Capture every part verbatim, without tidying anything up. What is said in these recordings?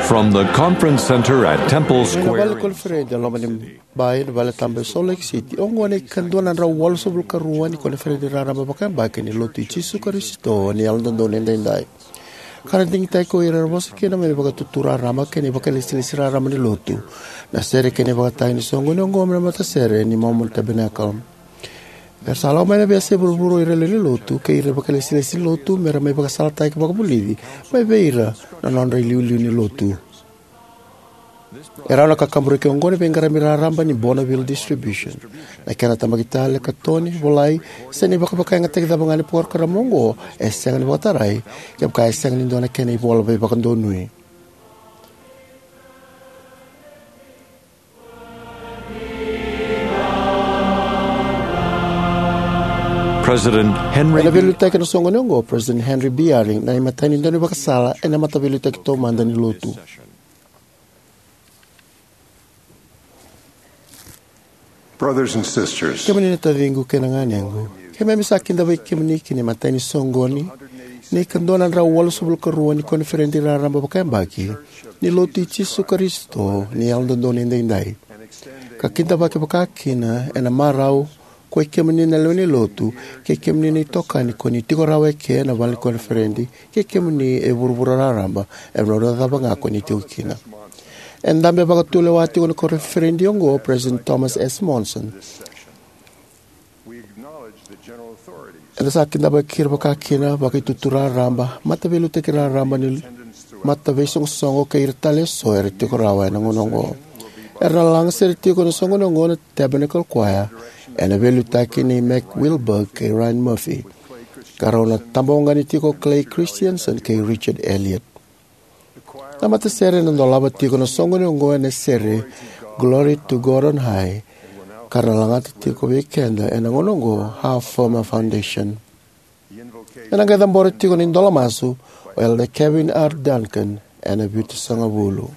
From the conference center at Temple Mai na vale Square. Koniferedi e loma ni bai na vale tabu e Salt Lake City, oqo na ikadua na drau walusagavulu ka rua ni Koniferedi Raraba Vakayabaki ni Lotu i Jisu Karisito ni Yalododonu Edaidai. Ka ra digitaki ko ira era vosa kina mai na vakatutu raraba kei na ivakalesilesi raraba ni lotu na sere kei na ivakatagi ni soqoni oqo mai na matasere ni Mormon Tabernacle. Era sa lako mai na veiyasai vuravura o ira na lewe ni lotu kei ira na vakalesilesi ni lotu me ra mai vakasalataki vakavulici mai vei ira na nodra iliuliu ni lotu. E rawa na kakaburaki oqo na veiqarami raraba ni Bonneville Distribution. Na kena tabaki tale, katoni, volai, se na ivakavakayagataki cava ga ni porokaramu oqo e sega ni vakatarai kevaka e sega ni dua na kena ivola veivakadonui. President Henry Ena veiliutaki ena soqoni oqo o President Henry B. Eyring, na imatai ni daunivakasala ena Mataveiliutaki Taumada ni Lotu. Brothers and sisters, Kemuni na taciqu kei na ganequ, keimami sa kidavaki kemuni ki na imatai ni soqoni ni kadua na drau walusagavulu ka rua ni Koniferedi Raraba Vakayabaki ni Lotu i Jisu Karisito ni Yalododonu Edaidai, ka kidavaki vakakina ena marau ko i kemuni na lewe ni lotu kei kemuni na itokani ko ni tiko rawa eke ena vale ni koniferedi kei kemuni e vuravura raraba, e vuravura cava ga ko ni tiko kina. E dabe vakatulewa tiko na koniferedi oqo o President Thomas S. Monson. Eda sa kidavaki ira vakakina, vakaitutu raraba, mataveiliutaki raraba ni mataveisoqosoqo kei ira tale eso era tiko rawa ena gauna oqo. Era na laga sere tiko ena soqoni oqo na Tabernacle Choir ena veiliutaki nei Mac Wilberg kei Ryan Murphy, ka rau na tabaugani tiko o Clay Christensen kei Richard Elliott. Na matasere ena dolava tiko na soqoni oqo ena sere Glory to God on High, ka ra na lagata tiko vei keda ena gauna oqo How Firm a Foundation. Ena qai cabora tiko na idola masu o Elder Kevin R. Duncan ena Vitusagavulu.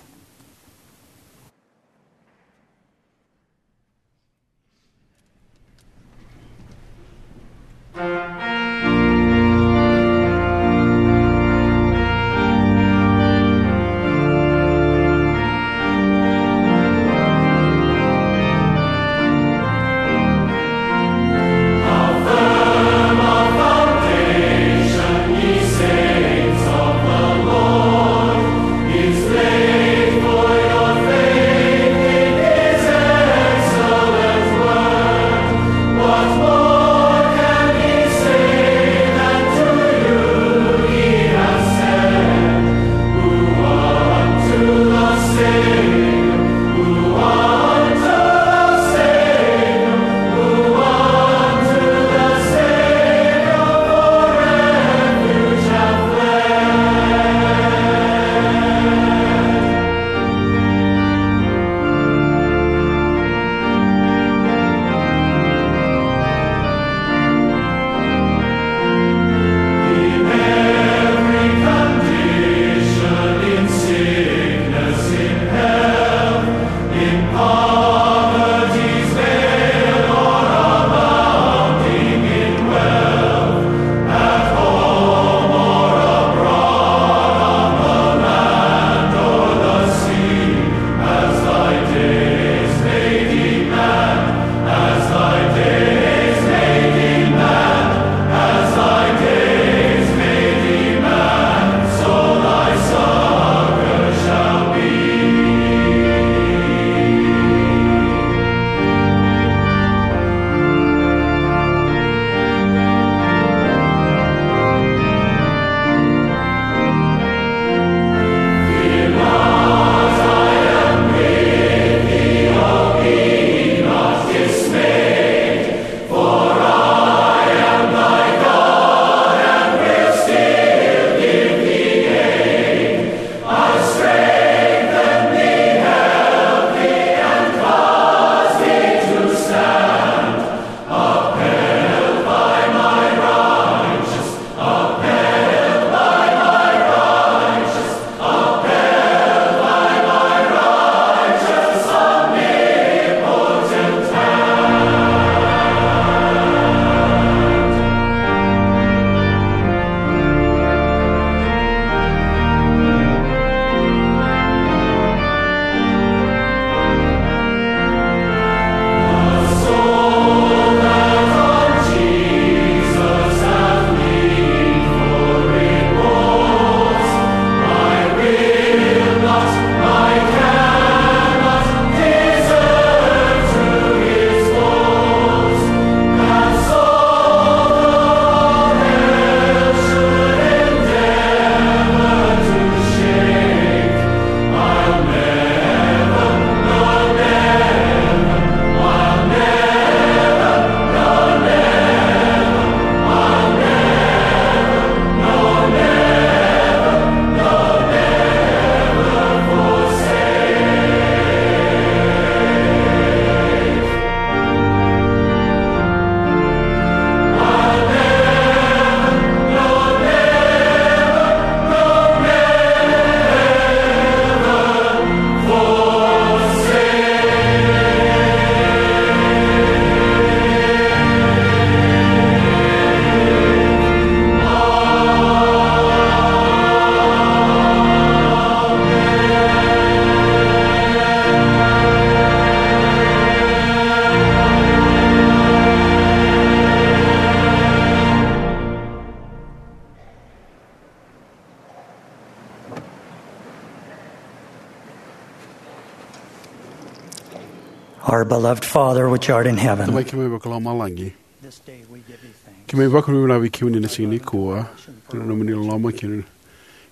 Our beloved Father, which art in heaven. Tamai keimami vakalomalagi. This day we give thee thanks. Keimami vakavinavinaka vei kemuni na siga nikua, ena nomuni loloma kei na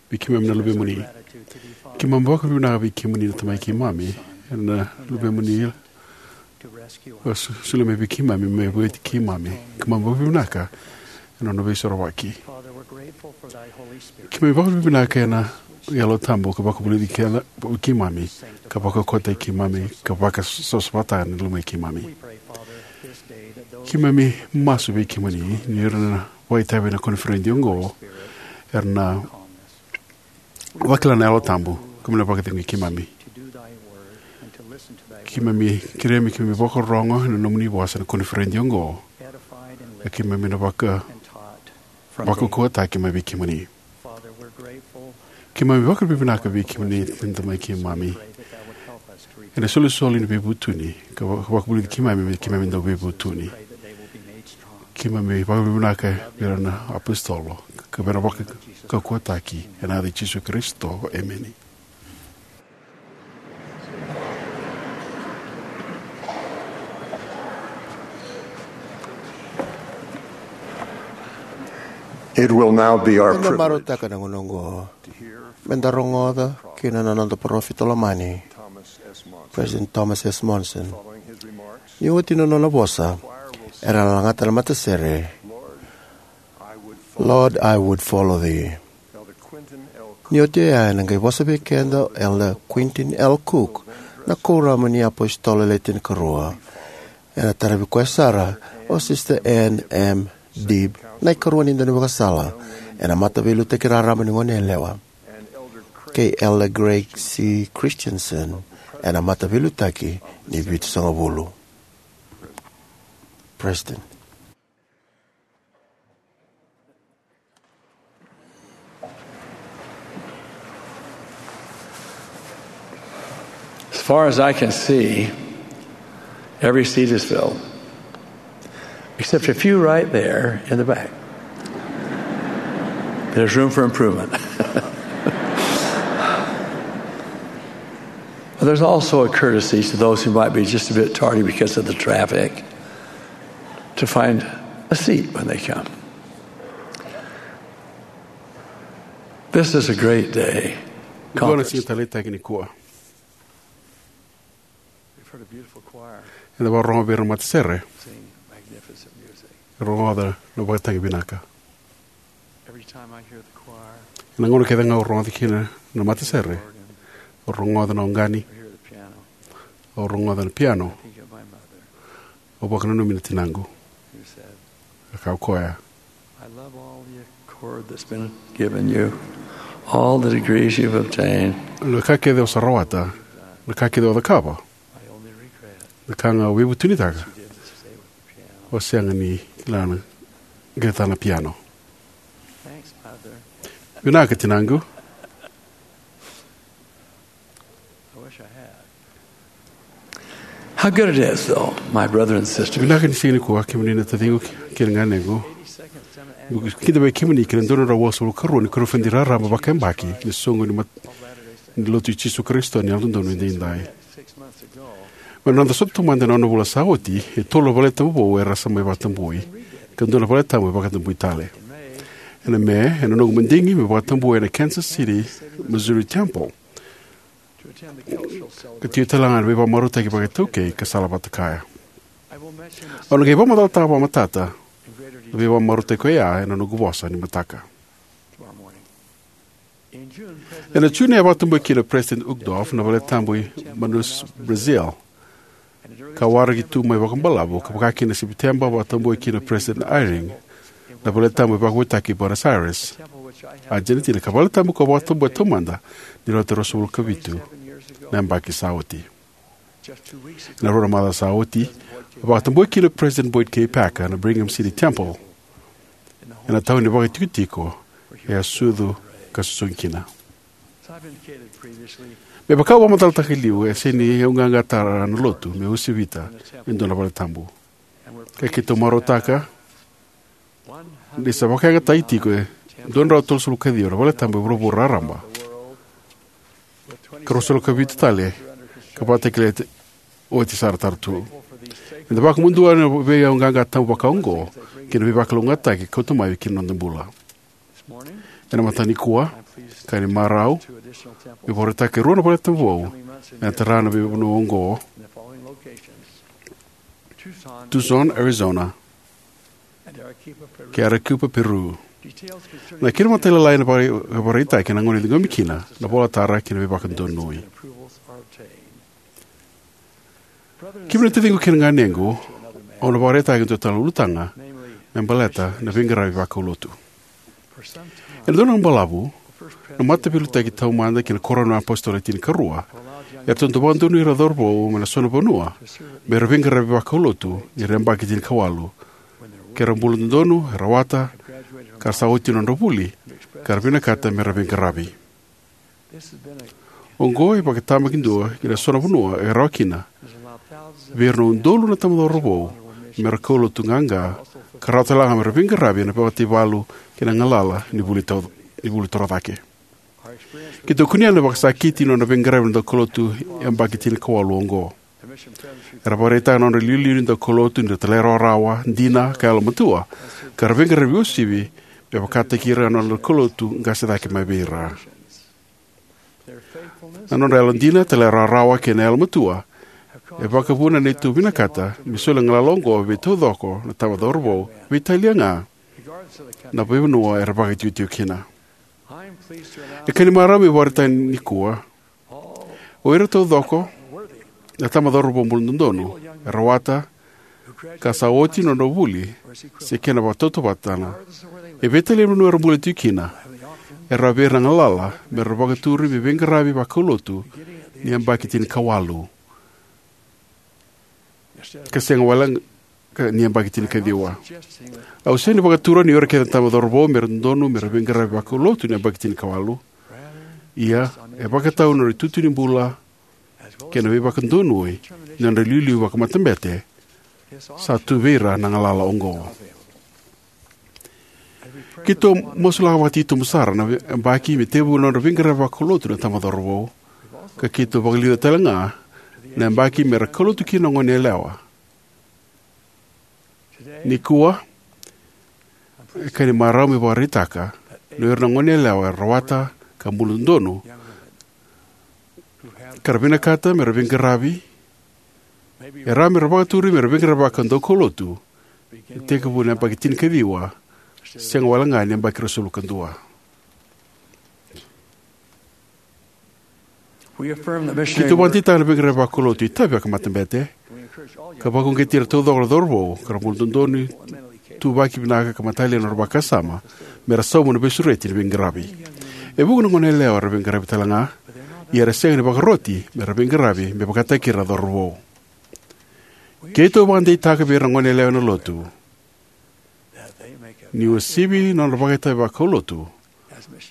vei keimami na luvemuni. Keimami vakavinavinaka vei kemuni na Tamai keimami, ena luvemuni, a so-, solia mai vei keimami me vueti keimami. Keimami vakavinavinaka ena nona veisorovaki. Keimami vakavinavinaka ena Yalo Tabu ka vakavulici keda, keimami, ka vakaukauwataki keimami, ka vakasavasavataka na lomai keimami. Keimami masu vei kemuni ni ira na vakaitavi ena koniferedi oqo era na vakila na Yalo Tabu, keimami na vakacegui keimami. Keimami kerea me keimami vakarorogo ena nomuni vosa ena koniferedi oqo, ka keimami na vaka, vakaukauwataki mai vei kemuni. Keimami vakavinavinaka vei kemuni na Tamai keimami ena isolisoli ni veivutuni, ka va-, vakavulici keimami me keimami dau veivutuni. Keimami vakavinavinaka vei ira na apositolo, ka vei ira na vakaukauwataki, ena yaca i Jisu Karisito. Emeni. It will now be our privilege. Eda marautaka na gauna oqo me da rogoca kina na noda parofita lomani, President Thomas S. Monson. Ni oti na nona vosa, era na lagata na matasere, "Lord, I would follow thee." Ni oti oya, ena qai vosa vei keda o Elder Quentin L. Cook, na kuoramu ni apositolo le tinikarua. Ena taravi koya sara o Sister Ann M. Dibb, na ikarua ni daunivakasala ena Mataveiliutaki Raraba ni Goneyalewa, kei Elder Craig C. Christensen ena Mataveiliutaki ni Vitusagavulu. President. As far as I can see, every seat is filled, except a few right there in the back. There's room for improvement. But there's also a courtesy to those who might be just a bit tardy because of the traffic to find a seat when they come. This is a great day. Nikua na siga taleitaki nikua. We've heard a beautiful choir. Eda vakarorogo vei ira na matasere. Sing magnificent music. Rogoca na vakatagi vinaka. Every time I hear the choir, ena gauna kece ga au rogoca kina na matasere, organ, au rogoca na oqani, I hear the piano, au rogoca na piano, I think of my mother, au vakananumi na tinaqu. Who said, e kaya o koya, "I love all the accord that's been given you, all the degrees you've obtained. Na ka kece o sa rawata, na ka kece o cakava. My only regret, na ka ga au veivutunitaka, you didn't stay with the piano, o sega ni kila na qai tara na piano." Thanks, Mother. Vinaka, tinaqu. I wish I had. How good it is, though, my brother and sister. Vinaka ni siga nikua, kemuni na taciqu kei na ganequ. Kida vei kemuni kei na dua na drau vasagavulu karua ni koniferedi raraba vakayabaki ni soqo ni mat-, ni Lotu i Jisu Karisito ni Yalododonu Edaidai. Mai na noda sota taumada ena ono na vula sa oti, e tolu na valetabu vou era sa mai vakatabui, ka dua na valetabu e vakatabui tale. Ena Me, ena noqu madigi me vakatabui ena Kansas City Missouri Temple, ka tiko tale ga na veivakamarautaki vakaitaukei ka sala vata kaya. Au na qai vakamacalataka vakamatata na veivakamarautaki oya ena noqu vosa ni mataka. Ena June e vakatabui kina o President Uchtdorf na valetabu i Manaus, Brazil, ka waraki tu mai vakabalavu, ka vaka kina na Sepiteba vakatabui kina o President Eyring na valetabu e vakavoutaki i Buenos Aires, Argentina, ka valetabu ka vakatabui taumada ni rauta ruasagavulu ka vitu na yabaki sa oti. Ena rua na macawa sa oti, vakatabui kina o President Boyd K. Packer na Brigham City Temple, ena tauni vakaitikotiko e a sucu ka susugi kina. Me vaka au vakamacalataka e liu, e sega ni au qaqa tara na Lotu meu uasivita e dua na valetabu. Ka keitou marautaka ni sa vakayagataki tiko e dua na drau tolusagavulu ka ciwa na valetabu e vuravura raraba, ka ruasagavulu ka vitu tale ka vakatakilai oti sara tara tu. Eda vakabauta na veiyauqaqa tabu vakaoqo kei na veivakalougatataki e kauta mai ki na noda bula. Ena mataka nikua, ka ni marau meu vakaraitaka e rua na valetabu vou ena tara na veivanua oqo: Tucson, Arizona, kei Arequipa, Peru. Na kena matailalai ena vakaraitaki ena gauna e ciqomi kina na ivolatara kei na veivakadonui. Kemuni na taciqu kei na ganequ, au na vakaraitaka e dua tale na ulutaga me baleta na veiqaravi vakaulotu. Ena dua na gauna balavu, na Mataveiliutaki Taumada kei na Kuoramu ni iApositolo Le Tinikarua e ratou dau vakadonui ira na cauravou mai na so na vanua me ra veiqaravi vakaulotu ni ra yabaki tinikawalu, ke ra bula dodonu, e rawata, ka ra sa oti na nodra vuli, ka ra vinakata me ra veiqaravi. Oqo e vakatabakidua ki na so na vanua e rawa kina vei ira na udolu na tamata cauravou me ra kaulotu qaqa, ka rawa tale ga me ra veiqaravi ena veimataivalu kei na galala ni vuli toro, ni vuli torocake. Keitou kunea na vakasakiti ni nodra veiqaravi na daukaulotu yabaki tinikawalu oqo. Era vakaraitaka na nodra iliuliu na daukaulotu ni ra talairawarawa, dina, ka yalomatua, ka ra veiqaravi uasivi me vakataki ira na nodra kaulotu qase cake mai vei ira. Na nodra yalodina, talairawarawa, kei na yalomatua e vakavuna na neitou vinakata me soli na galala oqo vei taucoko na tamata cauravou, veitalia ga na veivanua era vakaitikotiko kina. E ka ni marau meu vakaraitaka nikua, o ira taucoko na tamata cauravou bula dodonu, e rawata, ka sa oti na nodra vuli se kena vakatautauvatataki, e veitalia na vanua era bula tiko kina, e rawa vei ira na galala me ra vakaturi me veiqaravi vakaulotu ni yabaki tinikawalu, ka sega walega ni yabaki tinikaciwa. Au sega ni vakatura ni o ira kece na tamata cauravou me ra dodonu me ra veiqaravi vakaulotu ni yabaki tinikawalu. Ia, e vakatau na nodra itutu ni bula kei na veivakadonui ni nodra iliuliu vakamatabete, sa tu vei ira na galala oqo. Keitou masulaka vakatitobu sara na yabaki me tekivu na nodra veiqaravi vakaulotu na tamata cauravou, ka keitou vakaliuca tale ga na yabaki me ra kaulotu kina na goneyalewa. Nikua, e ka ni marau meu vakaraitaka ni o ira na goneyalewa era rawata ka bula dodonu, ka ra vinakata me ra veiqaravi, e rawa me ra vakaturi me ra veiqaravi vaka daukaulotu, e tekivu na yabaki tinikaciwa, sega walega ni yabaki ruasagavulu ka dua. Keitou vakadeitaka na veiqaravi vakaulotu e itavi vakamatabete, ka vakauqeti ira taucoko na cauravou ka ra bula dodonu, ituvaki vinaka ka matalia na nodra vakasama me ra sauma na veisureti ni veiqaravi. E vuqa na goneyalewa era veiqaravi tale ga, ia era sega ni vakaroti me ra veiqaravi me vakataki ira na cauravou. Keitou vakadeitaka vei ira na goneyalewa ena lotu ni uasivi na nodra vakaitavi vakaulotu,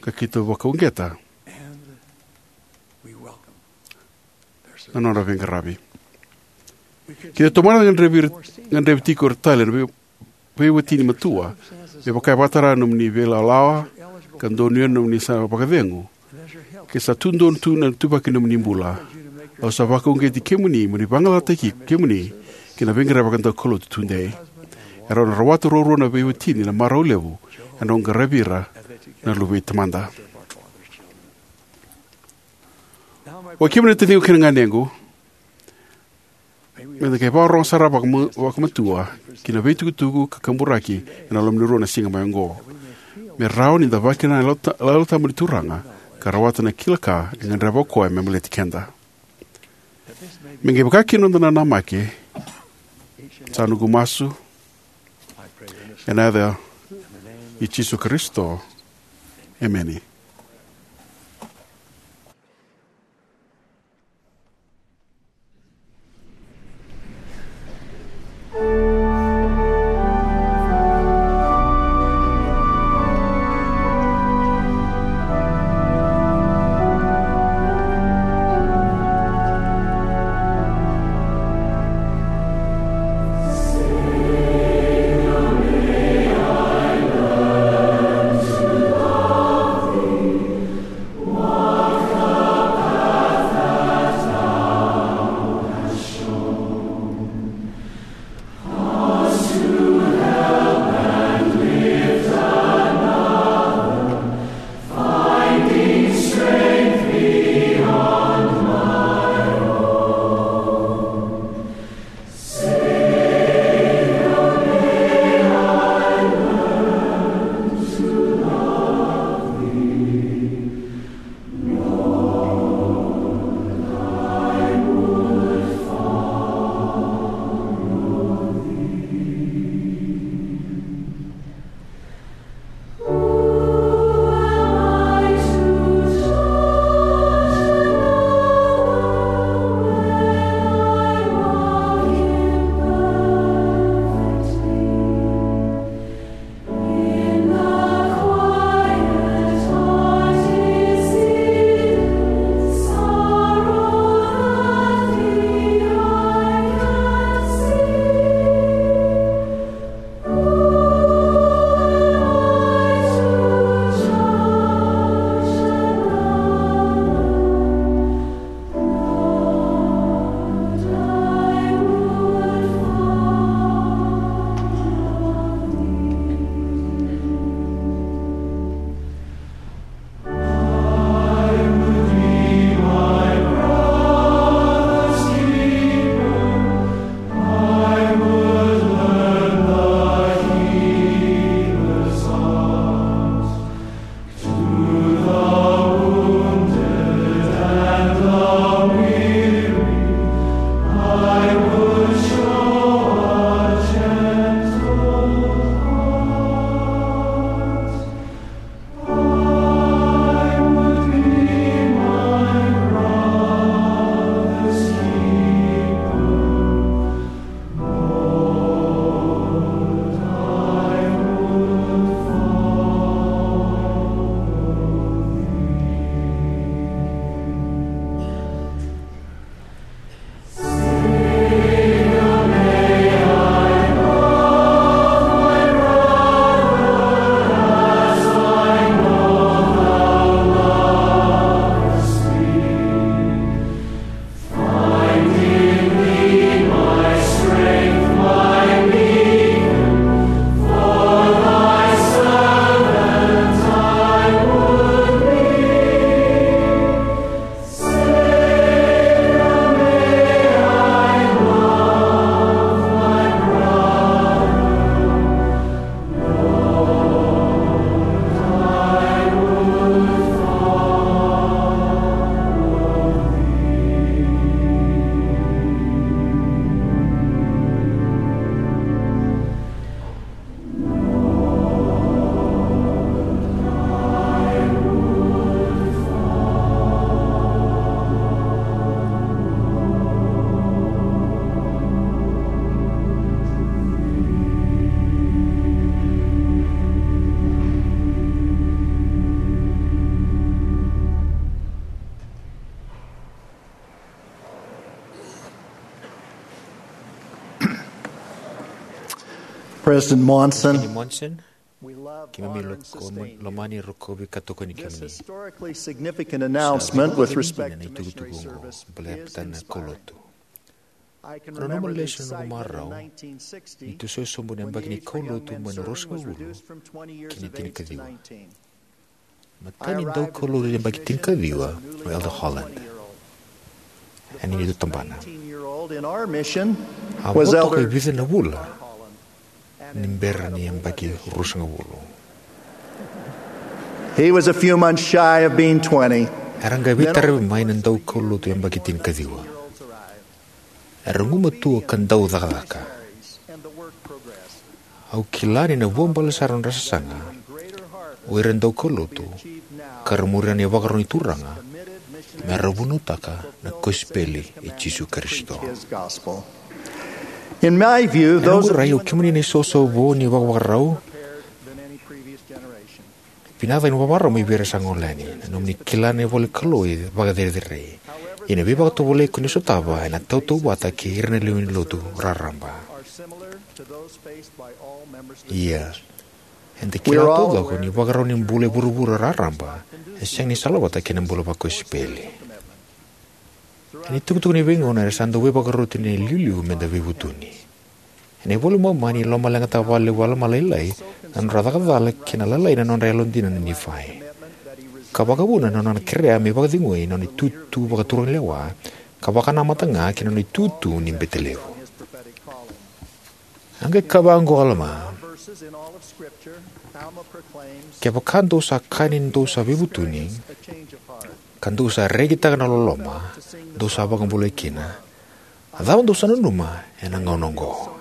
ka keitou vakauqeta na nodra veiqaravi. Keitou tomana na gadrevi, gadrevi tiko ira tale na vei, veiwatini matua, me vaka e vakatara na nomuni veilawalawa ka donuya na nomuni sa vakacegu, ke sa tu donu tu na ituvaki ni nomuni bula. Au sa vakauqeti kemuni mo ni vagalalataki kemuni ki na veiqaravi vakadaukaulotu tudei. E rawa ni rawata ruarua na veiwatini na marau levu e na qaravi ira na luve i Tamada. O kemuni na taciqu kei na ganequ, me da qai vakarorogo sara vakama, vakamatua ki na veitukutuku ka kaburaki e na loma ni rua na siga mai oqo, me rawa ni da vakila na Yalo Ta, Yalo Tabu ni Turaga ka rawata na kila ka e gadreva o koya me baleti keda. Me qai vaka kina na noda nanamaki, sa noqu masu e na yaca i Jisu Karisito. Emeni. President Monson, President Monson, we love, keimami honor, and loko-, sustain lomani, you. Rokovi ka tokoni This kemuni. Historically significant announcement with respect to missionary service gives an indication of our inspiring. Itukutuku oqo baleta na kaulotu. I can remember the excitement in nineteen sixty when the age for young men's serving was reduced from twenty years of age to nineteen. Nanuma lesu ena noqu marau ni tu sau e sobu na yabaki ni kaulotu mai na ruasagavulu ki na tinikaciwa. Matai ni daukaulotu yabaki tinikaciwa o Elder Holland ena neitou tabana. A vo toka e vica na vula ni bera ni yabaki ruasagavulu. He was a few months shy of being twenty. Era qai veitaravi mai na daukaulotu yabaki tinikaciwa. Era gumatua ka dau cakacaka. Au kila ni na vuabale sara na nodra sasaga o ira na daukaulotu, ka ra muria na ivakarau ni Turaga me ra vunautaka na kosipeli i Jisu Karisito. In my view, ena noqu rai, o kemuni na isausau vou ni vakavakarau, vinaka ni vakavakarau mai vei ira sa gole yani. Na nomuni kila na ivola ni Kalou e vakacerecerei. Ia na veivakatovolei ko ni sotava ena tautauvata kei ira na lewe ni lotu raraba. Ia, eda kila taucoko ni ivakarau ni bula e vuravura raraba e sega ni salavata kei na bula vakosipeli. Ena itukutuku ni veigauna era sa dau veivakaroti na iliuliu meda veivutuni. Ena iVola i Momani, lomaleqataka vakalevu o Alama Lailai na nodra caka cala kei na lalai na nodra yalodina na Nifai, ka vakavuna na nona kerea me vakacegui na nona itutu vakaturaga lewa ka vakanamata ga kei na nona itutu ni bete levu. A qai kaya vaqo o Alama: Kevaka dou sa kaya ni dou sa veivutuni, ka dou sa rekitaka na loloma dou sa vakabulai kina, a cava dou sa nanuma ena gauna oqo?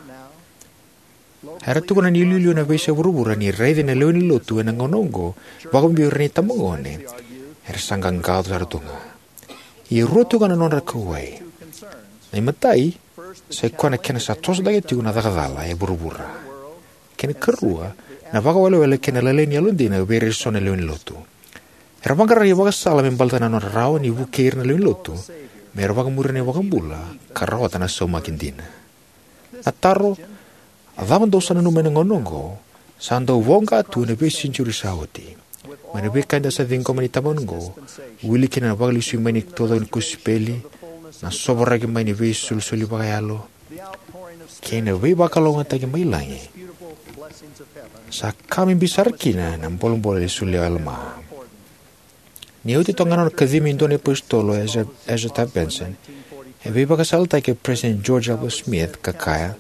Era tukuna ni iliuliu ena veiyasai vuravura ni raici na lewe ni lotu ena gauna oqo, vakabibi o ira na itabagone, era sa qaqaco sara tu ga. Ia e rua tu ga na nodra kauwai. Na imatai, sa i koya na kena sa toso cake tiko na caka cala e vuravura. Kei na ikarua, na vakawelewele kei na lailai ni yalodina vei ira eso na lewe ni lotu. Era vaqara na ivakasala me baleta na nodra rawa ni vukei ira na lewe ni lotu me ra vakamuria na iVakabula ka rawata na saumaki dina. Na taro, a cava dou sa nanuma ena gauna oqo, sa dau voqa tu ena veisenitiuri sa oti. Mai na veika eda sa ciqoma ena itabagone oqo, wili kina na vakalesui mai ni taucoko ni kosipeli, na sovaraki mai ni veisolisoli vakayalo, kei na veivakalougatataki mai lagi, sa ka bibi sara kina na bolebole e solia o Alama. Ni oti toka ga na nona kacivi me dua na iapositolo o Ezra, Ezra Taft Benson, e veivakasalataki o President George Albert Smith ka kaya: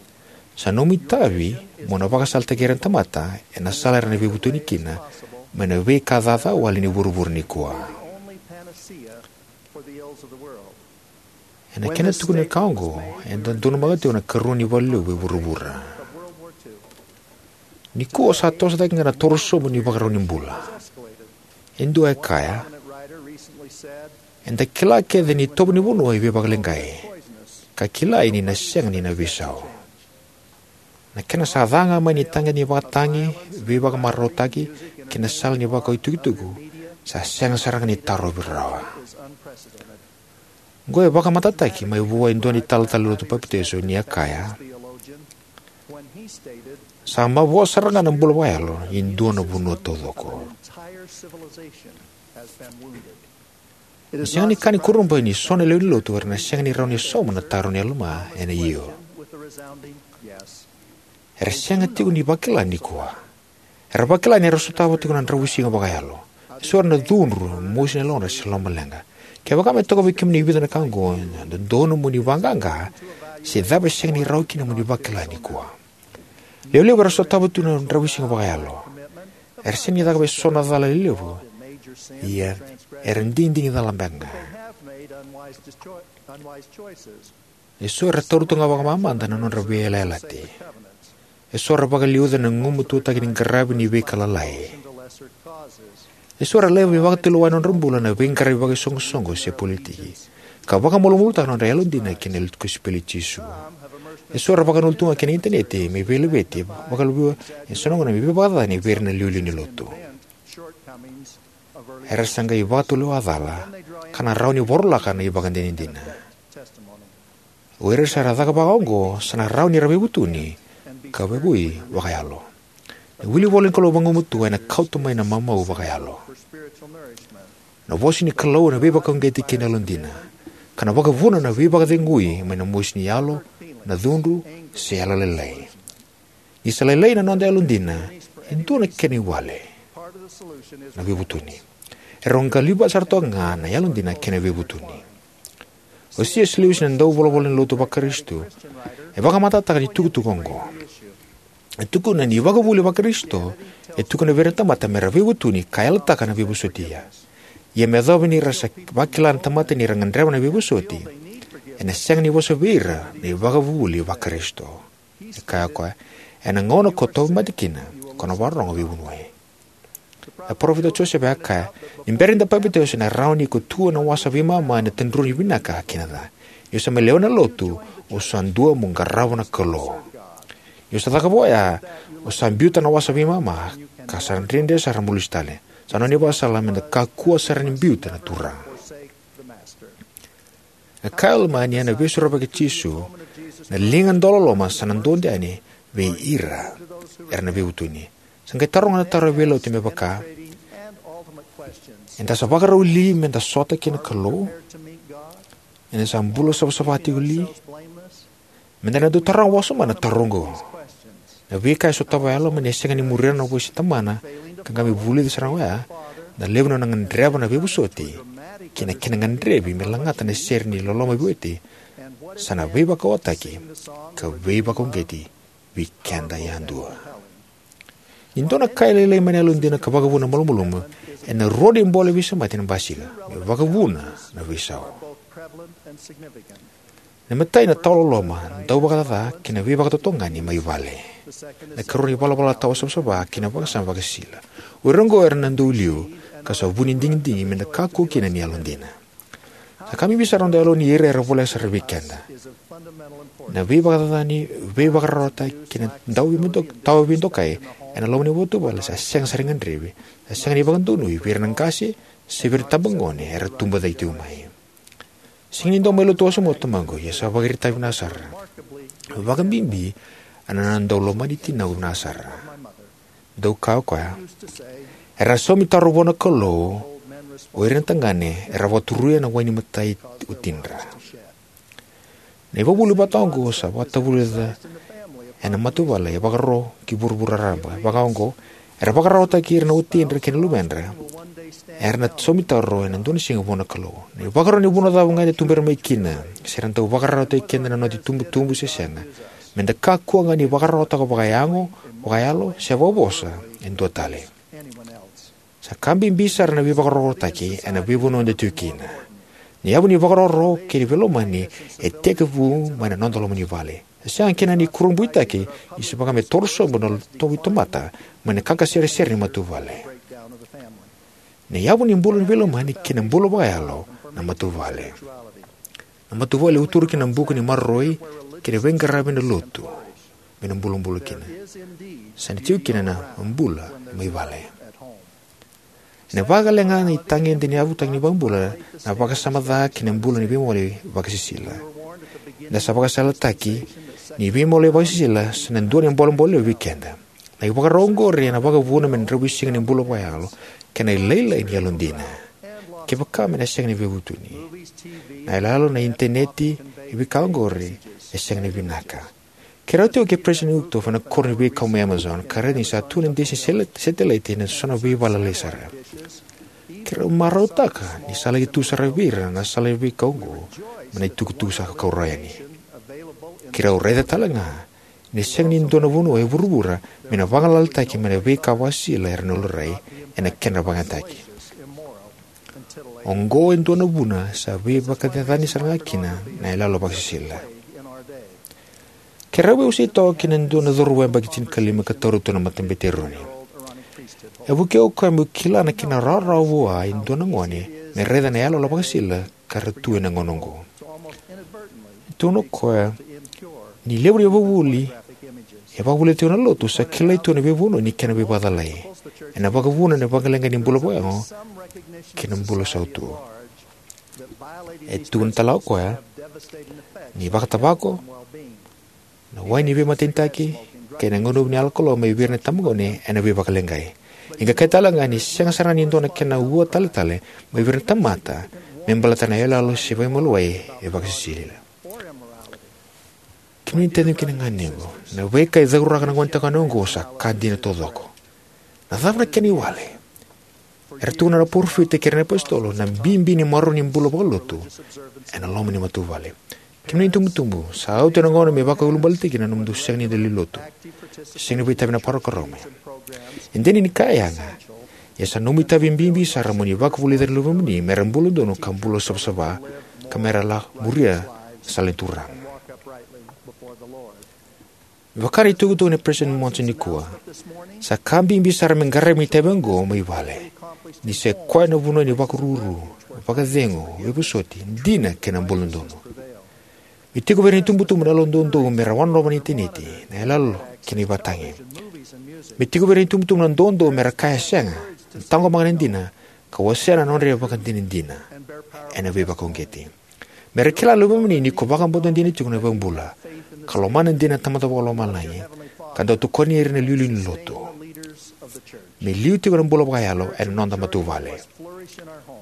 Sa nomu itavi mo na vakasalataki ira na tamata ena sala era na veivutuni kina mai na veika caca wale ni vuravura nikua. Ena kena tukuni na ka oqo, eda donumaka tiko na ikarua ni valelevu e vuravura. Nikua sa toso cake ga na torosobu ni ivakarau ni bula. E dua e kaya: Eda kila kece ni itovo ni vanua e veivakaleqai, ka kilai ni na sega ni na veisau. Na kena sa ca ga mai na itagede ni vakatagi, veivakamarautaki, kei na sala ni vakau itukutuku, sa sega sara ga ni tarovi rawa. Oqo e vakamatatataki mai vua e dua na italatala ni lotu Papitaiso ni a kaya: Sa mavoa sara ga na bula vakayalo ni dua na vanua taucoko. E sega ni ka ni kurabui ni so na lewe ni lotu era na sega ni rawa ni sauma na taro nei Alama ena io. Era sega tiko ni vakila nikua. Era vakila ni ra sotava tiko na dravuisiga vakayalo. Eso era na cudru, mosi na yalodra se lomaleqa. Kevaka me toka vei kemuni e vica na ka oqo, ena dodonu mo ni vaqaqa se cava e sega ni rawa kina mo ni vakila nikua. Lewe levu era sotava tu na dravuisiga vakayalo. Era sega ni cakava eso na cala lelevu, ia era digidigi cala beka ga. Eso era taura tu ga vakamamada na nodra veiyalayalati. Eso era vakaliuca na gumatuataki ni qaravi ni veika lalai. Eso era laiva me vakatulewa na nodra bula na veiqaravi vakaisoqosoqo se politiki, ka vakamalumalumutaka na nodra yalodina ki na kosipeli i Jisu. Eso era vakanulu tu ga ki na initaneti me veilaveti, vakaliuca eso na gauna me veivakacacani vei ira na iliuliu ni lotu. Era sa qai vakatulewa cala, ka na rawa ni vorolaka na ivakadinadina. O ira sa ra caka vakaoqo sa na rawa ni ra veivutuni ka vakavuvuli vakayalo. Na wilivola ni Kalou vagumatua ena kauta mai na mamau vakayalo. Na vosa ni Kalou ena veivakauqeti kei na yalodina, ka na vakavuna na veivakacegui mai na mosi ni yalo, na cudru, se yalolailai. Ni sa lailai na noda yalodina, e dua na kena iwali na veivutuni. E rau qaliva sara toka ga na yalodina kei na veivutuni. O C S Lewis, na dauvolavola ni lotu Vakarisito, e vakamatatataka na itukutuku oqo. E tukuna ni ivakavuvuli Vakarisito e tukuna vei ira na tamata me ra veivutuni ka yalataka na veivosoti. Ia, ia me yacova ni ra sa vakila na tamata ni ra gadreva na veivosoti, ena sega ni vosa vei ira na ivakavuvuli Vakarisito. E kaya o koya, ena gauna ko tauvimate kina, ko na vakarorogo veivunauci. Na parofita o Josefa e kaya, ni bera ni da papitaiso, ena rawa ni ko tu ena wasa veimama ena tadrua ni vinaka kei na ca. Ni o sa mai lewena na lotu, o sa dua mo qarava na Kalou. Ni o sa cakava oya, o sa biuta na wasa veimama, ka sa dredre sara mo lesu tale. Sa nona ivakasala me da kakua sara ni biuta na Turaga. E kaya o Alama ni ena Veisorovaki i Jisu, na liga dauloloma sa na dodonu yani vei ira era na veivutuni. Sa qai taroga na taro e veilotu me vaka, eda sa vakarau li me da sota kei na Kalou? Eda sa bula savasava tiko li? Me da na dau taroga wasoma na taro oqo. Na veika e sotava o Alama ni sega ni muria na vosa i tamana, ka qai mai vulica sara ga oya na levu ni nona gadreva na veivosoti kei na kena gadrevi me lagata na sere ni loloma veiwati, sa na veivakaoataki ka veivakauqeti vei keda yadua. Ni dua na ka e lailai mai na yalodina ka vakavuna na malumalumu, ena rua na ibole veisemati ena basika me vakavuna na veisau. Na imatai, na tawaloloma, dauvakacaca kei na veivakatotogani mai vale. Na ikarua, na ivalavala tawa savasava kei na vakasama vakasisila. O ira oqo era na dau liu, ka sa vu ni digidigi me da kakua kina ni yalodina. Sa ka bibi sara na noda yalo ni ira era voleka sara vei keda. Na veivakacacani, veivakararawataki kei na dauveido-, tawa veidokai ena loma ni matavuvale sa sega sara ni gadrevi, sa sega ni vakadonui vei ira na qase se vei ira na itabagone era tubu cake tiko mai. Sega ni dau mai lotu wasoma o tamaqu, ia sa vakairaitaki vinaka sara. Vakabibi ena nona dau lomani tinaqu vinaka sara. Dau kaya o koya, era saumi taro vua na Kalou o ira na tagane era vakaturuya na wai ni mata i watidra. Na ivakavuvuli vata oqo sa vakatavulica ena matavuvale e vakaro ki vuravura raraba. Vaka oqo, era vakararawataki ira na watidra kei na luvedra era na saumi taro ena dua na siga vua na Kalou. Na ivakaro ni vanua cava ga eda tubera mai kina, se ra dau vakararawataki keda na noda itubutubu se sega, me da kakua ga ni vakararawataka vakayago, vakayalo, se vakavosa e dua tale. Sa ka bibi sara na veivakararawataki ena veivanua eda tiko kina. Na yavu ni vakaroro kei na veilomani e tekivu mai na noda loma ni vale. E sega kina ni kurabuitaki ni sa vaka me toro sobu na tauveitamata mai na qaqaseresere ni matavuvale. Na yavu ni bula ni veilomani kei na bula vakayalo na matavuvale. Na matavuvale e uturu kina na buka ni maroroi kei na veiqaravi ena lotu, me na bulabula kina. Sa na tiko kina na bula mai vale. Ena vakagale ga na itagede ni yavutaki ni iVakabula na vakasama ca kei na bula ni veimoli vakasisila. Eda sa vakasalataki ni veimoli vakasisila sa na dua na bolebole vei keda. Na ivakarau oqori ena vakavuna me dravuisiga ni bula vakayalo, kei na lailai ni yalodina. Kevaka me na sega ni veivutuni, na iyaloyalo, na initaneti, e veika oqori e sega ni vinaka. Keirau tiko kei President Uchtdorf ena koro ni veikau mai Amazon, ka raica ni sa tu na disi sele-, satellite ena so na veivala lailai sara. Keirau marautaka ni sa laki tu sara vei ira na sala ni veikau oqo mai na itukutuku sa kau rawa yani. Keirau raica tale ga ni sega ni dua na vanua e vuravura me na vagalalataki mai na veika vakasisila era na laurai ena kedra vakayagataki. Oqo e dua na vuna sa veivakacacani sara ga kina na iyaloyalo vakasisila. Keirau veiwasei toka kei na dua na cauravou yabaki tinikalima ka taura tu na matabete eroni. E vukei au o koya meu kila na kena rawarawa vua e dua na gone me raica na iyaloyalo vakasisila ka ra tu ena gauna oqo. E tukuna o koya ni levu na ivakavuvuli e vakavulica tiko na lotu sa kilai tu ena veivanua ni kena veivakacalai. Ena vakavuna na vakaleqai ni bula vakayago kei na bula sautu. E tukuna tale o koya ni vakatavako, na wai ni veimatenitaki, kei na gunuva ni yalo kalou mai vei ira na itabagone ena veivakaleqai. E qai kaya tale ga ni sega sara ni dua na kena ua taletale mai vei ira na tamata me baleta na iyaloyalo se veimaliwai e vakasisila. Kemuni na taciqu kei na ganequ, na veika e cauraka na gonetagane oqo sa ka dina taucoko. Na cava na kena iwali? Era tukuna na parofita kei ira na iapositolo na bibi ni maroroi ni bula vakalotu ena loma ni matavuvale. Kemuni na itubutubu, sa oti na gauna me vakaulubaletaki kina na nomudou sega ni dau lai lotu, sega ni vakaitavi ena parokaramu. E dina ni ka e yaga, ia sa nomu itavi bibi sara mo ni vakavulica na luvemuni mera bula donu ka bula savasava, ka mera la muria na sala ni Turaga. Me vaka na itukutuku nei Peresitedi Monson nikua, sa ka bibi sara me qaravi na itavi oqo mai vale, ni sa i koya na vanua ni vakaruru, vakacegu, veivosoti, dina kei na bula donu. Me tiko vei ira na itubutubu na yalodoudou mera wanonova na initaneti, na iyaloyalo kei na ivakatagi. Me tiko vei ira na itubutubu na doudou mera kaya sega, na taqomaka na dina, ka wasea na nodra ivakadinadina ena veivakauqeti. Mera kila na luvemuni ni ko vakabauta dina tiko na iVakabula, ka lomana dina na Tamada Vakalomalagi, ka dau tokoni ira na iliuliu ni lotu. Me liu tiko na bula vakayalo ena noda matavuvale.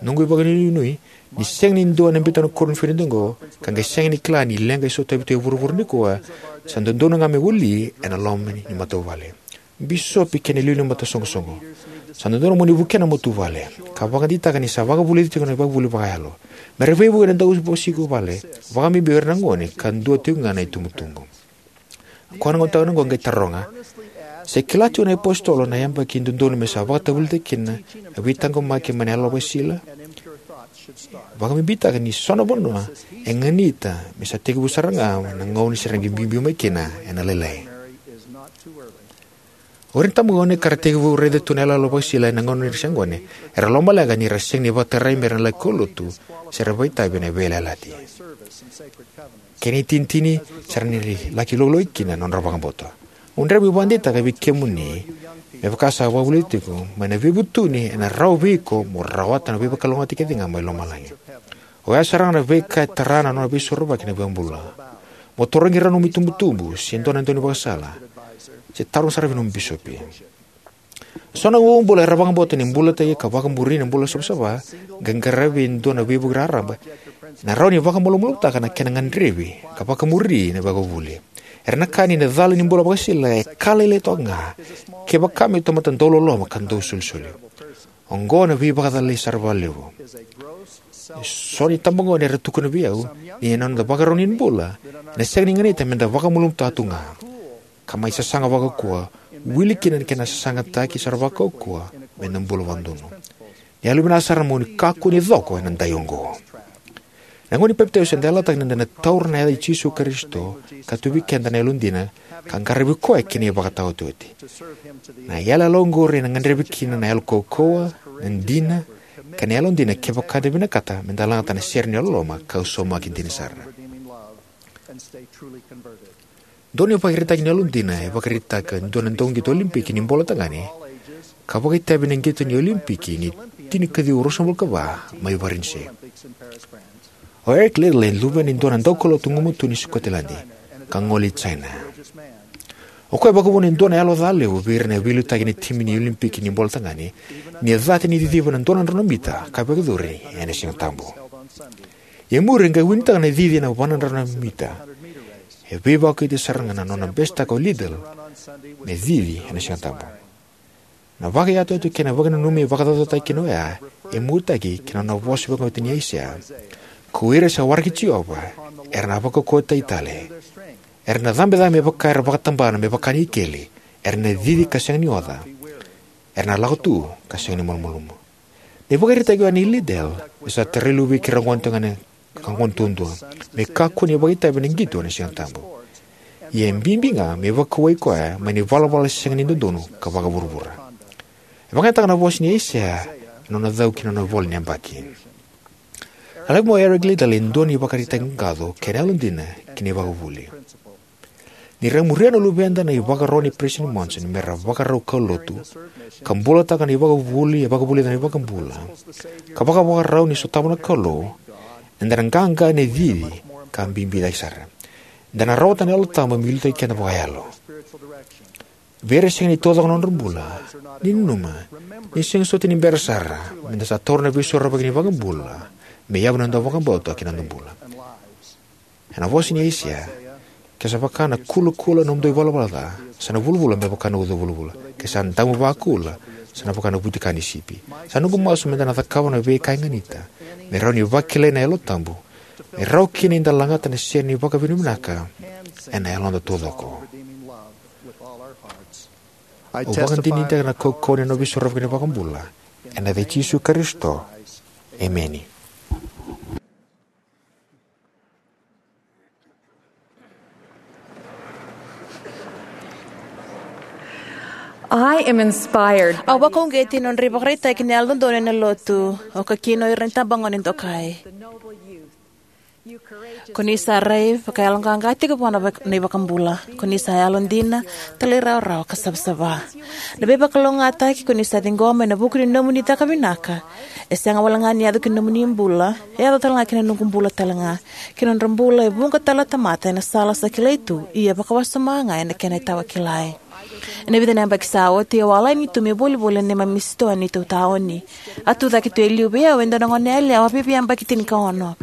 Noqu ivakanuinui, ni sega ni dua na biuta na koro ni finadi oqo, ka qai sega ni kila ni leqa e sotavi tu e vuravura nikua, sa dodonu ga me wali ena loma ni matavuvale. Bisopi kei na iliuliu ni mataisoqosoqo, sa dodonu mo ni vukea na matavuvale, ka vakadeitaka ni sa vakavulici tiko na ivakavuvuli vakayalo. Mera veivuke na dauveivosaki vale, vakabibi o ira na gone, ka dua tiko ga na itubutubu. Koya na gonetagane oqo qai taroga, se kila tiko na iapositolo na yabaki dodonu me sa vakatavulici kina na veitaqomaki mai na yalo vakasisila? Vakabibitaka ni so na vanua e ganita me sa tekivu sara ga na gauna se ra qai biubiu mai kina ena lailai. O ira na itabagone ka ra tekivu raica tu na iyaloyalo vakasisila ena gauna ni ra se gone, era lomaleqa ni ra sega ni vakatarai mera laki kaulotu se ra vakaitavi ena veiyalayalati. Kena itinitini, sa ra na laki laulau kina na nodra vakabauta. Au gadreva meu vakadeitaka vei kemuni, me vaka sa vakavulici tiko, mai na veivutuni ena rawa vei iko mo rawata na veivakalougatataki kece ga mai lomalagi. Oya sara ga na veika e tara na nona veisorovaki na iVakabula. Mo tarogi rau na nomu itubutubu se dua na daunivakasala, se taroga sara vei nomu bisopi. So na iucibula era vakabauta ni bulataki ka vakamuri na bula savasava, qai qaravi e dua na veivuke raraba, ena rawa ni vakamalumalumutaka na kena gadrevi ka vakamuri na ivakavuvuli. Era na kaya ni na cala ni bula vakasisila e ka lailai toka ga, kevaka me tamata dauloloma ka dausolisoli. Oqo na veivakacalai sara vakalevu. So na itabagone era tukuna vei au ni na noda vakarau ni bula ena sega ni ganita meda vakamalumalumutaka tu ga, ka mai sasaga vakaukauwa, wili kina na kena sasagataki sara vakaukauwa meda bula vakadodonu. Ni yalovinaka sara mo ni kakua ni coko ena dai oqo. Na gauna ni papitaiso eda yalataka ni da na taura na yaca i Jisu Karisito ka tu vei keda na yalodina, ka qaravi koya ki na ivakataotioti. Na yalayala oqori ena gadrevi kina na yalo kaukauwa, na dina, kei na yalodina kevaka eda vinakata meda lagata na sere ni yalololoma ka saumaki dina sara. Dua na ivakaraitaki ni yalodina e vakaraitaka e dua na dauqito Olympic ni bola tagane, ka vakaitavi ena qito ni Olympic ni tinikaciwa ruasagavulu ka va mai Varanise. O Eric Liddell e luvena e dua na daukaulotu gumatua ni Sikoteladi, ka gole i China. O koya e vakavuna e dua na yalo ca levu vei ira na veiliutaki ena timi ni Olympic ni bola tagane, ni a cata ni ciciva na dua na drau na mita ka vakayacori ena Siga Tabu. Ia e muri e qai winitaka na cici ena va na drau na mita. E veivakaoti sara ga na nona besetaka o Liddell me cici ena Siga Tabu. Na vakayatoyato kei na vakananumi e vakacaucautaki kina oya e muataki ki na nona vosa vakaoti ni Aisea: Ko ira sa waraki Jiova era na vakaukauwataki tale. Era na cabecabe me vaka era vakatabana me vaka na ikeli. Era na cici ka sega ni oca. Era na lako tu ka sega ni malumalumu. Na ivakaraitaki oya nei Liddell e sa tarai luve ki ra gone tagane ka gone duadua me kakua ni vakaitavi ena qito ena Siga Tabu. Ia e bibi ga me vakauwai koya mai na ivalavala sega ni dodonu ka vakavuravura. E vakayagataka na vosa ni Aisea ena nona cau ki na nona ivola ni yabaki. A laivi mai o Eric Liddell e dua na ivakaraitaki qaqaco kei na yalodina ki na ivakavuvuli. Ni ra muria na luveda na ivakaro nei Peresitedi Monson me ra vakarau kaulotu, ka bulataka na ivakavuvuli e vakavulica na iVakabula, ka vakavakarau ni sotava na Kalou, eda na qaqa ena cici ka bibi cake sara. Eda na rawata na Yalo Tabu me liutaki keda vakayalo. Vei ira e sega ni taucoko na nodra bula, ni nanuma ni sega soti ni bera sara me da sa taura na Veisorovaki ni iVakabula me yavu ni noda vakabauta kei na noda bula. Ena vosa nei Aisea: Ke sa vaka na kulakula na nomudou ivalavala ca, sa na vulavula me vaka na uca vulavula. Ke sa damu vakula, sa na vaka na vutika ni sipi. Sa noqu masu me da na cakava na veika e ganita me rawa ni vakilai na Yalo Tabu, me rawa kina ni da lagata na sere ni vakavinavinaka ena yaloda taucoko. Au vakadinadinataka na kaukauwa ni nona Veisorovaki na iVakabula, ena yaca i Jisu Karisito, emeni. I am inspired. Au vakauqeti ena nodra ivakaraitaki na Yalododonu ena Lotu, oka kina o ira na itabagone dokai. Ko ni sa rai vakayaloqaqa tiko vua na vak-, na iVakabula. Ko ni sa yalodina, talairawarawa ka savasava. Na veivakalougatataki ko ni sa ciqoma ena vuku ni nomuni caka vinaka, e sega wale ga ni yaco ki na nomuni bula, e yaco tale ga ki na noqu bula tale ga, ki na nodra bula e vuqa tale na tamata ena sala sa kilai tu, ia vakawasoma ga ena kena itaukei. Ena vica na yabaki sa oti, au a lani tu me volivoli ena neimami sitoa ni neitou taoni. A tucake tu e liu vei au e dua na goneyalewa veiveiyabaki tinikaono.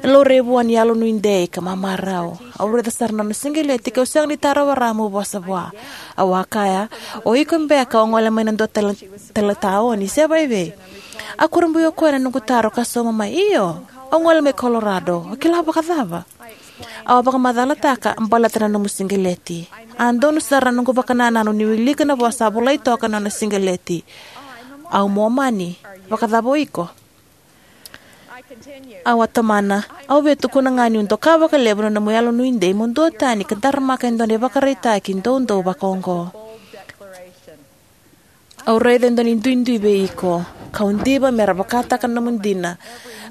E laurai vua ni yalonuidei ka mamarau. Au raica sara na nona siqeleti kau sega ni tarova rawa meu vosa vua. Au a kaya: "O iko beka o gole mai na dua tale, tale taoni, se vaivei?" A kurabui o koya na noqu taro ka sauma mai: "Io, au gole mai Colorado. O kila vakacava?" Au a vakamacalataka baleta na nomu siqeleti. A donu sara na noqu vakanananu ni wilika na vosa a volai toka ena nona siqeleti: "Au Momani. Vakacava o iko?" Au a tomana: "Au via tukuna ga niu doka vakalevu na nomu yalonuidei mo dua tani ka daramaka e dua na ivakaraitaki doudou vakaoqo. Au raica e dua na iduidui vei iko, kau diva me ra vakataka na nomu dina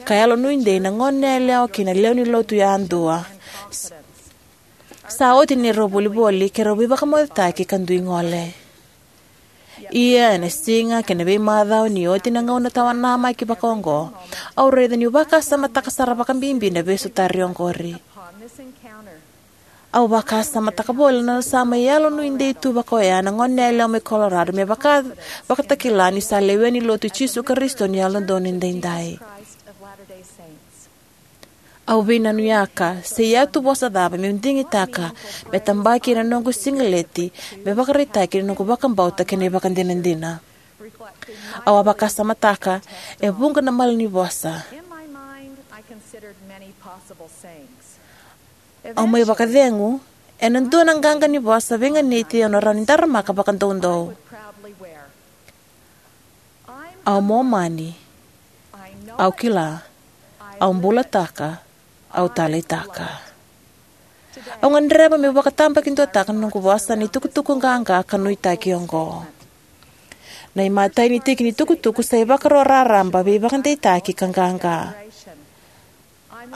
ka yalonuidei na goneyalewa kei na lewe ni lotu yadua. S-, sa oti ni rau volivoli, keirau veivakamocetaki ka dui gole." Ia, ena siga kei na veimacawa ni oti na gauna tawanamaki vakaoqo, au raica niu vakasamataka sara vakabibi na veisotari oqori. Au vakasamataka voli na nona sa mai yalonuidei tu vakaoya na goneyalewa mai Colorado, me vaka, vakatakila ni sa lewe ni Lotu i Jisu Karisito ni Yalododonu Edaidai. Au veinanuyaka, se ia tu vosa cava meu digitaka me tabaki ena noqu siqeleti, me vakaraitaki na noqu vakabauta kei na ivakadinadina. Au a vakasamataka e vuqa na malanivosa. Au mai vakacegu ena dua na qaqa ni vosa veiganiti au na rawa ni daramaka vakadoudou: "Au Momani. Au kila. Au bulataka. Au taleitaka." Au gadreva meu vakatabakiduataka na noqu vosa ena itukutuku qaqa ka nuitaki oqo. Na imatai ni tiki ni tukutuku sa ivakaro raraba, veivakadeitaki ka qaqa.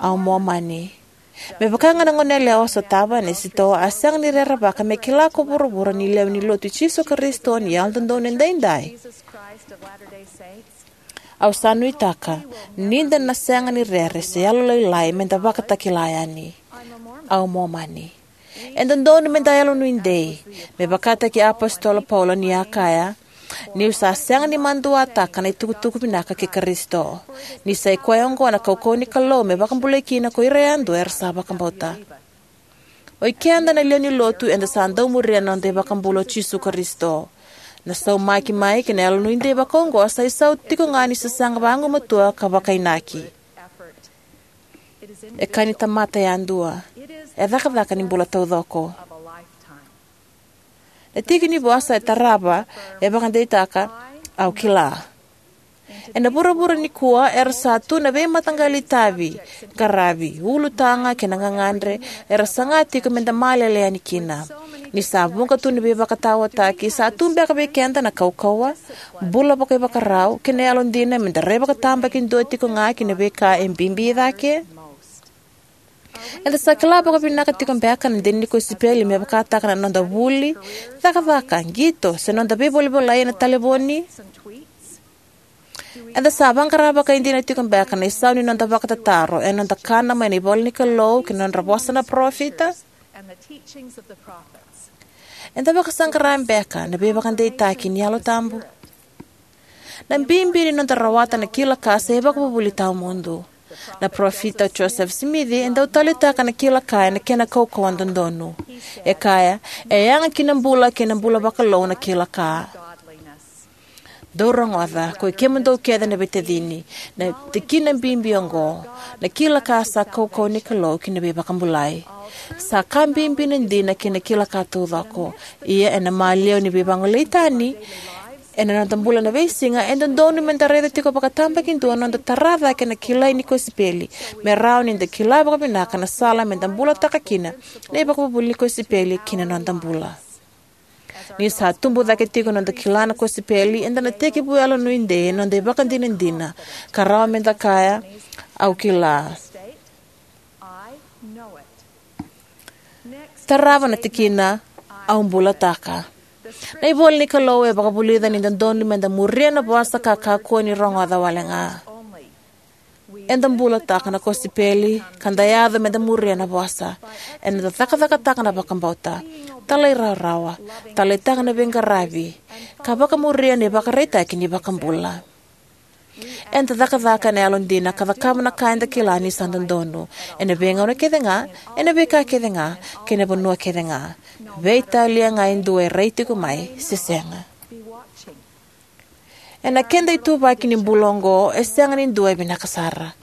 "Au Momani." Me vaka ga na goneyalewa sotava ena sitoa, a sega ni rerevaka me kila ko vuravura ni lewe ni Lotu i Jisu Karisito ni Yalododonu Edaidai. Au sa nuitaka ni da na sega ni rere se yalolailai me da vakatakila yani. Au Momani. E dodonu me da yalonuidei, me vakataki Apositolo Paula ni a kaya: "Niu sa sega ni maduataka na itukutuku vinaka kei Karisito, ni sa i koya oqo na kaukauwa ni Kalou me vakabulai kina ko ira yadua era sa vakabauta." O ikeda na lewe ni Lotu eda sa dau muria na noda iVakabula o Jisu Karisito. Na saumaki mai kei na yalonuidei vakaoqo sa isau tiko ga ni sasaga vagumatua ka vakainaki. E ka ni tamata yadua. E cakacaka ni bula taucoko. Na tiki ni vosa e tarava e vakadeitaka: "Au kila." Ena vuravura nikua era sa tu na veimataqali itavi, qaravi, ulutaga kei na gagadre era saga tiko me da malele yani kina. Ni sa vuqa tu na veivakataotaki, sa tu beka vei keda na kaukauwa, bula vakaivakarau kei na yalodina me da rai vakatabakidua tiko ga ki na veika e bibi cake? Eda sa kila vakavinaka tiko beka na dina ni kosipeli, me vakataka na noda vuli, cakacaka, qito, se noda veivolavolai ena talevoni? Eda sa vaqara vakaidina tiko beka na isau ni noda vakatataro ena noda kana mai na ivolanikalou kei na nodra vosa na parofita? Eda vakasaqara beka na veivakadeitaki ni Yalo Tabu? Na bibi ni noda rawata na kila ka sa ivakavuvuli tawamudu. Na Parofita o Josefa Simici e dau taleitaka na kila ka ena kena kaukauwa dodonu. E kaya, e yaga ki na bula kei na bula vakalou na kila ka. Dou rogoca, koi kemudou kece na veitacini, na tikina bibi oqo: na kila ka sa kaukauwa ni Kalou ki na veivakabulai. Sa ka bibi na dina kei na kila ka taucoko. Ia ena maliwa ni veivagolei tani ena noda bula na veisiga, e dodonu meda raica tiko vakatabakidua na noda tara cake na kilai ni kosipeli, me rawa nida kila vakavinaka na sala meda bulataka kina na ivakavuvuli ni kosipeli ki na noda bula. Ni sa tubu cake tiko na noda kila na kosipeli, eda na tekivu yalonuidei ena noda ivakadinadina, ka rawa meda kaya, au kila. Tarava na tikina, au bulataka. Na ivola ni Kalou e vakavulica ni dodonu meda muria na vosa ka kakua ni rogoca wale ga. Eda bulataka na kosipeli ka da yaco meda muria na vosa. Eda cakacakataka na vakabauta, talairawarawa, taleitaka na veiqaravi, ka vakamuria na ivakaraitaki ni iVakabula. Eda cakacaka ena yalodina ka cakava na ka eda kila ni sa dodonu, ena veigauna kece ga, ena veika kece ga, kei na vanua kece ga, veitalia ga e dua e rai tiko mai se sega. Ena keda ituvaki ni bula oqo, e sega ni dua e vinaka sara.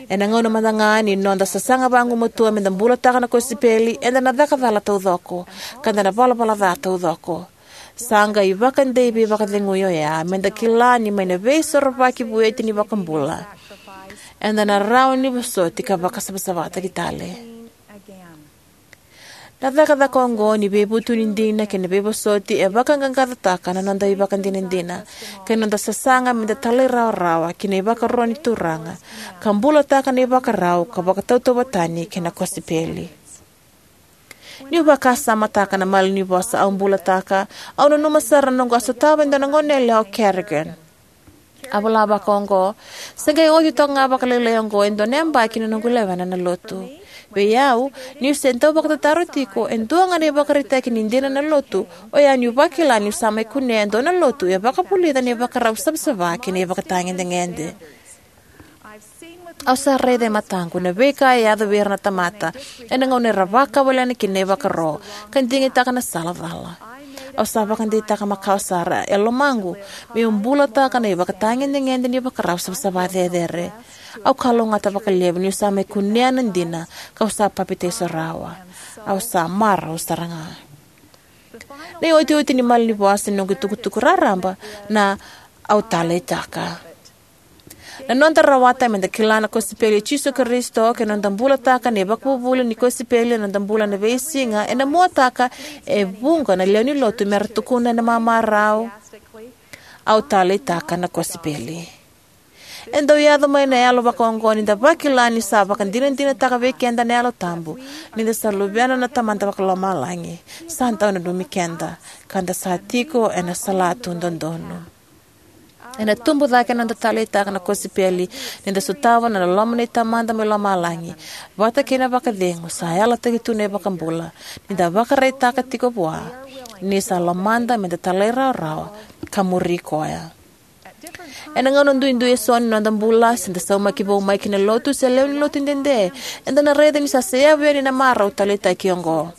Ena gauna mada ga ni noda sasaga vagumatua meda bulataka na kosipeli, eda na caka cala taucoko, ka da na valavala ca taucoko. Sa qai vakadei veivakacegui oya meda kila ni mai na veisorovaki vueti ni iVakabula, eda na rawa ni vosoti ka vakasavasavataki tale. Na cakacaka oqo ni veivutuni dina kei na veivosoti e vaqaqacotaka na noda ivakadinadina kei na noda sasaga meda talairawarawa ki na ivakaro ni Turaga, ka bulataka na ivakarau ka vakatautauvatataki kei na kosipeli. Niu vakasamataka na malanivosa au bulataka, au nanuma sara na noqu a sotava e dua na goneyalewa o Carrigan. A vola vakaoqo: Se qai oti toka ga vakalailai oqo e dua na yabaki na noqu lewena na Lotu. Vei au, niu se dau vakatataro tiko, e dua ga na ivakaraitaki ni dina na Lotu oya niu vakila niu sa mai kunea e dua na lotu e vakavulica na ivakarau savasava kei na ivakatagedegede. Au sa raica e mataqu na veika e yaco vei ira na tamata ena gauna era vakawalena kina na ivakaro ka digitaka na sala cala. Au sa vakadeitaka makawa sara e lomaqu meu bulataka na ivakatagedegede ni ivakarau savasava cecere. Au kalougata vakalevu niu sa mai kunea na dina ka'u sa papitaiso rawa. Au sa marau sara ga. Na iotioti ni malanivosa ni noqu itukutuku raraba na au taleitaka. Na noda rawata meda kila na kosipeli i Jisu Karisito kei na noda bulataka na ivakavuvuli ni kosipeli ena noda bula na veisiga ena muataka e vuqa na lewe ni Lotu mera tukuna ena mamarau: Au taleitaka na kosipeli. E dau yaco mai na yalo vakaoqo nida vakila ni sa vakadinadinataka vei keda na Yalo Tabu nida sa luvena na Tamada Vakalomalagi. Sa dau nanumi keda ka da sa tiko ena salatu dodonu. Ena tubu cake na noda taleitaka na kosipeli nida sotava na loloma ni Tamada mai lomalagi vata kei na vakacegu sa yalataki tu na iVakabula, nida vakaraitaka tiko vua ni sa lomada meda talairawarawa ka muri koya. Ena gauna duidui eso ni noda bula, se da saumaki vou mai ki na lotu se lewe ni lotu dede, eda na raica ni sa seyavu yani na marau taleitaki oqo.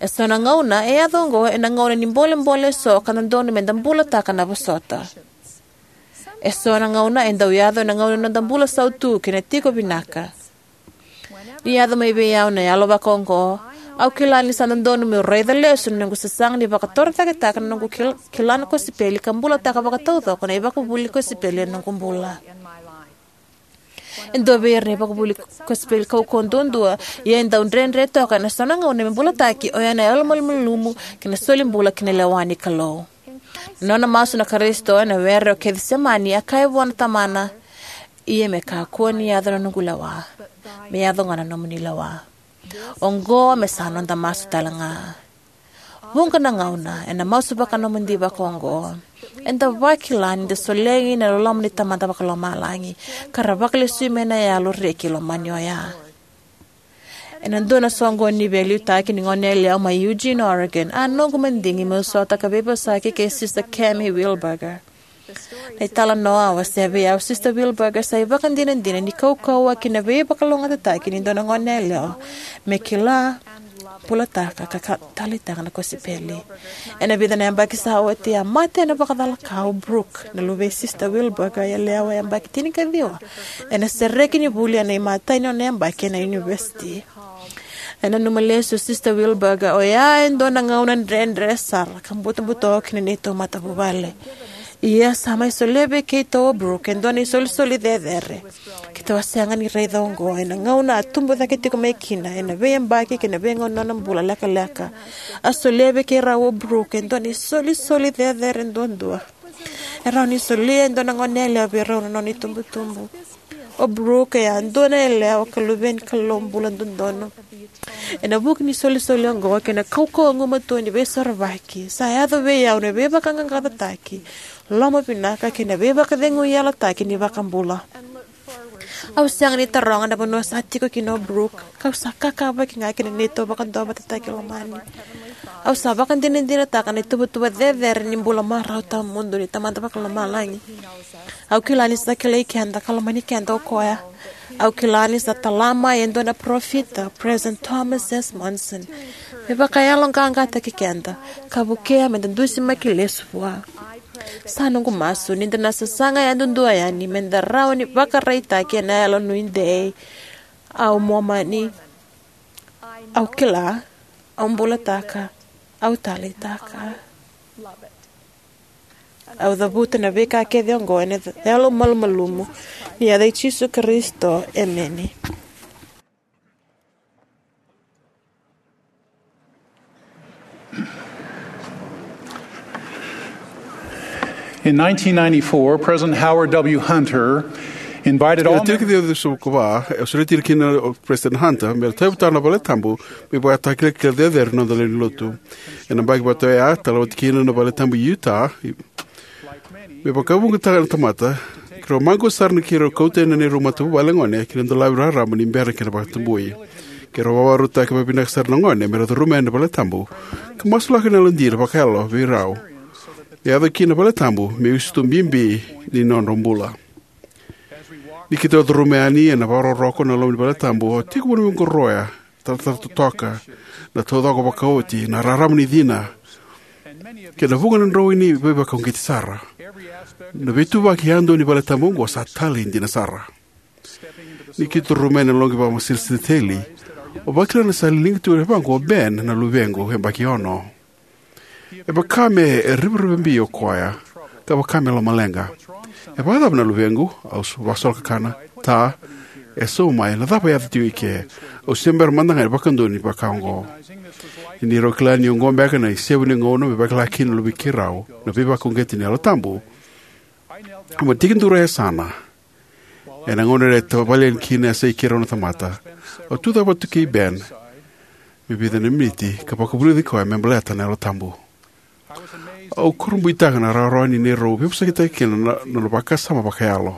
Eso na gauna e yaco oqo ena gauna ni bolebole eso ka dodonu meda bulataka na vosota. Eso na gauna e dau yaco ena gauna ni noda bula sautu kei na tiko vinaka. Ni yaco mai vei au na yalo vakaoqo, au kila ni sa dodonu meu raica lesu na noqu sasaga ni vakatorocaketaka na noqu kil-, kila na kosipeli ka bulataka vakataucoko na ivakavuvuli ni kosipeli ena noqu bula. E dua vei ira na ivakavuvuli kosipeli kaukauwa duadua, ia e dau dredre toka ena so na gauna me bulataki, oya na yalomalumalumu kei na solibula ki na lewa ni Kalou. Na nona masu na Karisito ena were o Kecisemani, a kaya vua na Tamana: "Ia me kakua ni yaco na noqu lewa, me yaco ga na nomuni lewa." Oqo me sa noda masu tale ga. Vuqa na gauna ena masu vakanomodi vakaoqo, eda vakila nida solegi na loloma ni Tamada Vakalomalagi ka ra vakalesui mai na yalo reki lomani oya. Ena dua na soqoni ni veiliutaki ni goneyalewa mai Eugene, Oregon, a noqu madigi meu sota ka veivosaki kei Sister Cami Wheelbarger. Na italanoa a wasea vei au, Sister Wheelbarger sa ivakadinadina ni kaukauwa kei na veivakalougatataki ni dua na goneyalewa me kila, bulataka, ka, ka taleitaka na kosipeli. Ena vica na yabaki sa oti, a mate ena vakacalaka o Brooke, na luvei Sister Wheelbarger yalewa, yabaki tinikaciwa, ena sereki ni vuli ena imatai ni nona yabaki ena univesiti. E nanuma lesu o Sister Wheelbarger, oya e dua na gauna dredre sara ka butobuto ki na neitou matavuvale. Ia sa mai solia vei keitou o Brooke e dua na isolisoli cecere keitou a sega ni raica oqo ena gauna a tubu cake tiko mai kina ena veiyabaki kei na veigauna ni nona bula lekaleka. A solia vei keirau o Brooke e dua na isolisoli cecere duadua e rawa ni solia e dua na goneyalewa vei rau na nona itubutubu. O Brooke e a dua na yalewa ka luve ni Kalou bula dodonu. Ena vuku ni isolisoli oqo kei na kaukauwa gumatua ni Veisorovaki, sa yaco vei au na veivakaqaqacotaki, lomavinaka, kei na veivakacegui yalataki ni iVakabula. Au sega ni taroga na vanua sa tiko kina o Brooke, kau sa kakavaki ga ki na neitou vakaduavatataki lomani. Au sa vakadinadinataka na ituvatuva cecere ni bula marau tawamudu ni Tamada Vakalomalagi. Au kila ni sa kilai keda ka lomani keda o koya. Au kila ni sa tala mai e dua na parofita, President Thomas S. Monson, me vakayaloqaqataki keda ka vukea meda dusimaki lesu vua. Sa noqu masu ni da na sasaga yadudua yani meda rawa ni vakaraitaki ena yalo nuidei: Au Momani. Au kila. Au bulataka. Au taleitaka. Au cavuta na veika kece oqo ena yalo malumalumu ni yaca i Jisu Karisito, emeni. In nineteen ninety-four, President Howard W. Hunter invited all Ena tiki members. Ciwa ciwasagavulu ka va, e sureti ira kina o President Hunter me ra tauyavutaka na valetabu me vakatakilakila cecere na noda lewe ni lotu. Ena yabaki vata oya, talauti kina na valetabu i Utah, me vakavuqataka na tamata, keirau maqosa sara na keirau kauta yani na neirau matavuvale gone ki na dolavi raraba ni bera kei na vakatabui. Keirau vakarautaka vakavinaka sara na gone me ra curuma yani na valetabu ka masulaka na yalodina vakayalo vei rau. Me yaco kina na valetabu me iusutu bibi ni nodrau bula. Ni keitou curuma yani ena vakarokoroko na loma ni valetabu, au tekivu ni qoroya, taratara totoka, na taucoko vakaoti, na rarama ni cina, kei na vuqa na droini veivakauqeti sara. Na veituvaki yadua ni valetabu oqo sa talei dina sara. Ni keitou curuma yani na loqi vakamasalosalo, au vakila ni sa liga tu vaqo o Ben, na luvequ yabaki ono. E vaka me rivarivabi o koya, ka vaka me lomaleqa. E vakacava na luvequ? Au s-, vakasolokakana. Ta, e sauma mai, na cava e yaco tiko i ke? Au se bera mada ga ni vakadonui vaka oqo. Ni rau kila ni oqo beka na isevu ni gauna me vakila kina na luvei keirau na veivakauqeti ni Yalo Tabu, au mai tekiduru e yasana. Ena gauna era tavale yani kina e yasai keirau na tamata, au tucake vata tu kei Ben me vica na miniti ka vakavulici koya me baleta na Yalo Tabu. Au kurabuitaka na rawarawa ni neirau veivosakitaka kina na, na nona vakasama vakayalo.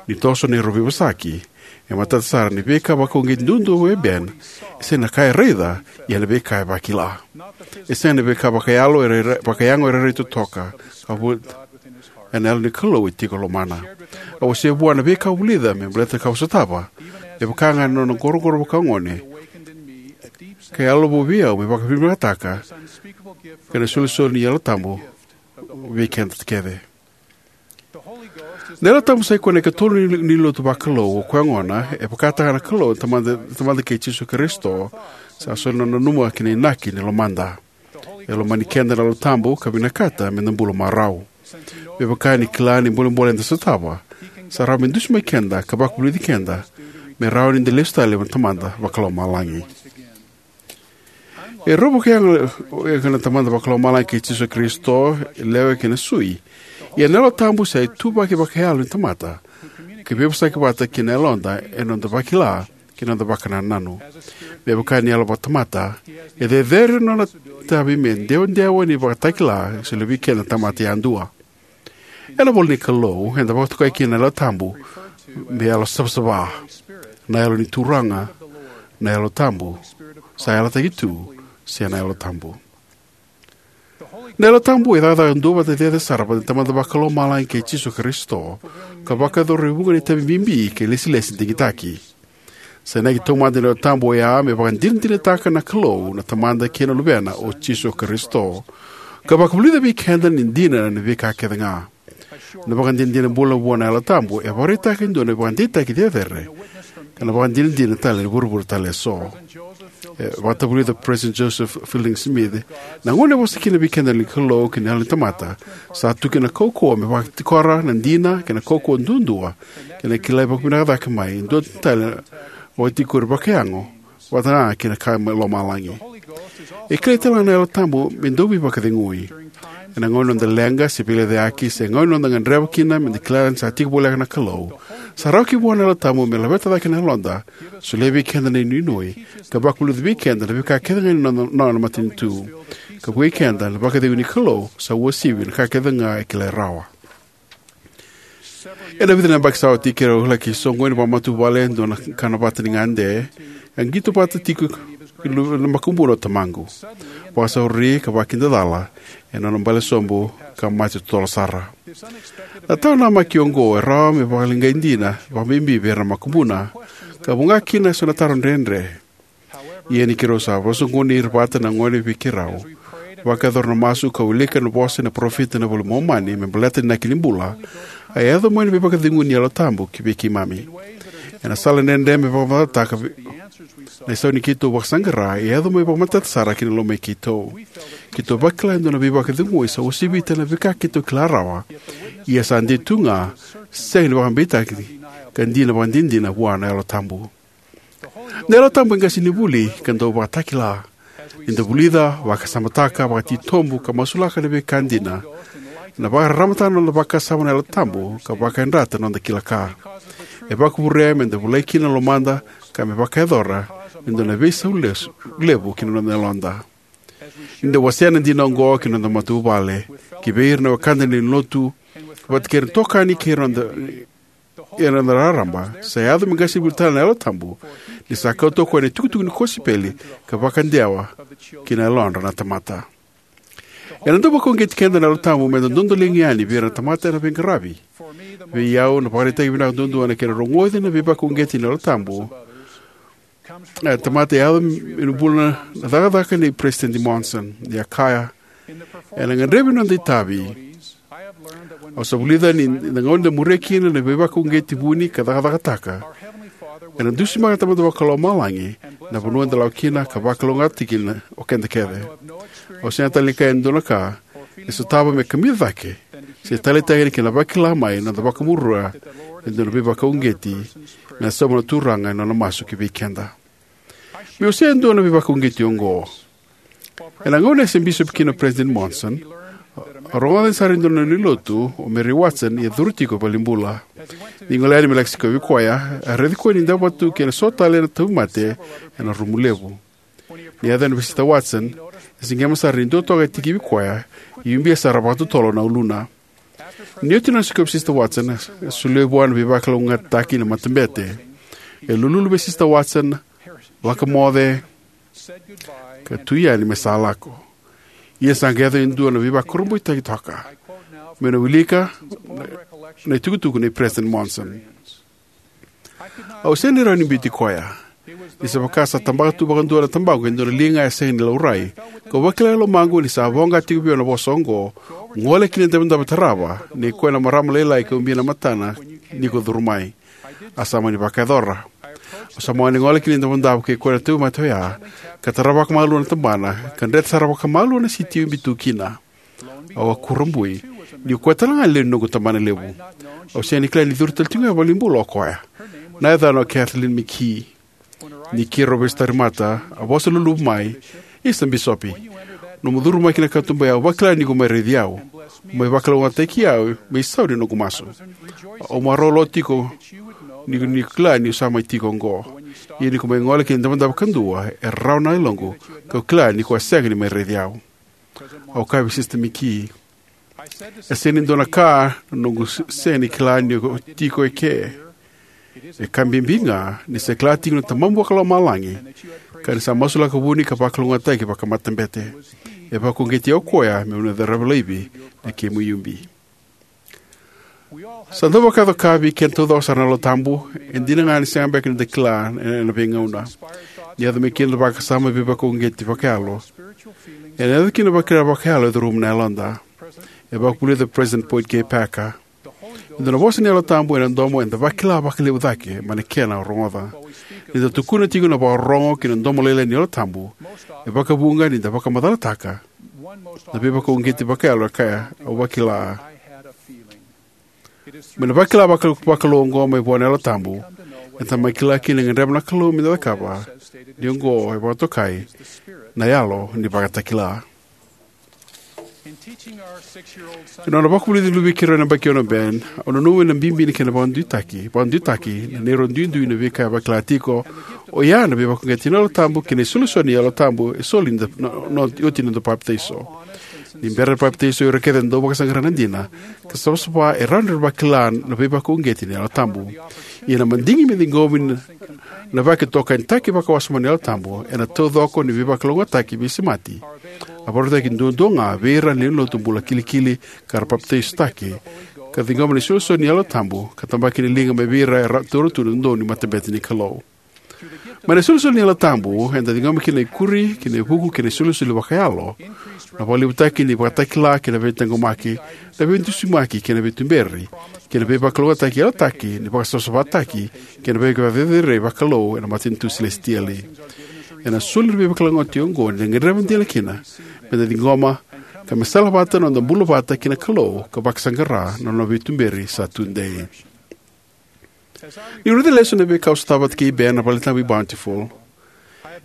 Ni toso neirau veivosaki, e matata sara ni veika vakauqeti duadua vei Ben e sega ni ka e raica, ia na veika e vakila. E sega ni veika vakayalo, era, era, vakayago era rairai totoka, ka vu-, ena Yalo ni Kalou e tiko e lomana. Au wasea vua na veika au vulica me baleta na ka au sotava, me vaka ga na nona qoroqoro vakagone, ka yalo vou vei au me vakavinavinakataka, kei na isolisoli ni Yalo Tabu vei keda kece. Na Yalo Tabu sa i koya na ikatolu ni, ni lotu vakalou, o koya gona e vakataka na Kalou na Tamada, Tamada kei Jisu Karisito, sa soli na nona nanuma ki na inaki ni lomada. E lomani keda na Yalo Tabu ka vinakata me da bula marau. Me vaka ni kila na bolebole eda sotava, sa rawa me dusi mai keda ka vakavulici keda me rawa ni da lesu tale vua na Tamada Vakalomalagi. E rau vakayago, e, na Tamada Vakalomalagi kei Jisu Karisito, e lewe kei na sui. Ia na Yalo Tabu sa ituvaki vakayalo ni tamata, ka veivosaki vata kei na yaloda ena noda vakila kei na noda vakanananu. Me vaka ni yalo vakatamata, e cecere na nona itavi me dewadewa ni vakatakila, e solia vei keda na tamata yadua. Ena ivola ni Kalou, eda vakatokai kina na Yalo Tabu me yalo savasava, na yalo ni Turaga, Na Yalo Tabu sa yalataki tu, se na Yalo Tabu. Na Yalo Tabu e cakacaka duavata cecere sara vata na Tamada Vakalomalagi kei Jisu Karisito, ka vakayacora e vuqa na itavi bibi kei lesilesi digitaki. Sa inaki taumada ni Yalo Tabu oya me vakadinadinataka na Kalou na Tamada kei na Luvena o Jisu Karisito, ka vakavulica vei keda ni dina na veika kece ga. Na vakadinadina bula vua na Yalo Tabu e vakaraitaka e dua na vakadeitaki cecere, ka na vakadinadina tale ni vuravura tale eso. E vakatavulica President Joseph Fielding Smith, na gauna e vosa kina vei keda na Kalou ki na yalo ni tamata, sa tu kina na kaukauwa me vakatikora na dina kei na kaukauwa duadua, kei na kilai vakavinaka cake mai, e dua tale na vakatikori vakayago, vata ga kei na ka mai lomalagi. E kilai tale ga na Yalo Tabu me dau veivakacegui. Ena gauna ni noda leqa se veilecayaki, se gauna ni noda gadreva kina me da kila ni sa tiko voleka na Kalou, sa rawa ki vua na Yalo Tabu me laveta cake na yaloda, solia vei keda na inuinui, ka vakavulica vei keda na veika kece ga ni nona, nona matanitu, ka vukei keda na vakacegu ni Kalou sa uasivi na ka kece ga e kilai rawa. Ena vica na yabaki sa oti, keirau laki soqoni vakamatavuvale e dua na kana vata ni gade, e qito vata tiko na makubuna o tamaqu. Vakasauri ka vakidacala e nona bale sobu, ka mate totolo sara. Na taro namaki oqo e rawa me vakaleqai dina vakabibi vei ira na makubuna, ka vuqa kina eso na taro dredre. Ia ni keirau sa vakasoqoni ira vata na gone vei keirau, vakayacora na masu ka wilika na vosa ni parofita ena iVola i Momani me baleta na inaki ni bula, a yaco mai na veivakacegui ni Yalo Tabu ki vei keimami. Ena sala dredre me vakamacalataka vei na isau ni keitou vakasaqara, e yaco mai vakamatata sara ki na lomai keitou. Keitou vakila e dua na veivakacegui sa uasivita na veika keitou kila rawa, ia sa dei tu ga, sega ni vakabeitaki, ka dina vakadinadina vua na Yalo Tabu. Na Yalo Tabu e qasenivuli ka dau vakatakila. Ni da vulica, vakasamataka, vakatitobu, ka masulaka na veika dina, ena vakararamataka na noda vakasama na Yalo Tabu, ka vakayadrata na noda kila ka. E vakavurea me da volai kina na lomada, ka me vakayacora me dua na veisau lesu, levu ki na noda yaloda. Ni da wasea na dina oqo ki na noda matavuvale, ki vei ira na wekada ni lotu, vata kei ira na itokani kei ira na noda, ira na noda raraba, sa yaco me qasenivuli tale na Yalo Tabu, ni sa kauta o koya na itukutuku ni kosipeli, ka vakadewa ki na yalodra na tamata. Ena dau vakauqeti keda na Yalo Tabu me da dodoliga yani vei ira na tamata ena veiqaravi. Vei au, na ivakaraitaki vinaka duadua ena kena rogoci na veivakauqeti ni Yalo Tabu, e, tamata e yaco ena bula na cakacaka nei President Monson, ni a kaya: "Ena gadrevi ni noda itavi, au sa vulica ni na gauna eda muria kina na veivakauqeti vuni ka cakacakataka, ena dusimaka na Tamada Vakalomalagi na vanua eda lako kina, ka vakalougatataki kina o keda kece. Au sega tale ni kaya e dua na ka e sotava me kamica cake se taleitaka yani ki na vakila mai na noda vakamuria e dua na veivakauqeti me na sauma na Turaga ena nona masu ki vei keda." Meu wasea e dua na veivakauqeti oqo. Ena gauna e se bisopi kina o President Monson, a rogoca sara e dua na lewenilotu, o Mary Watson, e curu tiko i valenibula. Ni gole yani me laki sikovi koya, a raici koya ni dabe tu kei na so tale na tauvimate ena rumu levu. Ni yaco yani vei Sister Watson, e siqema sara ni dua toka e tikivi koya, e ubia sara vakatotolo na uluna. Ni oti na nona sikovi Sister Watson, e solia vua na veivakalougatataki na matabete. E lululu vei Sister Watson, vakamoce, ka tu yani me sa lako. Ia sa qai yaco e dua na veivakurabuitaki toka. Meu na wilika na, na itukutuku nei President Monson: "Au sega ni rawa ni biuti koya. Ni sa vaka sa tabaka tu vakadua na tabaqu e dua na liga e sega ni laurai, kau vakila e lomaqu ni sa voqa tiko vei au na vosa oqo: 'Gole ki na idavodavo e tarava, nei koya na marama lailai ka ubia na matana ni ko curu mai.' A sa mani vakayacora. Au sa mani gole ki na idavodavo kei koya na tauvimate oya, ka tara vakamalua na tabana, ka dreta sara vakamalua na siti e ubi tu kina. Au a kurabui, ni o koya tale ga e lewe ni noqu tabanalevu. Au sega ni kila ni curu tale tiko ga i valenibula o koya. Na yacana o Kathleen McKee. Ni keirau veisotari mata, a vosa luluvu mai: 'Isa Bisopi, nomu curu mai ki na katuba ya, au vakila ni ko mai raici au. Mai vakalougatataki au me isau ni noqu masu. Au marau lo tiko ni, ni kila niu sa mai tiko oqo. Ia ni ko mai gole ki na idavodavo kadua, e rarawa na yaloqu, kau kila ni ko a sega ni mai raici au.' Au kaya vei Sister McKee: 'E sega ni dua na ka na noqu s-, sega ni kila ni o tiko eke. E ka bibi ga ni sa kila tiko na Tamamu Vakalomalagi, ka ni sa masulaka vuni ka vakalougatataki vakamatabete. E vakauqeti o koya meu na caravi laivi na kemu iubi. Sa dau vakayaco-ka vei keda taucoko sara na Yalo Tabu. E dina ga ni sega beka ni da kila ena veigauna. Ni yaco mai kina na vakasama veivakauqeti vakayalo, ena yaco kina na vakila vakayalo e curuma na yaloda. E vakavulica o President Boyd K. Packer: E dua na vosa ni Yalo Tabu ena domo eda vakila vakalevu cake mai na kena o rogoca. Ni da tukuna tiko na vakarorogo ki na domo lailai ni Yalo Tabu, e vakavuqa ni da vakamacalataka na veivakauqeti vakayalo e kaya, "Au vakila." Mai na vakila vaka-, vakalou oqo mai vua na Yalo Tabu, eda mai kila kina e gadreva na Kalou me da cakava, ni oqo e vakatokai na yalo ni vakatakila. Ena nona vakavulici luve i keirau ena yabaki ono, Ben, au nanuma na bibi ni kena vakaduitaki, vakaduitaki na neirau duidui na veika e vakila tiko, oya na veivakauqeti ni Yalo Tabu kei na isolisoli ni Yalo Tabu e soli ni da, na, na, oti ni noda papitaiso. Ni bera na papitaiso, o ira kece e dau vakasaqara na dina ka savasava e rawa ni ra vakila na veivakauqeti ni Yalo Tabu. Ia na madigi me ciqomi na, na vakaitokanitaki vakawasoma ni Yalo Tabu ena taucoko ni veivakalougatataki veisemati a vakarautaki duadua ga vei ira na lewe ni lotu bula kilikili ka ra papitaisotaki, ka ciqoma na isolisoli ni Yalo Tabu ka tabaki na liga mai vei ira era taura tu na dodonu ni matabete ni Kalou. Mai na isolisoli ni Yalo Tabu eda ciqoma kina na ikuri kei na ivuku kei na isolisoli vakayalo, na vakalevutaki ni vakatakila kei na veitaqomaki, na veidusimaki kei na veituberi, kei na veivakalougatataki yalataki ni vakasavasavataki kei na veivakacerecerei vakalou ena matanitu selesitieli. Ena soli na veivakalougatataki oqo ni da gadreva dina kina me da ciqoma, ka me salavata na noda bula vata kei na Kalou ka vakasaqara na nona veituberi sa tudei. Niu raica lesu na veika au sotava vata kei Ben ena Valetabu i Bountiful,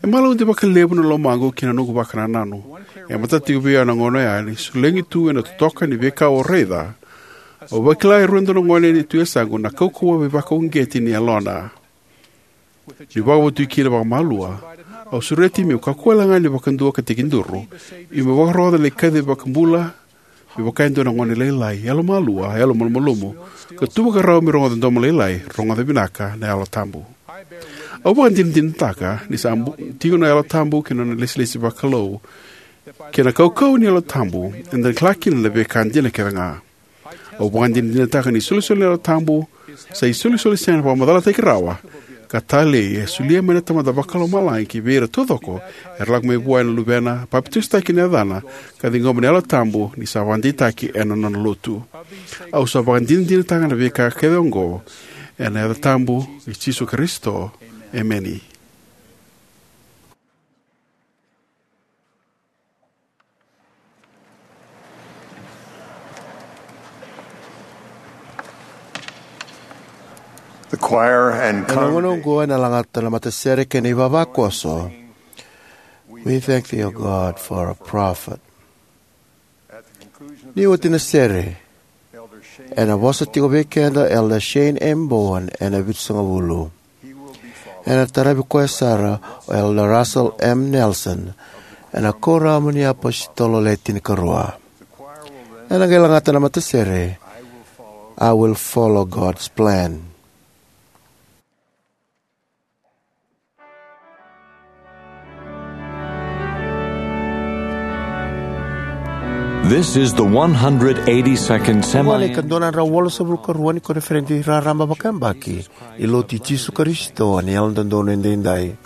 e malaudi vakalevu na lomaqu kei na noqu vakanananu. E matata tiko vei au ena gauna oya ni solegi tu ena totoka ni veika au raica, au vakila e rua na gone ni tu e yasaqu na kaukauwa veivakauqeti ni yalona. Niu vakavotu kina vakamalua, au sureti meu kakua wale ga ni vakadua ka tekiduru, ia meu vakarogoca na kaci vakabula, me vaka e dua na gone lailai, yalomalua, yalomalumalumu, ka tu vakarau me rogoca na domo lailai, rogoca vinaka na Yalo Tabu. Au vakadinadinataka ni sa bu-, tiko na Yalo Tabu kei na nona ilesilesi vakalou, kei na kaukauwa ni Yalo Tabu, eda na kila kina na veika dina kece ga. Au vakadinadinataka ni isolisoli ni Yalo Tabu sa isolisoli sega ni vakamacalataki rawa, ka talei e solia mai na Tamada Vakalomalagi ki vei ira taucoko era lako mai vua ena Luvena, papitaisotaki ena yacana, ka ciqoma na Yalo Tabu ni sa vakadeitaki ena nona lotu. Au sa vakadinadinataka na veika kece oqo ena yaca tabu i Jisu Karisito. Emeni. The choir and congregation. Ena gauna oqo ena lagata na matasere kei na ivavakoso. We thank thee, O God, for a prophet. Ni oti na sere, ena vosa tiko vei keda o Elder Shane M. Bowen ena vitusagavulu. Ena taravi koya sara o Elder Russell M. Nelson ena Kuoramu ni iApositolo Le Tinikarua. Ena qai lagata na matasere, I Will Follow God's Plan. This is the one hundred eighty-second semi- Oqo na ikadua na drau walusagavulu ka rua ni koniferedi raraba vakayabaki ni Lotu i Jisu Karisito ni Yalododonu Edaidai.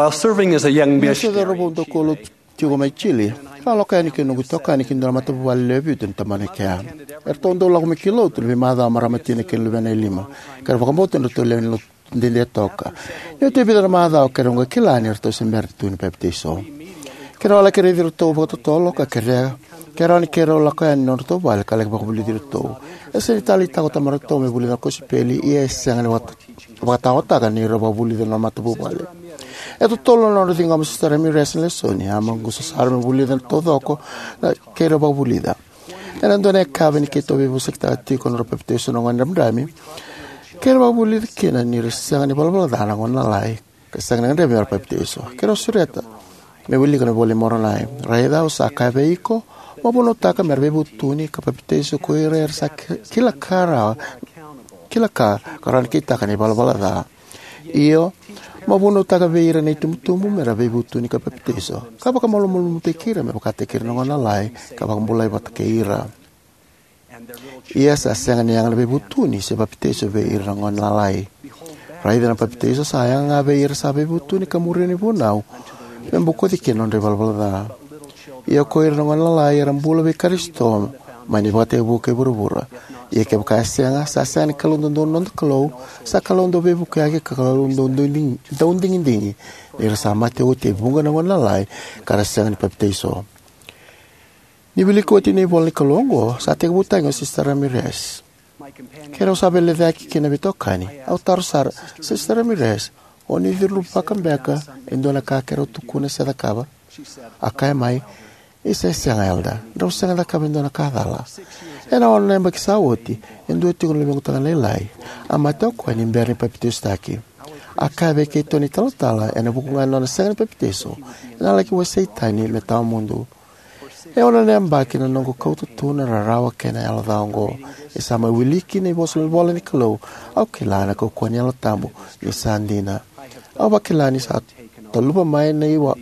While serving as a young missionary, tiko mai Chile, a lako yani kei noqu itokani kei dua na matavuvale lewe vitu ni tabana e kea. Eratou dau lako mai ki lotu na veimacawa marama tina kei na luvena e lima, ka ra vakabauta ni ratou lewe ni lotu dede toka. Ni oti e vica na macawa, keirau qai kila ni ratou se bera tu ni papitaiso. Keirau a laki raici iratou vakatotolo ka kerea, keirau ni keirau lako yani nodratou vale ka laki vakavulici iratou. E sega ni taleitaka o tamaratou me vulica na kosipeli, ia e sega ni vakata- vakataotaka ni ra vakavulica na matavuvale. E totolo na nodra ciqoma o Sister Ramirez na lesoni, a maqusa sara me vulica na taucoko na keirau vakavulica. Ena dua na yakavi ni keitou veivosakitaka tiko na nodra papitaiso na gone dramidrami, keirau vakavulica kina ni ra sega ni valavala ca na gone lalai ka sega ni gadrevi me ra papitaiso. Keirau sureta me wilika na iVola i Moronai: Raica, au sa kaya vei iko, mo vunautaka me ra veivutuni ka papitaiso ko ira era sa ki- kila ka rawa, kila ka ka rawa ni kitaka na ivalavala ca. Io, mo vunautaka vei ira na itubutubu me ra veivutuni ka papitaiso, ka vakamalumalumutaki ira me vakataki ira na gone lalai, ka vakabulai vata kei ira. Ia sa sega ni yaga na veivutuni se papitaiso vei ira na gone lalai. Raica, na papitaiso sa yaga ga vei ira sa veivutuni ka muria na ivunau me bokoci kina na nodra ivalavala ca. Ia ko ira na gone lalai era bula vei Karisito mai na ivakatekivu kei vuravura. Ia kevaka e sega, sa sega ni Kalou dodonu na noda Kalou, sa Kalou dau veivukiyaki ka Kalou dau digi- dau digidigi, ni ra sa mate oti e vuqa na gone lalai ka ra sega ni papitaiso. Ni wiliki oti na ivola ni Kalou oqo, sa tekivutaki o Sister Ramirez. Keirau sa veilecayaki kina veitokani. Au taro sara, Sister Ramirez, o ni curuvaka beka e dua na ka keirau tukuna se cakava? A kaya mai, isa, e sega, Elder. Drau sega ni cakava e dua na ka cala. Ena ono na yabaki sa oti, e dua tiko na luvequ tagane lailai a mate o koya ni bera ni papitaisotaki. A kaya vei keitou na italatala ena vuku ga ni nona sega ni papitaiso, ena laki wasei tani me tawamudu. E ono na yabaki na noqu kauta tu na rarawa kei na yalo ca oqo. E sa mai wiliki na ivosa ivola ni Kalou, au kila na kaukauwa ni Yalo Tabu ni sa dina. Au vakila ni sa taluva mai na iwa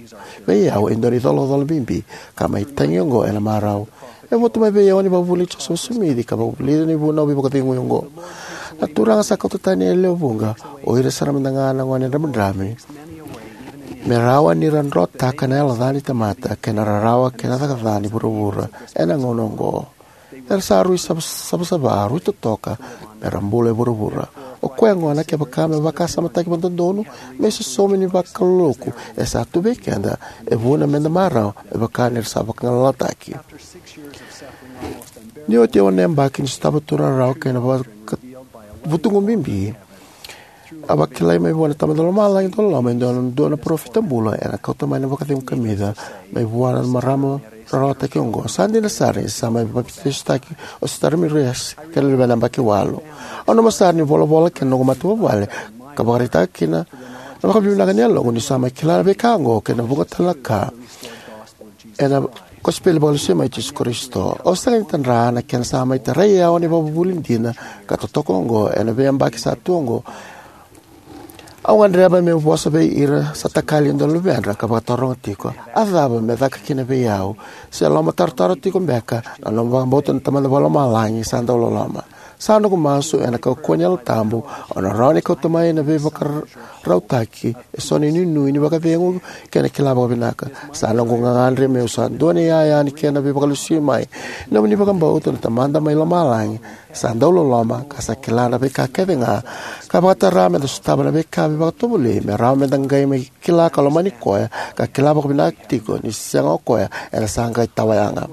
vei au e dua na icolacola bibi ka mai tagi oqo ena marau. E votu mai vei au na ivakavuvuli i Josefa Simici ka vakavulica na ivunau veivakacegui oqo. Na Turaga sa kauta tani e lewe vuqa o ira sara mada ga na gone dramidrami me rawa ni ra drotaka na yalo ca ni tamata kei na rarawa kei na caka ca ni vuravura ena gauna oqo. Era sa rui sava- savasava, rui totoka me ra bula e vuravura. O koya gona, kevaka me vakasamataki vakadodonu, me isosomi ni vakaloloku e sa tu vei keda, e vuna meda marau me vaka ni ra sa vakagalalataki. Ni oti e ono na yabaki ni sotava tu na rarawa kei na vaka- vutugu bibi, a vakilai mai vua na Tamada Lomalagi dauloloma e dua na, dua na parofita bula ena kauta mai na vakacegu kamica mai vua na marama rarawataki oqo. Sa dina sara ni sa mai papitaisotaki o Sister Ramirez kei na luvena yabaki walu. Au nanuma sara ni volavola kei na noqu matavuvale ka vakaraitaka kina na vakavinavinaka ni yaloqu ni sa mai kila na veika oqo kei na vuqa tale na ka ena kosipeli vakalesui mai i Jisu Karisito. Au sega ni tadra na kena sa mai tarai au na ivakavuvuli dina ka totoka oqo ena veiyabaki sa tu oqo. Au gadreva meu vosa vei ira sa takali e dua na luvedra ka vakataroga tiko, a cava me caka kina vei au? Se lomatarotaro tiko beka na nomu vakabauta na Tamada Vakalomalagi sa dau loloma? Sa noqu masu ena kaukauwa ni Yalo Tabu, au na rawa ni kauta mai na veivakarautaki eso na inuinui ni vakacegu kei na kila vakavinaka. Sa noqu gagadre meu sa dua na iyaya ni kena veivakalesui mai. Nomuni vakabauta na Tamada mai Lomalagi sa dau loloma ka sa kila na veika kece ga, ka vakatara meda sotava na veika veivakatovolei me rawa meda qai mai kila ka lomani koya ka kila vakavinaka tiko ni sega o koya ena sa qai tawa yaga.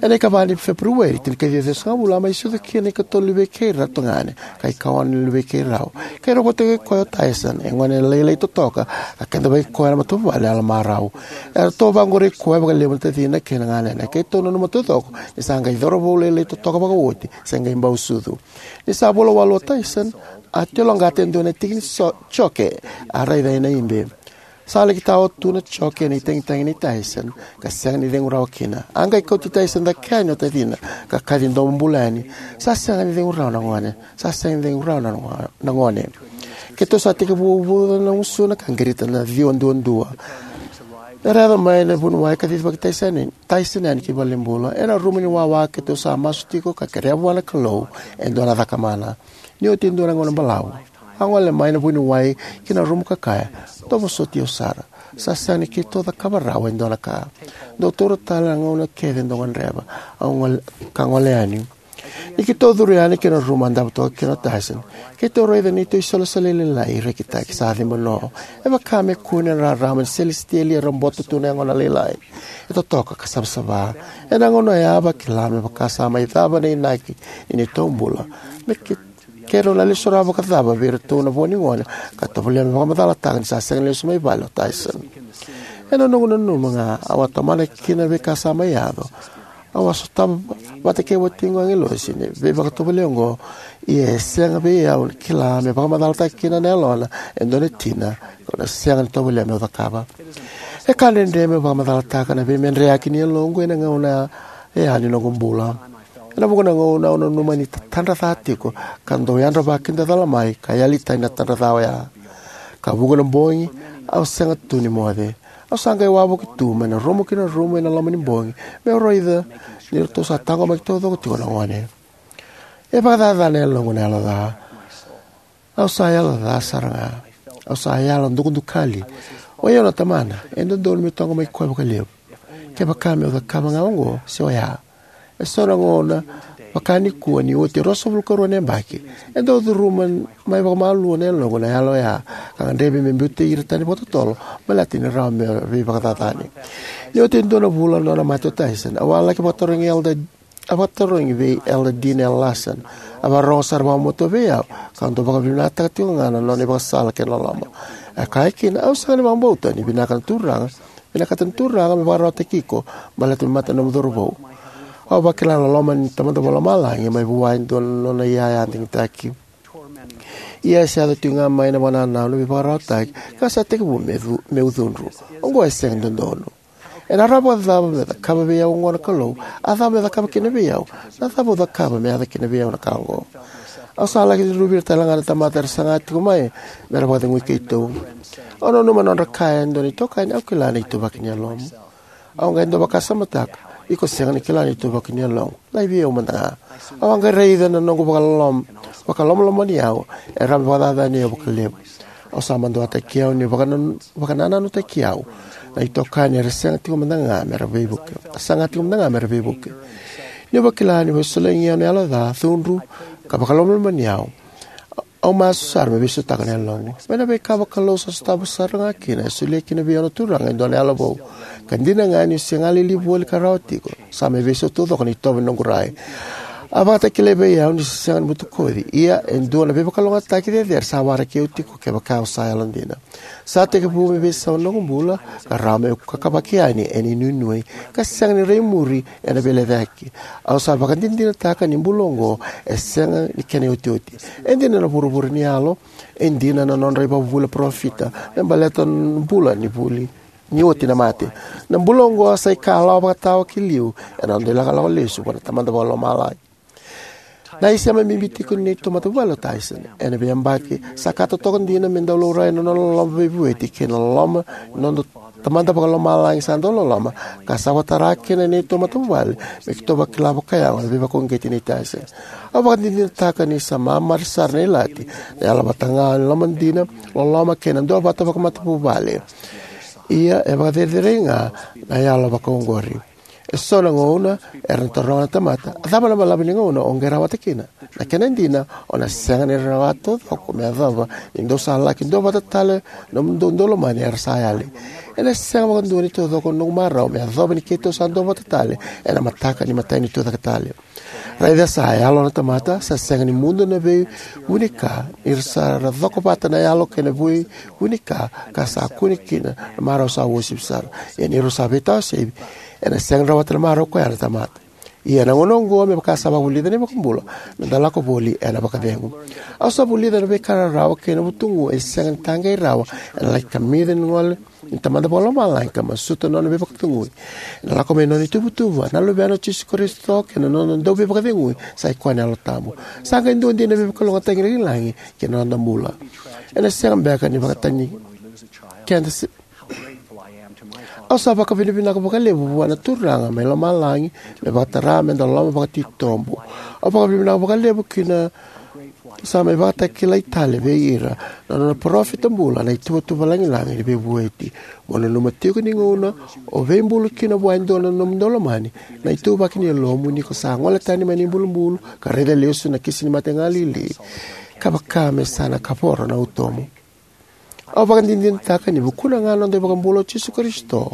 Ena ikava ni Feperueri, tinikaciwa ciwasagavulu, a mai sucu kina ikatolu ni vei kei ira na tagane ka ikaono ni luvei keirau. Keirau votaki koya o Tyson, e gone lailai totoka, ka keda vei koya na matavuvale yalomarau. Eratou vaqori koya vakalevu na tacina kei na ganena. Keitou nanuma taucoko ni sa qai cauravou lailai totoka vakaoti, se qai bau sucu. Ni sa vula walu o Tyson, a tiloqata e dua na tiki ni so- joke a raica ena ibe. Sa laki tawa tu na joke ena itagitagi nei Tyson ka sega ni cegu rawa kina. A qai kauti Tyson cake yani o tacina ka kaci domo bula yani. Sa sega ni cegu rawa na gone. Sa sega ni cegu rawa na go- na gone. Keitou sa tekivu uvuca na gusuna ka qirita na ciwa duadua. Era yaco mai na vuniwai ka cicivaki Tyson, Tyson yani ki valenibula. Ena rumu ni wawa keitou sa masu tiko ka kerea vua na Kalou e dua na cakamana. Ni oti e dua na gauna balavu, a gole mai na vuniwai ki na rumu ka kaya, "Dou vosoti au sara." Sa sega ni keitou cakava rawa e dua na ka. Dou taura tale na gauna kece dou gadreva, au gole, ka gole yani. Ni keitou curu yani ki na rumu a davo toka kina o Tyson, keitou raica neitou isolisoli lailai rekitaki sa ciba no. E vaka me kune na rarama ni selesitieli e roboto tu na yagona lailai. E totoka ka savasava. Ena gauna ya a vakila me vaka sa mai cava na inaki ni neitou bula. Me ke, keirau na lesu rawa vakacava vei iratou na vo ni gone ka tovolea me vakamacalataka ni sa sega ni lesu mai vale o Tyson. Ena noqu nanuma ga au a tomana kina na veika sa mai yaco. Au a sotava vata kei watiqu agilosi na veivakatovolei oqo, ia e sega vei au na kila me vakamacalataka kina na yalona e dua na tina kau na sega ni tovolea meu cakava. E ka dredre meu vakamacalataka na veimedreyaki ni yaloqu ena gauna e yani noqu bula. Ena vuqa na gauna au nanuma ni tatadra ca tiko ka dau yadra vakidacola mai ka yali tani na tadra ca oya. Ka vuqa na bogi au sega tu ni moce. Au sa qai wavoki tu mai na rumu ki na rumu ena loma ni bogi meu raica ni ratou sa taqomaki taucoko tiko na gone. E vakacacana e yaloqu na yalo ca. Au sa yalo ca sara ga. Au sa yalo dukadukali. O yau na tamana, e dodonu meu taqomaki koya vakalevu. Kevaka meu cakava ga oqo se oya. E so na gauna vaka nikua ni oti e ruasagavulu ka rua na yabaki, e dau curuma mai vakamalua na yaloqu na yalo oya, ka gadrevi me biuti ira tani vakatotolo baleta ni rawa me veivakacacani. Ni oti e dua na vula na nona mate o Tyson, au a laki vakatarogi Elder, a vakatarogi vei Elder Dean L. Larson. A vakarorogo sara vakamatua vei au ka dau vakavinakataka tiko ga na nona ivakasala kei na loloma. E kaya kina, au sega ni vakabauta ni vinaka na Turaga, vinakata na Turaga me vakarautaki iko baleta me mate na nomu cauravou. Au vakila na loloma ni Tamada Vakalomalagi mai vua e dua na nona iyaya digitaki. Ia e sa yaco tiko ga mai na vakanananu veivakararawataki ka sa tekivu me cu-, meu cudru. Oqo e sega ni dodonu. Ena rawa vakacava me cakava vei au oqo na Kalou? A cava me cakava kina vei au? Na cava au cakava me yaco kina vei au na ka oqo? Au sa laki cudruvi ira tale ga na tamata era saga tiko mai me ra vakacegui keitou. Au nanuma na nodra kaya e dua na itokani, au kila na ituvaki ni yalomu. Au qai dau vakasamataka, iko sega ni kila na ituvaki ni yaloqu. Lai vei au mada ga. Au a qai raica na noqu vakalom-, vakalomalomani au e rawa me vakacacani au vakalevu. Au sa maduataki au ni vakanan-, vakanananutaki au na itokani era sega tiko mada ga me ra veivuke. Saga tiko mada ga me ra veivuke. Niu vakila ni veisolegi au na yalo ca, cudru, ka vakalomalomani au, au masu sara me veisautaka na yaloqu. Mai na veika vakalou sa sotava sara ga kina, e solia kina vei au na Turaga e dua na yalo vou. Ka dina ga niu se galili voli ka rawa tiko, sa mai veisau taucoko na itovo ni noqu rai. A vakatakilai vei au ni se sega ni butakoci, ia e dua na veivakalougatataki cecere sa waraki au tiko kevaka au sa yalodina. Sa tekivu me veisau na noqu bula, ka rawa meu kakavaki yani ena inuinui, ka sega ni rai muri ena veilecayaki. Au sa vakadinadinataka ni bula oqo e sega ni kena iotioti. E dina na vuravura ni yalo, e dina na nodra ivakavuvuli na parofita me baleta na bula ni vuli ni oti na mate. Na bula oqo sa ikalawa vakatawa ki liu ena noda ilakolako lesu vua na Tamada Vakalomalagi. Na isema bibi tiko ni neitou matavuvale o Tyson. Ena veiyabaki sa ka totoka dina me dau laurai na nona loloma veivueti kei na loloma ni noda Tamada Vakalomalagi sa dau loloma, ka sa vakatara kina na neitou matavuvale me keitou vakila vakayago na veivakauqeti nei Tyson. Au vakadinadinataka ni sa mamari sara na ilati, na yalo vata ga ni loma dina, loloma kei na duavata vakamatavuvale. Ia e vakacerecerei ga na yalo vakaoqori. E so na gauna era na taroga na tamata, a cava na balavu ni gauna o qai rawata kina? Na kena dina, o na sega ni rawa taucoko me yacova ni dou sa laki duavata tale na nomudou daulomani era sa yali. Ena sega vakadua ni taucoko na noqu marau me yacova ni keitou sa duavata tale ena mataka ni imatai ni Tucaketale. Raica sa yalo na tamata, sa sega ni mudu na veivunika, ni ra sa ra coko vata na yalo kei na veivunika, ka sa kune kina na marau sa uasivi sara. Ia ni rau sa veitawa saivi, ena sega ni rawata na marau koya na tamata. Ia na gauna oqo me vaka sa vakavulica na iVakabula, meda lako voli ena vakacegu. Au sa vulica na veika rarawa kei na vutugu e sega ni taqei rawa ena laki kamica ni gole ni Tamada Vakalomalagi ka masuta na nona veivakacegui. Ena lako mai na nona ituvatuva, na Luvena o Jisu Karisito kei na nona dauveivakacegui sa i koya na Yalo Tabu. Sa qai dua dina na veivakalougatataki lagilagi kei na noda bula. Ena sega beka ni vakatani keda se Au sa vakavinavinaka vakalevu vua na Turaga mai lomalagi me vakatara meda loloma vakatitobu. Au vakavinavinaka vakalevu kina Sa mai vakatakilai tale vei ira na nona parofita bula na ituvatuva lagilagi ni veivueti. Mo nanuma tiko ni gauna o veibulu kina vua e dua na nomu daulomani na ituvaki ni yalomu ni ko sa gole tani mai na ibulubulu ka raica lesu na kisi ni mate galili, ka vaka me sa na kavoro na utomu. Au vakadinadinataka ni vukuna ga na noda iVakabula o Jisu Karisito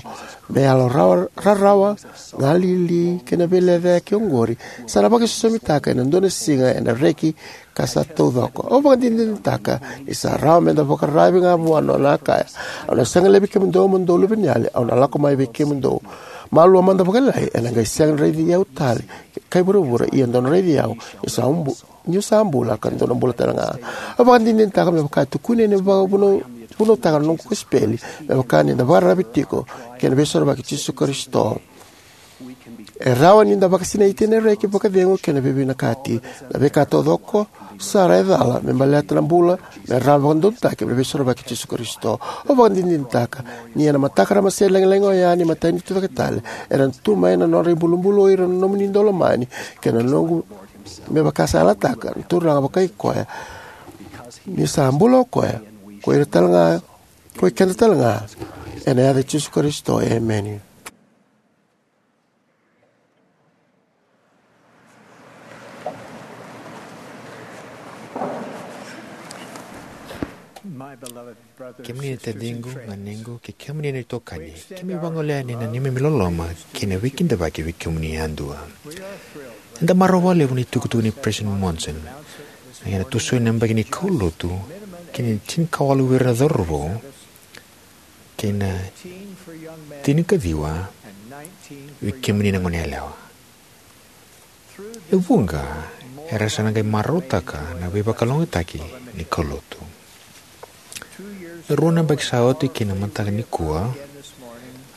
me yalo rawa, rarawa, galili kei na veilecayaki oqori, sa na vakaisosomitaka ena dua na siga ena reki ka sa taucoko. Au vakadinadinataka ni sa rawa meda vakararavi ga vua na nona a kaya: "Au na sega ni laivi kemudou mo dou luveniyali, au na lako mai vei kemudou." Malua mada vakalailai, ena qai sega ni raici au tale kai vuravura, ia dou na raici au niu sa bu-, niu sa bula ka dou na bula tale ga. Au vakadinadinataka me vaka e tukuni ena vakavunau-, vunautaka na noqu kosipeli, me vaka ni da vakararavi tiko kei na Veisorovaki i Jisu Karisito. E rawa ni da vakasinaiti ena reki, vakacegu kei na veivinakati. Na veika taucoko sara e cala me baleta na bula me rawa vakadodonutaki mai na Veisorovaki i Jisu Karisito. Au vakadinadinataka ni ena mataka ramase lagilagi oya ni iMatai ni Tucaketale, era na tu mai na nodra ibulubulu o ira na nomuni daulomani kei na noqu, me vaka sa yalataka na Turaga vakai koya, ni sa bula o koya, ko ira tale ga, ko i keda tale ga, ena yaca i Jisu Karisito, emeni. Kemuni na taciqu, ganequ, kei kemuni na itokani, keimami vagolea yani na neimami loloma kei na veikidavaki vei kemuni yadua. Eda marau vakalevu ni tukutuku nei President Monson, ena tosoi na yabaki ni kaulotu ki na tinikawalu vei ira na cauravou kei na tinikaciwa vei kemuni na goneyalewa. E vuqa era sa na qai marautaka na veivakalougatataki ni kaulotu. Na rua na yabaki sa oti kei na mataka nikua,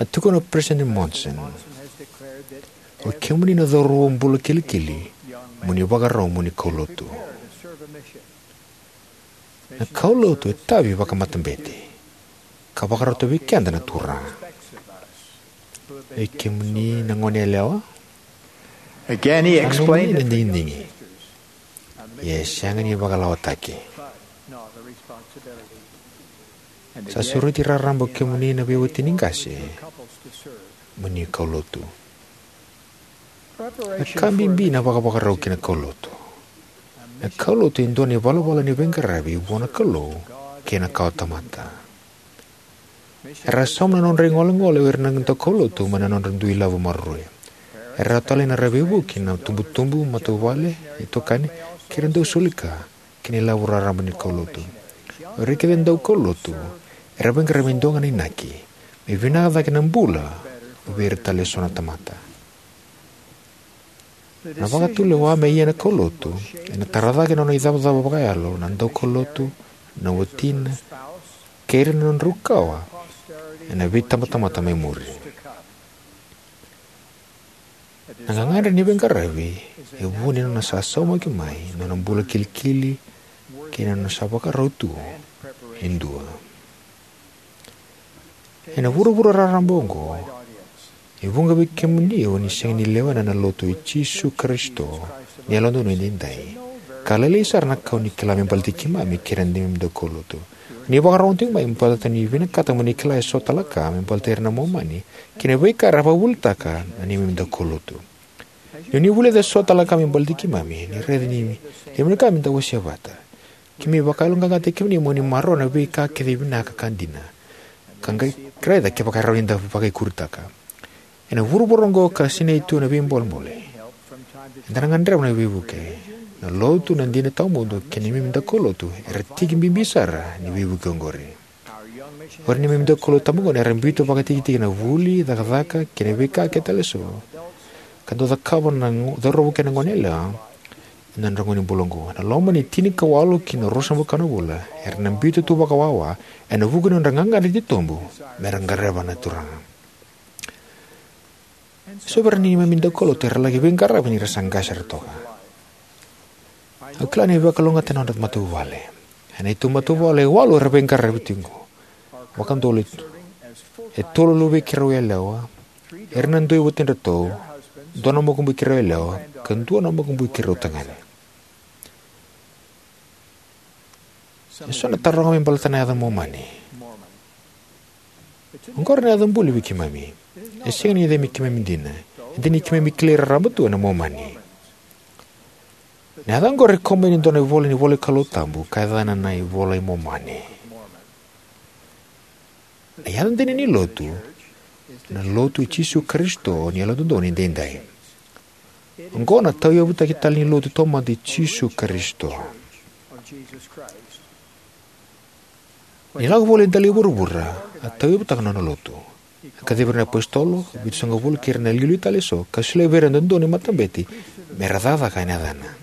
a tukuna o President Monson: "O kemuni na cauravou bula kilikili, mo ni vakarau mo ni kaulotu." Na kaulotu e tavi vakamatabete ka vakarauta vei keda na Turaga. Vei kemuni na goneyalewa, again he explained it, na digidigi, ia e sega ni vakalawataki. Sa sureti raraba o kemuni na veiwatini qase mo ni kaulotu. Na ka bibi na vakavakarau ki na kaulotu. Na kaulotu e dua na ivalavala ni veiqaravi vua na Kalou kei na kawatamata. Era sauma na nodra igolegole o ira na daukaulotu mai na nodra dui lavo maroroi. Era talai na nodra veivuke na itubutubu, matavuvale, itokani, kei ira na dausolika ki na ilavo raraba ni kaulotu. O ira kece na daukaulotu era veiqaravi me dua ga na inaki, me vinaka cake na bula vei ira tale eso na tamata. Na vakatulewa me ia na kaulotu ena tara cake na nona icavacava vakayalo na daukaulotu, na watina, kei ira na nodrau kawa ena veitabatamata mai muri. Na gagadre ni veiqaravi e vu ni nona sa saumaki mai na nona bula kilikili kei na nona sa vakarau tu e dua. Ena vuravura raraba oqo, e vuqa vei kemuni o ni sega ni lewena na Lotu i Jisu Karisito ni Yalododonu Edaidai, ka lailai sara na ka o ni kila me baleti keimami kei ira na neimami daukaulotu. Ni vakarorogo tiko mai me baleta ni vinakata mo ni kila eso tale na ka me baleti ira na Momani kei na veika era vakavuvulitaka na neimami daukaulotu. Ni o ni vulica eso tale na ka me baleti keimami, ni raica ni levu na ka meda wasea vata. Keimami vakayaloqaqataki kemuni mo ni maroroya na veika kece e vinaka ka dina, ka qai raica kevaka e rawa ni da vakaikuritaka. Ena vuravura oqo ka sinai tu na veibolebole, eda na gadreva na veivuke. Na Lotu, na dina tawamudu, kei na neimami daukaulotu era tiki bibi sara ni veivuke oqori. O ira na neimami daukaulotu tabagone era biuta vakatikitiki ena vuli, cakacaka, kei na veika kece tale eso ka dau cakava na go-, cauravou kei na goneyalewa ena nodra gauna ni bula oqo. Ena loma ni tinikawalu ki na ruasagavulu ka na vula, era na biuta tu vakawawa ena vuku ni nodra gagadre titobu mera qarava na Turaga. So vei ira na neimami daukaulotu era laki veiqaravi ni ra sa qase sara toka. Au kila ni veivakalougatataki na nodra matavuvale. Ena itubutubu matavuvale e walu era veiqaravi tiko. Vakadodonu e tolu na luvei keirau yalewa, era na dui watidratou, dua na makubui keirau yalewa, ka dua na makubui keirau tagane. E so na taroga me baleta na yaca Momani. Oqori na yaca buli vei keimami. E sega ni yaca me keimami dina. E dina ni keimami kilai raraba tu ena Momani. Na yaca oqori e kau mai ni dua na ivola ni ivola i Kalou tabu ka yacana na iVola i Momani. Na yaca dina ni Lotu, na Lotu i Jisu Karisito ni Yalododonu Edaidai. Oqo na tauyavutaki tale ni Lotu taumada i Jisu Karisito. Ni lako voli e dela i vuravura, a tauyavutaka na nona Lotu. A kacivi ira na iapositolo, vitusagavulu kei ira na iliuliu tale eso, ka solia vei ira na dodonu ni matabete, me ra cakacaka ena yacana.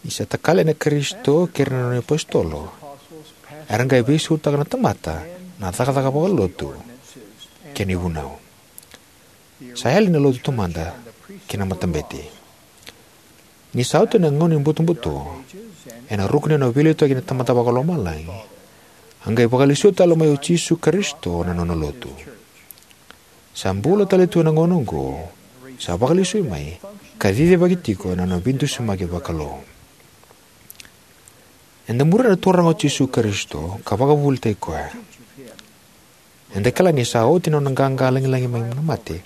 Ni sa takali na Karisito kei ira na nona iapositolo, era qai veisautaka na tamata na cakacaka vakalotu kei na ivunau. Sa yali na lotu taumada kei na matabete. Ni sa oti na gauna ni butobuto, ena ruku ni nona veiliutaki na Tamada Vakalomalagi, a qai vakalesuya tale mai o Jisu Karisito na nona Lotu. Sa bula tale tu ena gauna oqo, sa vakalesui mai, ka cicivaki tiko ena nona veidusimaki vakalou. Eda muria na Turaga o Jisu Karisito, ka vakavuvulitaki koya. Eda kila ni sa oti na nona qaqa lagilagi mai na mate,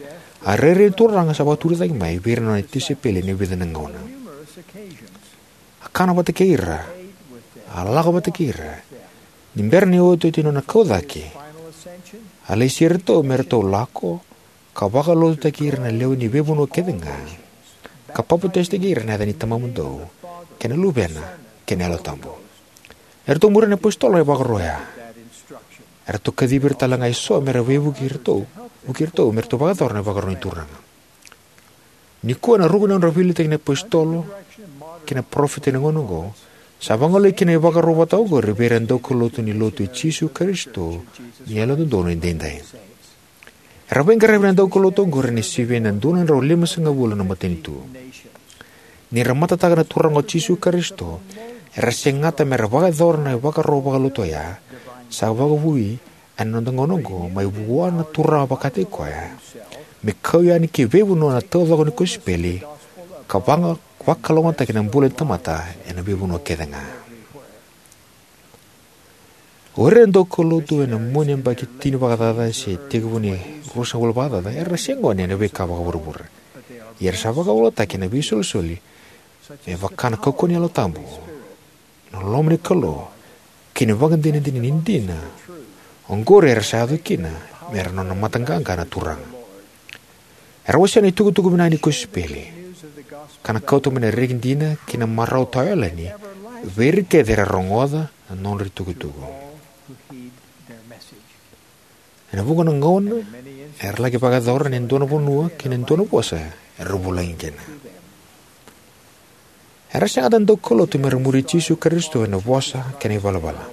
a rairai na Turaga sa vakaturi cake mai vei ira na nona tisaipeli ena vica na gauna. A kana vata kei ira, a lako vata kei ira. Ni bera ni otioti na nona kau cake, a lesi iratou me ratou lako, ka vakalotutaki ira na lewe ni veivanua kece ga, ka papitaisotaki ira ena yaca ni Tamamudou, kei na Luvena, kei na Yalo Tabu. Eratou muria na iapositolo na ivakaro oya. Eratou kacivi ira tale ga eso me ra veivuke iratou, vuke iratou me ratou vakayacora na ivakaro ni Turaga. Nikua ena ruku ni nodra veiliutaki na iapositolo kei na parofita ena gauna oqo, sa vagolei kina na ivakaro vata oqori vei ira na daukaulotu ni Lotu i Jisu Karisito ni Yalododonu Edaidai. Era veiqaravi na daukaulotu oqori ena sivia na dua na drau limasagavulu na matanitu. Ni ra matataka na Turaga o Jisu Karisito, era segata me ra vakayacora na ivakaro vakalotu oya, sa vakavui ena noda gauna oqo mai vua na Turaga vakataki koya, me kau yani ki veivanua na taucoko ni kosipeli, ka vaga-, vakalougatataki na bula ni tamata ena veivanua kece ga. O ira na daukaulotu ena mua ni yabaki tini vakacaca se tekivu ni ruasagavulu vakacaca, era se gone ena veika vakavuravura. Ia era sa vakaulutaki ena veisolisoli me vaka na kaukauwa ni Yalo Tabu, na loma ni Kalou, kei na ivakadinadina ni dina. Oqori era sa yaco kina me ra nona mataqaqa na Turaga. Era wasea na itukutuku vinaka ni kosipeli, ka na kauta mai na reki dina kei na marau tawayalani vei ira kece era rogoca na nodra itukutuku. Ena vuqa na gauna, era laki vakayacora ena dua na vanua kei na dua na vosa era vulagi kina. Era segata na daukaulotu me ra muri Jisu Karisito ena vosa kei na ivalavala.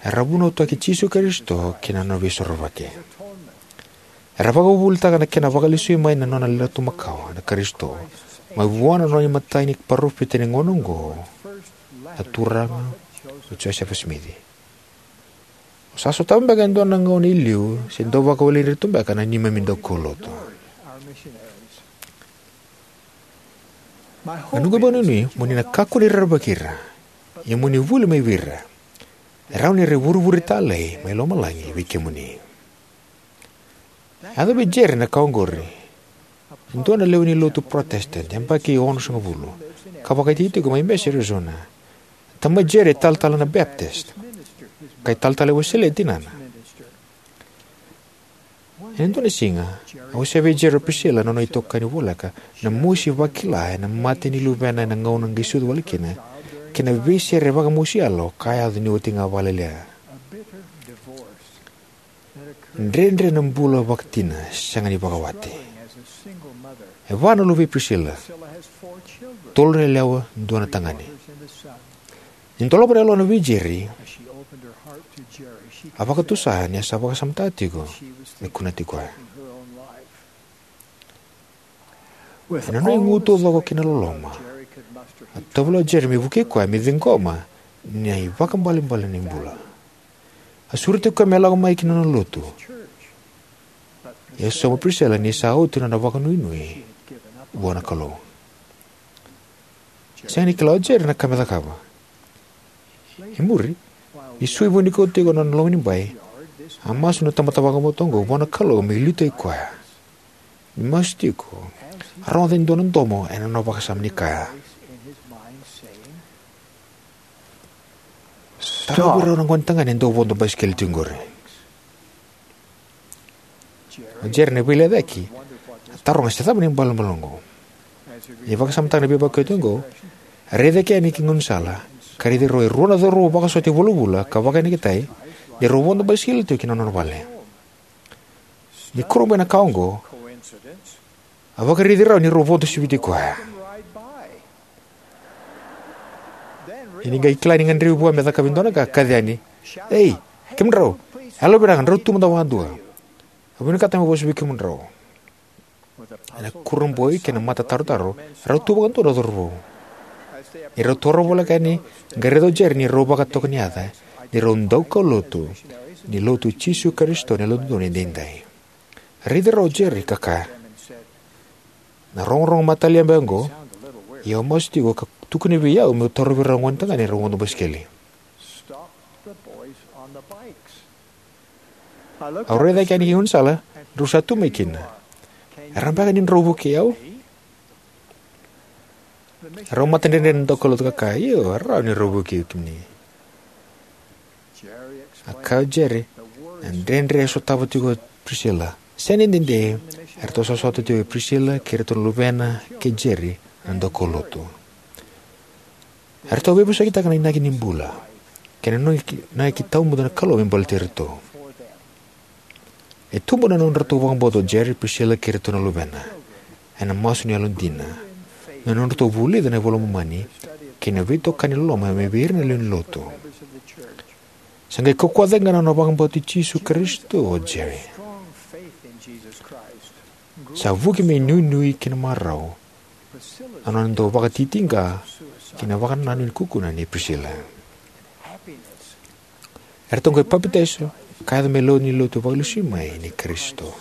Era vunautaki Jisu Karisito kei na nona veisorovaki. Era vakavuvulitaka na kena vakalesui mai na nona Lotu makawa na Karisito, mai vua na nona imatai ni parofita ena gauna oqo, na Turaga o Josefa Simici. O sa sotava beka e dua na gauna e liu se dau vakawaleni iratou beka na neimami daukaulotu. Na noqu ivakadinadina, mo ni na kakua ni rerevaki ira, ia mo ni vuli mai vei ira. E rawa ni ra ivurevure talei mai lomalagi vei kemuni. A yaco vei Jerry na ka oqori. E dua na lewe ni lotu Protestant, yabaki onosagavulu, ka vakaitikotiko mai Mesa, Arizona. Tamai Jerry e talatala na Baptist, ka italatala e Wesele tinana. Ena dua na siga, a wasea vei Jerry o Priscilla, na nona itokani voleka, na mosi vakila ena mate ni luvena ena gauna qai sucu wale kina, kei na veisere vakamosi yalo ka yaco ni oti ga vakalailai. Dredre na bula vakatina sega ni vakawati. E va na luve i Priscilla, tolu na yalewa, dua na tagane. Ni dolava na yalona vei Jerry, a vakatusa ni a sa vakasamataka tiko me kunati koya. Ena nona igu taucoko kei na loloma, a tovolea o Jerry me vukei koya me ciqoma na ivakaibalebale ni bula. A sureti koya me lako mai ki na nona lotu. Ia a sauma o Priscilla ni sa oti na nona vakanuinui vua na Kalou. Sega ni kila o Jerry na ka me cakava. E muri, ni sui vua nikua tiko na nona lomanibai, a masu na tamata vakabauta oqo vua na Kalou me liutaki koya. Ni masu tiko, a rogoca e dua na domo ena nona vakasama ni kaya, "Tarovi rau na gone tagane e dau vodo basikeli tiko qori." O Jerry, na veilecayaki, a taroga se cava na ibalebale oqo. Ni vakasamataka na veivakaoti oqo, a raica eke yani ki gaunisala, ka raici rau e rua na cauravou vakasota e vulavula ka vakayagataki ni rau vodo basikeli tiko ki na nona vale. Ni kurabuya na ka oqo, a vakaraici rau ni rau vodo siviti koya. Ia ni qai kila ni gadrevi vua me cakava e dua na ka, a kaci yani, "Ei, kemudrau, yalovinaka, drau tu mada vakadua. Au vinakata meu vosa vei kemudrau." Ena kurabui kei na matatarotaro, rau tu vakadua na cauravou. Ni rau toro voleka yani, qai raica o Jerry ni rau vakatoka ni yaca ni rau daukaulotu ni Lotu i Jisu Karisito ni Yalododonu Edaidai. Raici rau o Jerry ka kaya, "Na rogorogo matalia beka oqo, ia au masu tiko ka tukuni vei au meu tarovi rau na gone tagane rau vodo basikeli." Au raica eke yani ki gaunisala, drau sa tu mai kina. "E rawa beka ni drau vukei au?" Rau matadredre na daukaulotu ka kaya, "Io, e rawa ni rau vukei kemuni." A kaya o Jerry, na dredre e sotava tiko o Priscilla. Sega ni dede, eratou sa sota tiko o Priscilla kei iratou na luvena kei Jerry na daukaulotu. Eratou veivosakitaka na inaki ni bula kei na inaki, inaki tawamudu na Kalou me baleti iratou. E tubu na nodratou vakabauta o Jerry, Priscilla kei iratou na luvena ena masu ni yalodina, na nodratou vulica na iVola i Momani kei na veitokani loloma mai vei ira na lewe ni lotu. Sa qai kaukauwa cake ga na nona vakabauti Jisu Karisito o Jerry. Sa vuki me inuinui kei na marau na nona dau vakatitiqa kei na vakanananu ni kukuna nei Priscilla. Eratou qai papitaiso ka yaco me lewe ni lotu vakalesui mai nei Karisito.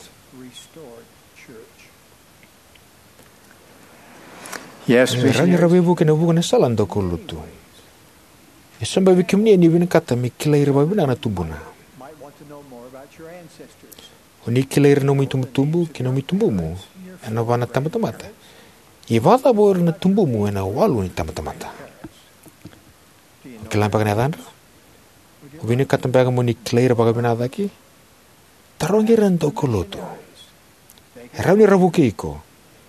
Yes, e rawa ni ra veivuke ena vuku ni sala ni daukaulotu. E sobu vei kemuni o ni vinakata me kilai ira vakavinaka na tubuna. O ni kilai ira na nomu itubutubu kei na nomu itubumu ena va na itabatamata. Ia vakacava o ira na tubumu ena walu ni itabatamata? O kila beka na yacadra? O vinakata beka mo ni kilai ira vakavinaka cake? Tarogi ira na daukaulotu. E rawa ni ra vukei iko.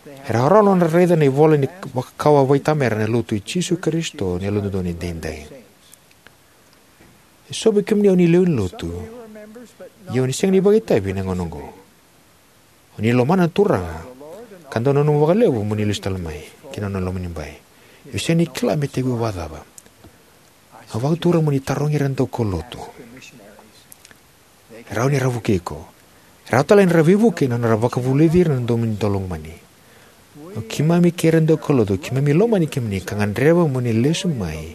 E rawarawa na nodra raica na ivola ni vakakawa vakaitamera ena Lotu i Jisu Karisito ni Yalododonu Edaidai. E so vei kemuni o ni lewe ni lotu, ia o ni sega ni vakaitavi ena gauna oqo. O ni lomana na Turaga ka dau nanuma vakalevu mo ni lesu tale mai ki na nona lomanibai. Ia o sega ni kila me tekivu vakacava. Au vakatura mo ni tarogi ira na daukaulotu. E rawa ni ra vukei iko. E rawa tale ni ra veivuke ena nodra vakavulici ira na domo ni daulomani. O keimami kei ira na daukaulotu, keimami lomani kemuni ka gadreva mo ni lesu mai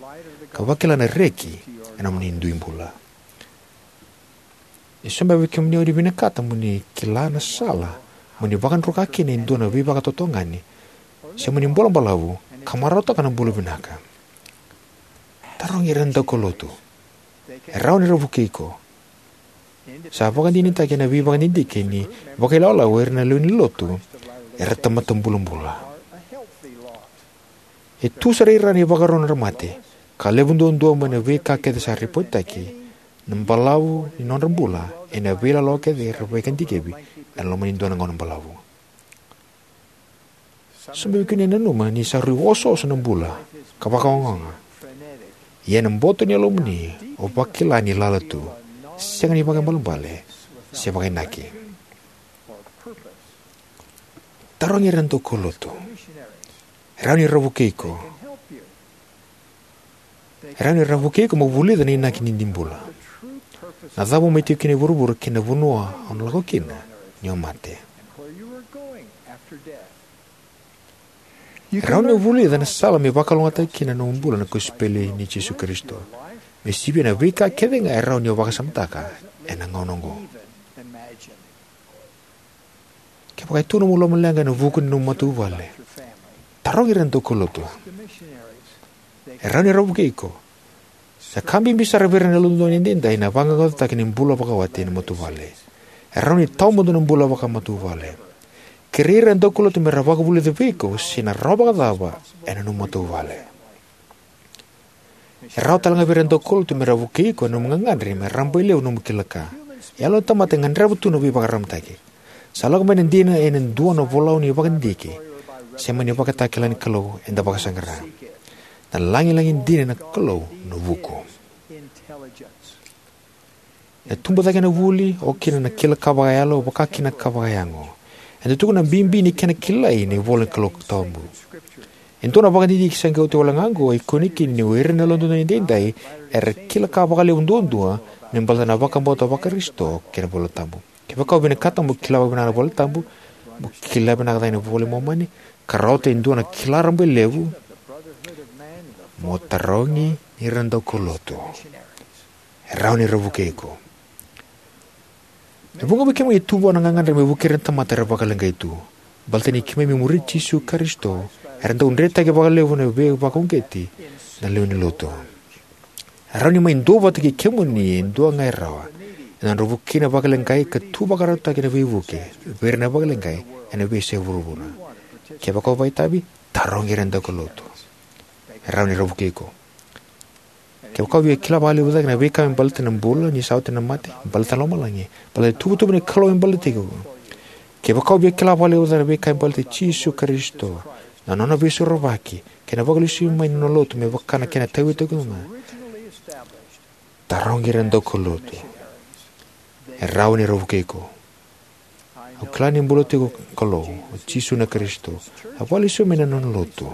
ka vakila na reki ena nomuni dui bula. E sobu vei kemuni o ni vinakata mo ni kila na sala mo ni vakadruka kina e dua na veivakatotogani se mo ni bula balavu ka marautaka na bula vinaka. Tarogi ira na daukaulotu. E rawa ni ra vukei iko. Sa vakadinadinataki ena veivakadidike ni vakailawalawa o ira na lewe ni lotu era tamata bulabula. E tu sara i ra na ivakarau ni nodra mate, ka levu duadua mai na veika kece sa ripoitaki na balavu ni nodra bula ena veilawa kece era vakadikevi ena loma ni dua na gauna balavu. Sobu vei kemuni o ni nanuma ni sa rui osooso na bula ka vakaogaoga. Ia ena boto ni yalomuni o vakila ni lala tu, sega ni vakaibalebale se vakainaki. Tarogi ira na daukaulotu. E rawa ni ra vukei iko. E rawa ni ra vukei iko mo vulica na inaki ni dui bula. Na cava o mai tiko kina e vuravura kei na vanua o na lako kina ni o mate. E rawa ni o vulica na sala me vakalougatataki kina na nomu bula na kosipeli nei Jisu Karisito, me sivia na veika kece ga e rawa ni o vakasamataka ena gauna oqo. Kevaka e tu nomu lomaleqa ena vuku ni nomu matavuvale, tarogi ira na daukaulotu. E rawa ni ra vukei iko. Na ka bibi sara vei ira na yalododonu edaidai na vaqaqacotaki ni bula vakawati ena matavuvale. E rawa ni tawamudu na bula vakamatavuvale. Kerei ira na daukaulotu me ra vakavulica vei iko se na rawa vakacava ena nomu matavuvale. E rawa talega vei ira na daukaulotu me ra vukei iko ena nomu gagadre me rabailevu nomu kila ka. Yalo na tamata e gadreva tu na veivakararamataki. Sa lako mai na dina ena dua na volau ni vakadidike, se mai na ivakatakila ni Kalou eda vakasaqara. Na lagilagi dina na Kalou na vuku. Na tubu cake na vuli, oka kina na kila ka vakayalo, vaka kina ka vakayago. Eda tukuna na bibi ni kena kilai na ivola ni Kalou tabu. E dua na vakadidike sa qai oti wale ga oqo e kune kina ni o ira na yalododonu edaidai era kila ka vakalevu duadua me baleta na vakabauta vaKarisito kei na iVola Tabu. Kevaka o vinakata mo kila vakavinaka na iVola Tabu, mo kila vinaka cake na iVola i Momani, ka rauta e dua na kila rabailevu, mo tarogi ira na daukaulotu. E rawa ni ra vukei iko. E vuqa vei kemuni e tu vua na gagadre me vukei ira na tamata era vakaleqai tu. Baleta ni keimami muri Jisu Karisito, era dau dretaki vakalevu na veivakauqeti na lewe ni lotu. E rawa ni mai duavata kei kemuni e dua ga e rawa ena nodra vukei na vakaleqai ka tu vakarautaki na veivuke vei ira na vakaleqai ena veiyasai vuravura. Kevaka o vakaitavi, tarogi ira na daukaulotu. E rawa ni ra vukei iko. Kevaka o via kila vakalevu cake na veika me baleta na bula ni sa oti na mate, baleta na lomalagi, baleta na ituvatuva ni Kalou me baleti iko. Kevaka o via kila vakalevu cake na veika me baleta Jisu Karisito, na nona veisorovaki, kei na vakalesui mai na nona lotu me vaka na kena tauyavutaki tu ga, tarogi ira na daukaulotu. E rawa ni ra vukei iko. Au kila ni bula tiko na Kalou, o Jisu na Karisito. A vakalesui mai na nona lotu.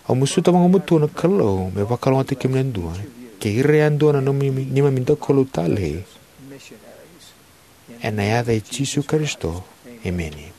Au masuta vakamutua na Kalou me vakalougatataki kemuni yadua kei ira yadua na nomuni, neimami daukaulotu talei. Ena yaca i Jisu Karisito. Emeni.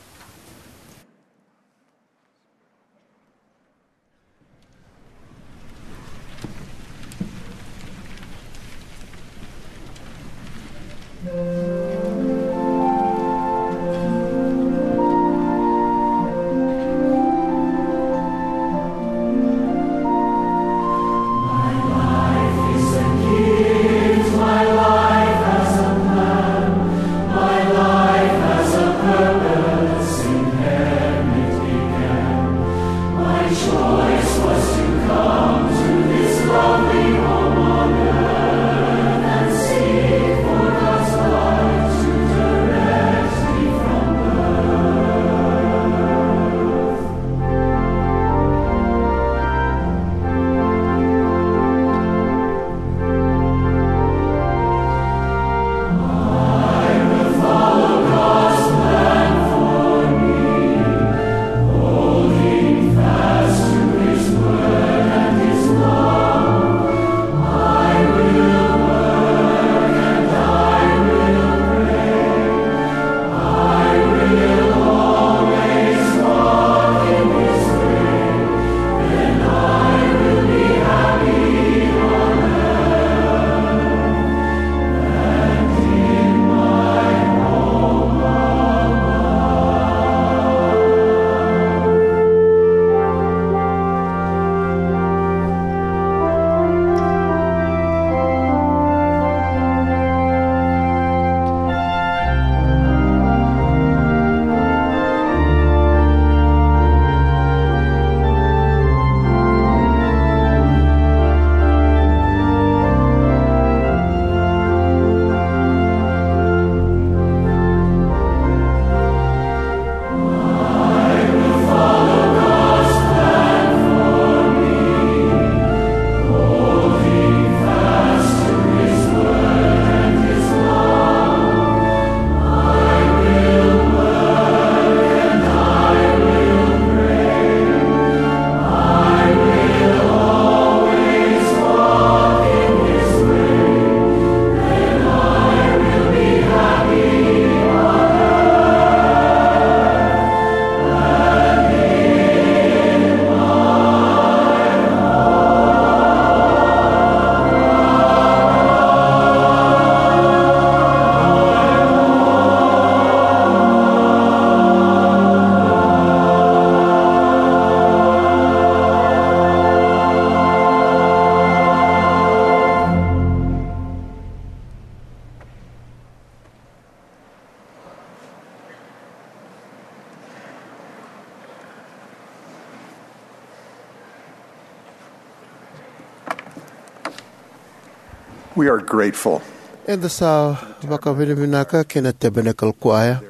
We are grateful. Eda sa vakavinavinaka kei na Tabernacle Choir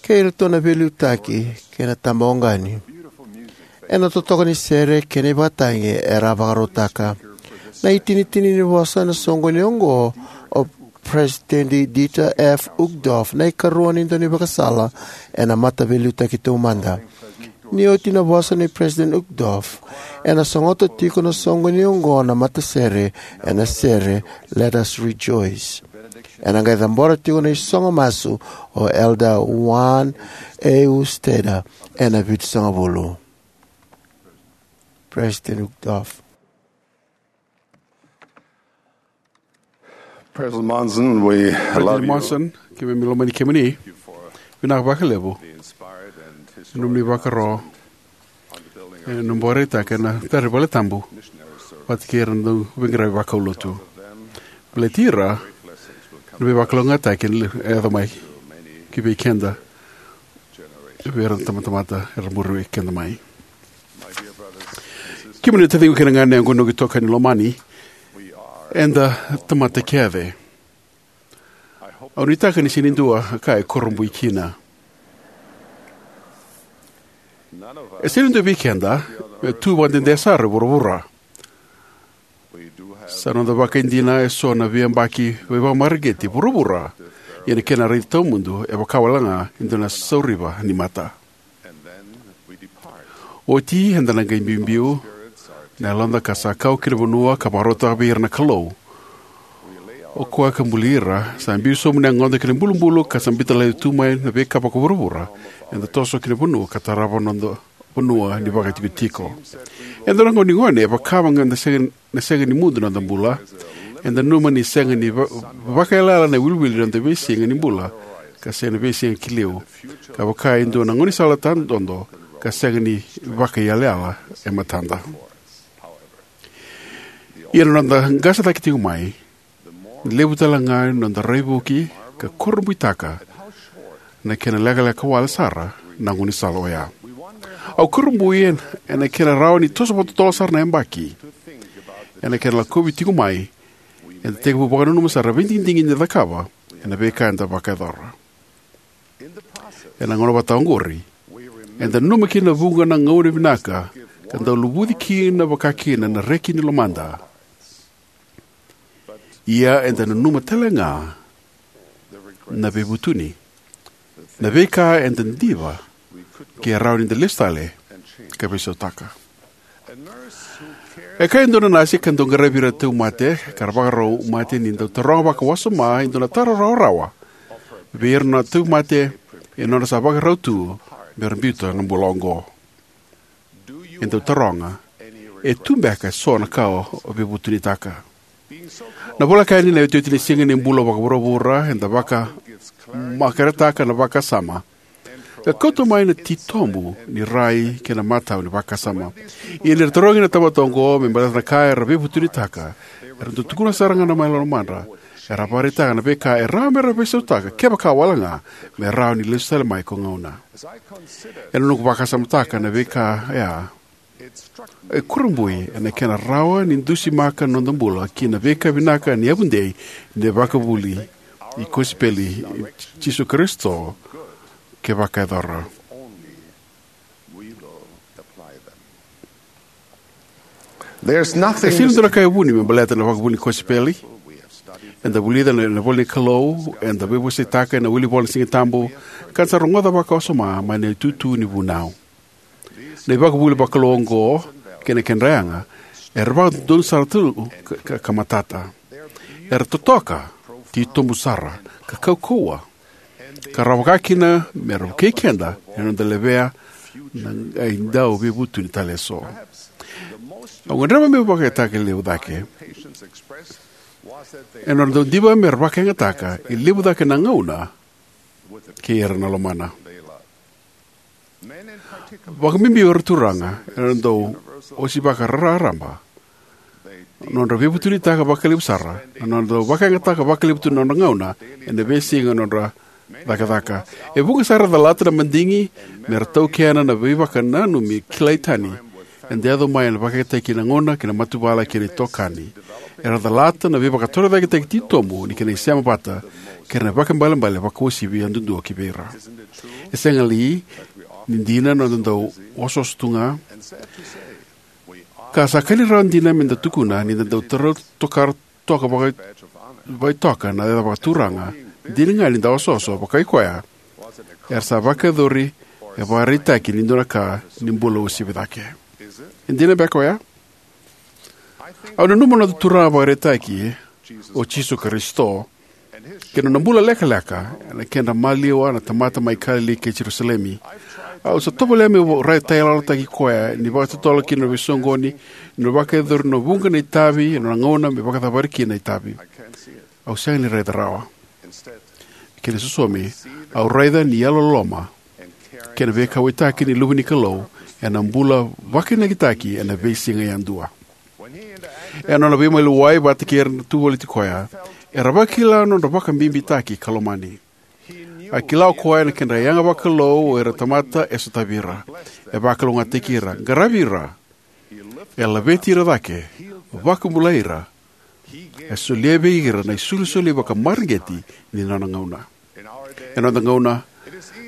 kei iratou na veiliutaki kei na tabawaqani ena totoka ni sere kei na ivakatagi era vakarautaka. Na itinitini ni vosa ena soqoni oqo o President Dieter F. Uchtdorf, na ikarua ni daunivakasala ena mataveiliutaki taumada. Ni oti na vosa nei President Uchtdorf, ena sogota tiko na soqoni oqo na matasere ena sere Let Us Rejoice. Ena qai cabora tiko na isogo masu o Elder Juan A. Ustetter ena Vitusagavulu. President Uchtdorf. President Monson, we love President you. Monson, keimami lomani kemuni. Vinaka vakalevu. Inspired and historic Nomuni vakaro. E na bore taka na tari vale tabu vata kei ira na dau veiqaravi vakaulotu. Baleti ira na veivakalougatataki e yaco mai ki vei keda, vei ira na tamatamata era muri keda mai. Kemuni na taciqu kei na ganaqu, noqu itokani lomani, eda tamata kece. Au nuitaka ni sega ni dua ka e kurabui kina. E sega ni dua vei keda me tu vakadede sara e vuravura. Sa noda vakaidina eso na veiyabaki veivakamareqeti vuravura, ia na kena raici tawamudu e vaka wale ga e dua na sauriva ni mata. Oti eda na qai biubiu na yaloda ka sa kau ki na vanua ka vakarautaka vei ira na Kalou. O koya ka buli ira, sa biu sobu na yagoda ki na ibulubulu ka sa biuta laivi tu mai na veika vakavuravura. Eda toso ki na vanua ka tarava noda vanua ni vakaitikotiko. Eda na gone, e vaka ga eda sega na sega ni mudu na noda bula. Eda nanuma ni sega ni va-, vakaiyalayala na iwiliwili ni noda veisiga ni bula, ka sega na veisiga ki liu, ka vaka e dua na gaunisala tadodo ka sega ni vakaiyalayala e matada. Ia na noda qase cake tiko mai, levu tale ga na noda raivuki ka kurabuitaka na kena lekaleka wale sara na gaunisala oya. Au kurabui ena kena rawa ni toso vakatotolo sara na yabaki. Ena kena lakovi tiko mai, eda tekivu vakananuma sara na veidigidigi eda cakava ena veika eda vakayacora. Ena gauna vata oqori, eda nanuma kina na vuqa na gauna vinaka ka dau luvuci kina vakakina na reki ni lomada. Ia eda nanuma tale ga na veivutuni, na veika eda diva ke rawa ni da lesu tale ka veisautaka. E kaya e dua na nasi ka dau qaravi ira na tauvimate ka ra vakarau mate ni dau taroga vakawasoma e dua na taro rawarawa vei ira na tauvimate e nodra sa vakarau tu me ra biuta na bula oqo. E dau taroga, e tu beka eso na ka o veivutunitaka? Na voleka yani na iotioti ni siga ni bula vakavuravura, eda vakamakaretaka na vakasama ka kauta mai na titobu ni rai kei na matau ni vakasama. Ia ni ra tarogi na tamata oqo me baleta na ka era veivutunitaka, era dau tukuna sara ga mai na lomadra, era vakaraitaka na veika e rawa me ra veisautaka kevaka wale ga me rawa ni lesu tale mai ko gauna. Ena noqu vakasamataka na veika ya, e kurabui ena kena rawa ni dusimaka na noda bula ki na veika vinaka ni yavudei ni vakavuvuli ni kosipeli i Jisu Karisito ke vakayacora. There's nothing E sega ni dua na ka e vuni me baleta na vakavuvuli ni kosipeli. Eda vulica na, na ivola ni Kalou, eda veivosakitaka ena wilivola ni Siga Tabu, ka da sa rogoca vakawasoma mai na itutu ni vunau. Na ivakavuvuli vakalou oqo kei na kedra yaga era vakadodonu sara tu ka, ka, ka matata. Era totoka, titobu sara, ka kaukauwa, ka rawa vakakina me ra vukei keda ena noda levea na qai dau veivutuni tale eso. Au gadreva meu vakayagataka e levu cake ena nodra dau diva me ra vakayagataka e levu cake na gauna kei ira na lomana. Vakabibi o ira turaga era dau osivaka raraba. Nodra veivutunitaka vakalevu sara, na nodra vakayagataka vakalevu tu na nodra gauna ena veisiga nodra cakacaka. E vuqa sara e calata na madigi me ra taukena na veivakananumi kilai tani eda yaco mai ena vakayagataki na gauna kei na matavuvale kei na itokani. Era calata na veivakatorocaketaki titobu ni kena isema vata kei na vakaibalebale vakauasivi yadudua ki vei ira. E sega li ni dina na noda dau osooso tu ga? Ka sa ka ni rawa dina me da tukuna ni da dau taura tokara toka vaka, vakaitoka na yaca vakaturaga, dina ga ni da osooso vakaikoya, era sa vakayacori e vakaraitaki ni dua na ka ni bula uasivi cake. E dina beka oya? Au nanuma na noda Turaga vakaraitaki, o Jisu Karisito, kei na nona bula lekaleka ena kedra maliwa na tamata mai Kalili kei Jerusalemi. Au sa tovolea meu raitayaloyalotaki koya ni vakatotolo ki na veisoqoni, ni vakayacori na vuqa na itavi, ena nona gauna me vakacavari kina na itavi. Au sega ni raica rawa. Kena isosomi, au raica ni yalololoma kei na veikauwaitaki ni luve ni Kalou ena bula vakainakitaki ena veisiga yadua. Ena nona veimaliwai vata kei ira na tu voliti koya, era vakila na nodra vakabibitaki ka lomani. A kila o koya na kedra yaga vakalou o ira na tamata e sotavi ira. E vakalougatataki ira, qaravi ira. E laveti ira cake, vakabulai ira. E solia vei ira na isolisoli vakamareqeti ni nona gauna. Ena noda gauna,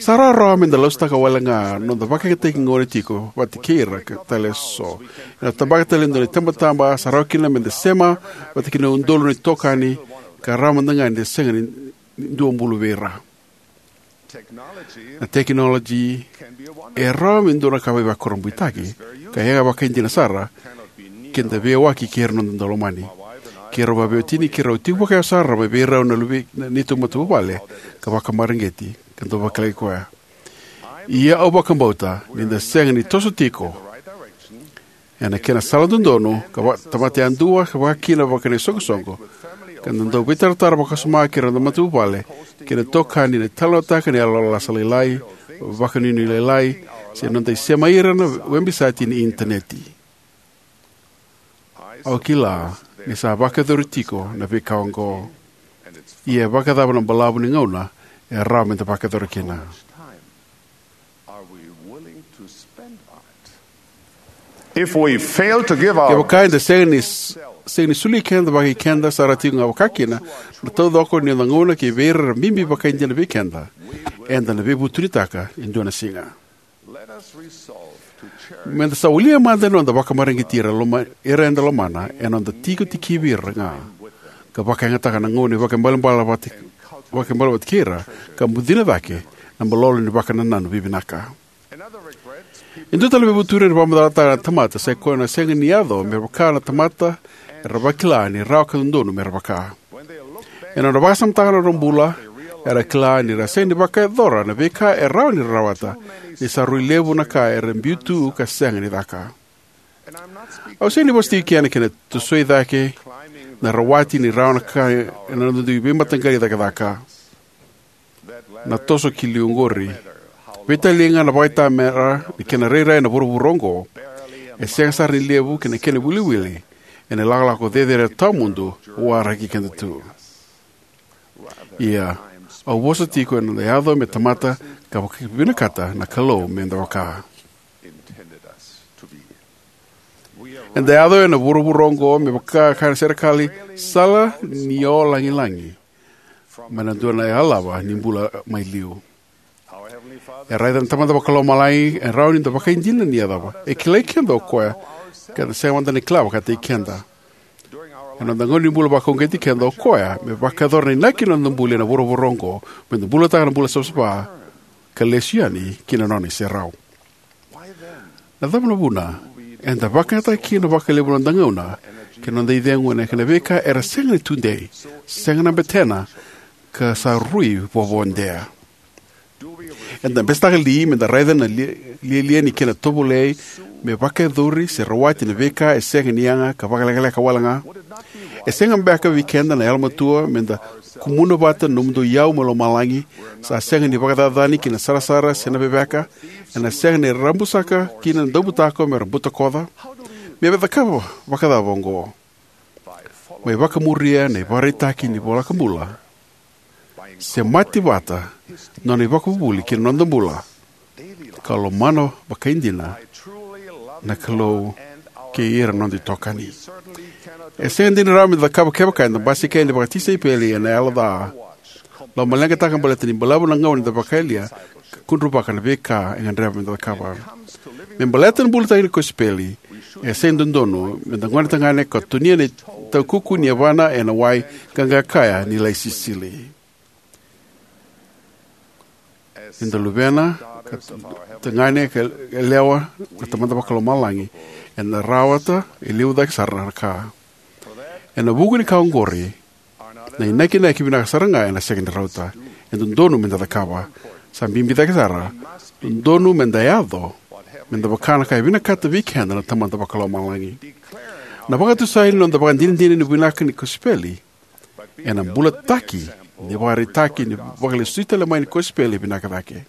sa rawarawa me da lasutaka wale ga na noda vakayagataki gauna tiko vata kei ira ka tale eso. Ena tabaka tale e dua na itabataba, sa rawa kina me da sema vata kei na udolu na itokani, ka rawa mada ga ni da sega ni dua bulu vei ira. Na tekinoloji e rawa me dua na ka veivakurabuitaki ka yaga vakaidina sara, ke da veiyawaki kei ira na noda daulomani. Keirau vaveiwatini, keirau tiko vakayawa sara mai vei rau na luve ni neitou matavuvale ka vakamareqeti, ka dau vakilai koya. Ia au vakabauta ni da sega ni toso tiko ena kena sala dodonu, ka va, tamata yadua, ka vakakina vaka na isoqosoqo, ka da dau veitaratara vakasoma kei ira na matavuvale kei na itokani, na talanoataka na yalo lasa lailai, vakanuinui lailai, se na noda isema ira na webisite ni Initaneti. Au kila ni sa vakayacori tiko na veika oqo. Ia e vakacava na balavu ni gauna e rawa me da vakayacora kina? If we fail to give our Kevaka eda sega ni, sega ni soli keda vakaikeda sara tiko ga vakakina na taucoko ni noda gauna ki vei ira era bibi vakaidina vei keda, eda na veivutunitaka e dua na siga. Let us resolve to cherish Me da sa walia mada na noda vakamareqeti ira loma, ira eda lomana, ena noda tiko tikivi ira ga, ka vakayagataka na gauna ni vakaibalebale vata, vakaibalebale vata kei ira, ka bucina cake na malolo ni vakanananu vivinaka. E dua tale na veivutuni era vakamacalataka na tamata, sai koya na sega ni yaco me vaka na tamata era vakila ni rawa ka dodonu me ra vaka. Ena nodra vakasamataka na nodra bula, era kila ni ra sega ni vakayacora na veika e rawa ni ra rawata, ni sa rui levu na ka era biu tu ka sega ni caka. Au sega ni vosa tiko ena kena tosoi cake na rawati ni rawa na ka ena noda dui veimataqali cakacaka. Na toso ki liu oqori, veitalia ga na vakaitamera ni kena rairai na vuravura oqo, e sega sara ni levu kei na kena wiliwili ena ilakolako cecere tawamudu waraki keda tu. Ia, au vosa tiko ena yaco me tamata ka vakavinakata na Kalou me da vaka. Eda yaco ena vuravura oqo me vaka kaya na serekali, sala ni o lagilagi mai na dua na yalava ni bula mai liu. E raica na Tamada Vakalomalagi e rawa ni da vakaidina ni yacova. E kilai keda o koya, keda sega mada ni kila vakataki keda. Ena noda gauna ni bula vakauqeti keda o koya me vakayacora na inaki ni noda bula ena vuravura oqo, me da bulataka na bula savasava ka lesu yani ki na nona iserau. Na cava na vuna eda vakayagataka kina vakalevu na noda gauna kei na noda icegu ena kena veika era sega ni tudei, sega na betena, ka sa rui vovodea? Eda besetaka li me da raica na li-, lialia ni kena tovolei me vakayacori se rawati na veika e sega ni yaga ka vakalekaleka wale ga? E sega beka vei keda na yalomatua me da kumuna vata na nomudou iyau mai lomalagi, sa sega ni vakacacani ki na sarasara se na veveka, ena sega ni rabusaka kina na daubutako me ra butakoca? Me vacakava vakacava oqo? Mai vakamuria na ivakaraitaki ni iVola Vakabula, se mate vata na nona ivakavuvuli ki na noda bula, ka lomana vakaidina na Kalou kei ira na noda itokani. E sega ni dina rawa me da cakava kevaka eda basika yani vakatisaipeli ena yalo ca, lomaleqataka baleta ni balavu na gauna eda vakayalia, ka kudruvaka na veika e gadreva me da cakava. Me baleta na bulataki ni kosipeli, e sega ni dodonu me da gone tagane ka tonia na itaukuku ni yavana ena wai ka qai kaya ni lai sisili. Ni da luvena ka tagane ka yalewa na Tamada Vakalomalagi, ena rawata e levu cake sara na ka. Ena vuku ni ka oqori, na inakinaki vinaka sara ga ena sega ni rauta. E dodonu me da cakava. Sa bibi cake sara, dodonu me da yaco me da vaka na ka e vinakata vei keda na Tamada Vakalomalagi. Na vakatusai ni noda vakadinadina ni vinaka ni kosipeli ena bulataki ni vakaraitaki ni vakalesui tale mai ni kosipeli e vinaka cake.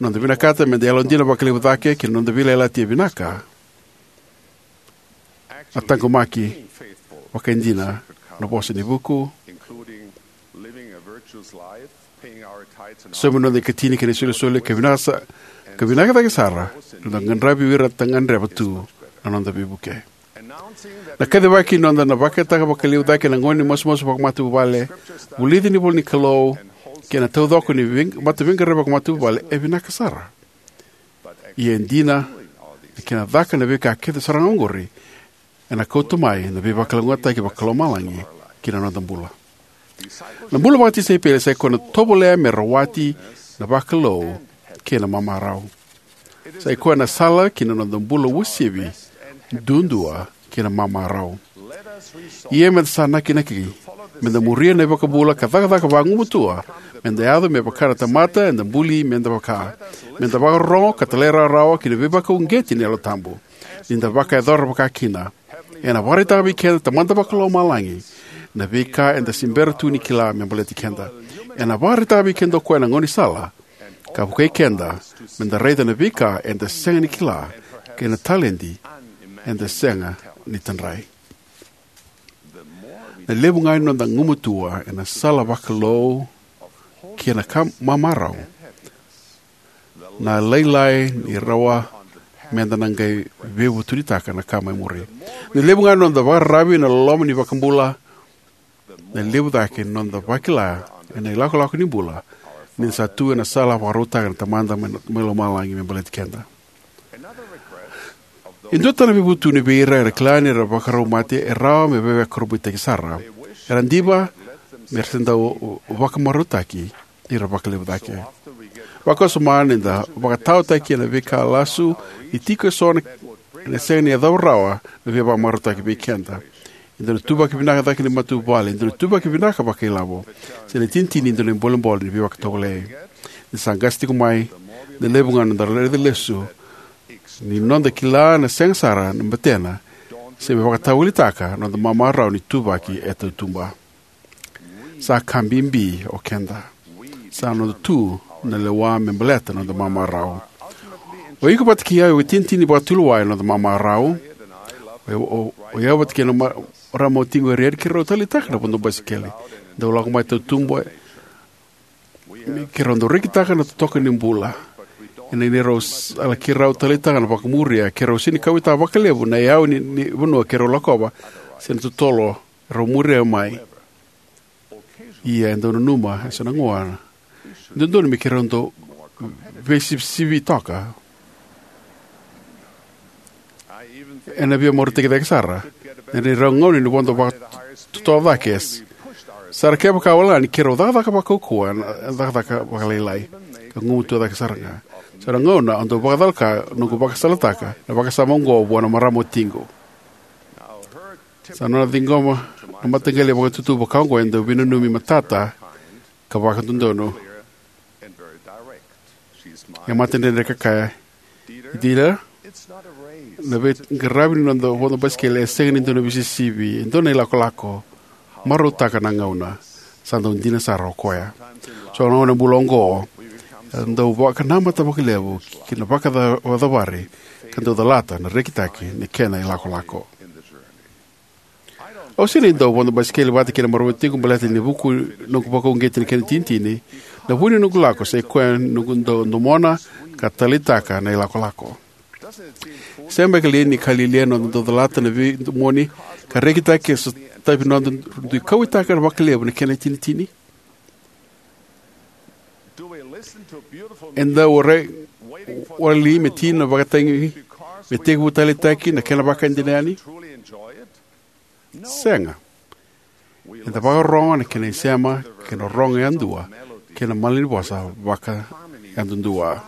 Noda vinakata me da yalodina vakalevu cake ki na noda veiyalayalati e vinaka, a taqomaki vakaidina na vosa ni vuku, saumi noda ikatini kei na isolisoli, ka vinaka sa-, ka vinaka cake sara na noda qadravi ira ta gadreva tu na noda veivuke. Na kacivaki ni noda na vakataka vakalevu cake na gauna ni masumasu vakamatavuvale, vulici ni ivola ni Kalou, kei na taucoko ni vei-, mataveiqaravi vakamatavuvale e vinaka sara. Ia e dina, ni kena caka na veika kece sara ga oqori, ena kauta mai na veivakalougatataki vakalomalagi ki na noda bula. Na bula vakatisaipeli sa ikoya na tovolea me rawati na vakalou kei na mamarau. Sa ikoya na sala ki na noda bula uasivi, duadua kei na mamarau. Ia me da sa nakinaki me da muria na iVakabula ka cakacaka vagumatua me da yaco me vaka na tamata eda buli me da vaka. Me da vakarorogo ka talairawarawa ki na veivakauqeti ni Yalo Tabu. Ni da vakayacora vaka kina, ena vakaraitaka vei keda na Tamada Vakalomalagi na veika eda se bera tu ni kila me baleti keda. Ena vakaraitaka vei keda o koya na gaunisala ka vukei keda me da raica na veika eda sega ni kila kei na taledi eda sega ni tadrai. Na levu ga ni noda gumatua ena sala vakalou kei na ka mamarau, na lailai ni rawa me da na qai veivutunitaka na ka mai muri. Na levu ga ni noda vakararavi ena loloma ni iVakabula, na levu cake ni noda vakila ena ilakolako ni bula ni da sa tu ena sala vakarautaka na Tamada mai, mai lomalagi me baleti keda. E dua tale na veivutuni vei ira era kila ni ra vakarau mate e rawa me veivakurabuitaki sara. Era diva me ra se dau vakamarautaki ni ra vakalevu cake. Vakawasoma ni da vakataotaki ena veika lasu ni tiko eso na, ena sega ni yacova rawa na veivakamarautaki vei keda. E dua na ituvaki vinaka cake ni matavuvale, e dua na ituvaki vinaka vakailavo, se na itinitini e dua na ibolebole ni veivakatovolei. Ni sa qase tiko mai, na levu ga na noda raica lesu ni noda kila na sega sara na betena se me vakatawalitaka na noda mamarau ni ituvaki e tautuba. Sa ka bibi o keda. Sa noda tu na lewa me baleta na noda mamarau. O iko vata kei au e itinitini vakatulewa ena noda mamarau. O, o, o yau vata kei na ma-, marama o Tiqu Erieri, keirau taleitaka na vodo basikeli. Dau lako mai tautuba, keirau dau rekitaka na totoka ni bula. Ena neirau sala keirau taleitaka na vakamuria, keirau sega ni kauwaitaka vakalevu na iyau ni, ni vanua keirau lakova se na totolo rau muria mai. Ia e dau nanuma eso na gauna, e dodonu me keirau dau veisivisivi toka. Ena via marautaki cake sara na neirau gauna ni vodo vakatotolo cake. Sa ra kevaka wale ga ni keirau cakacaka vakaukauwa ena cakacaka vakalailai ka gumatua cake sara ga. Sa na gauna au dau vakacalaka noqu vakasalataka na vakasama oqo vua na marama o Tiqu. Sa nona ciqoma na mataqali vakatutu vaka oqo e dau veinanumi matata ka vakadodonu. E matadredre ka kaya, "Dieter, na veiqaravi ni noda vodo basikeli e sega ni dua na veisivisivi, e dua na ilakolako. Marautaka na gauna." Sa dau dina sara o koya. So na gauna bula oqo e dau vakanamata vakalevu ki na vakacavari ka dau calata na rekitaki ni kena ilakolako. Au sega ni dau vodo basikeli vata kei na marama o Tiqu baleta ni vuku noqu vakauqeti ni kena itinitini. Na vu ni noqu lako sa ikoya noqu dau domona ka taleitaka na ilakolako. Sega beka li ni ka lialia na noda dau calata na veidomoni ka rekitaki e sotavi noda dui kauwaitaka vakalevu na kena itinitini? Eda warai wali me tini na vakatagi me tekivu taleitaki na kena vakadinadina yani? Sega. Eda vakarorogo na kena isema kei na rorogo yadua kei na malanivosa vakayadudua.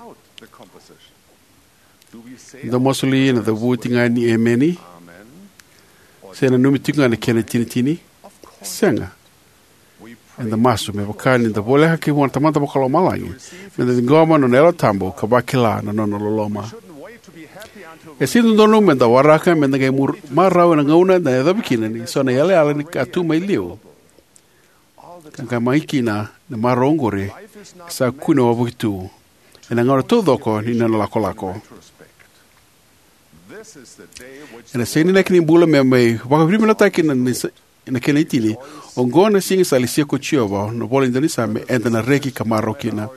Eda masu li ena cavuti ga ni emeni se nanumi tiko ga na kena itinitini? Sega. Eda masu me vaka ni da voleka kei vua na Tamada Vakalomalagi, me da ciqoma na nona Yalo Tabu ka vakila na nona loloma. E sega ni dodonu me da waraka me da qai mur- marau ena gauna eda yacova kina ni so na yalayala ni ka tu mai liu ka qai mai kina na marau oqori e sa kune wavoki tu ena gauna taucoko ni nona lakolako. Ena sega ni inaki ni bula me mai vakavinavinakataki na, na, na kena itini. Oqo na siga sa lesia ko Jiova, na ivola ni Daunisuka, me eda na reki ka marau kina.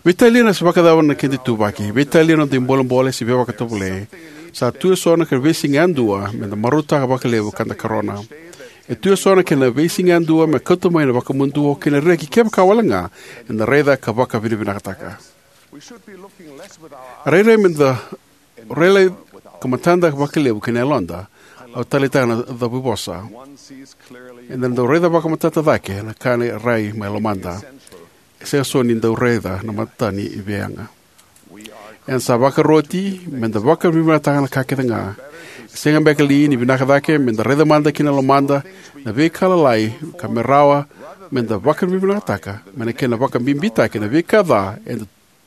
Veitalia na se vakacava na keda ituvaki, veitalia na noda ibolebole se veivakatovolei, sa tu eso na ka veisiga yadua me da marautaka vakalevu ka da karona. E tu eso na kena veisiga yadua me kauta mai na vakamuduo kei na reki kevaka wale ga eda raica ka vakavinavinakataka. Rairai me da rai lai ka matada vakalevu kei na yaloda. Au taleitaka na cavuivosa. Eda dau raica vakamatata cake na ka e rai mai lomada. E sega so ni dau raica na mata ni veiyaga. Eda sa vakaroti me da vakavinavinakataka na ka kece ga. E sega beka li ni vinaka cake me da raica mada kina lomada na veika lalai ka me rawa me da vakavinavinakataka mai na kena vakabibitaki na veika ca eda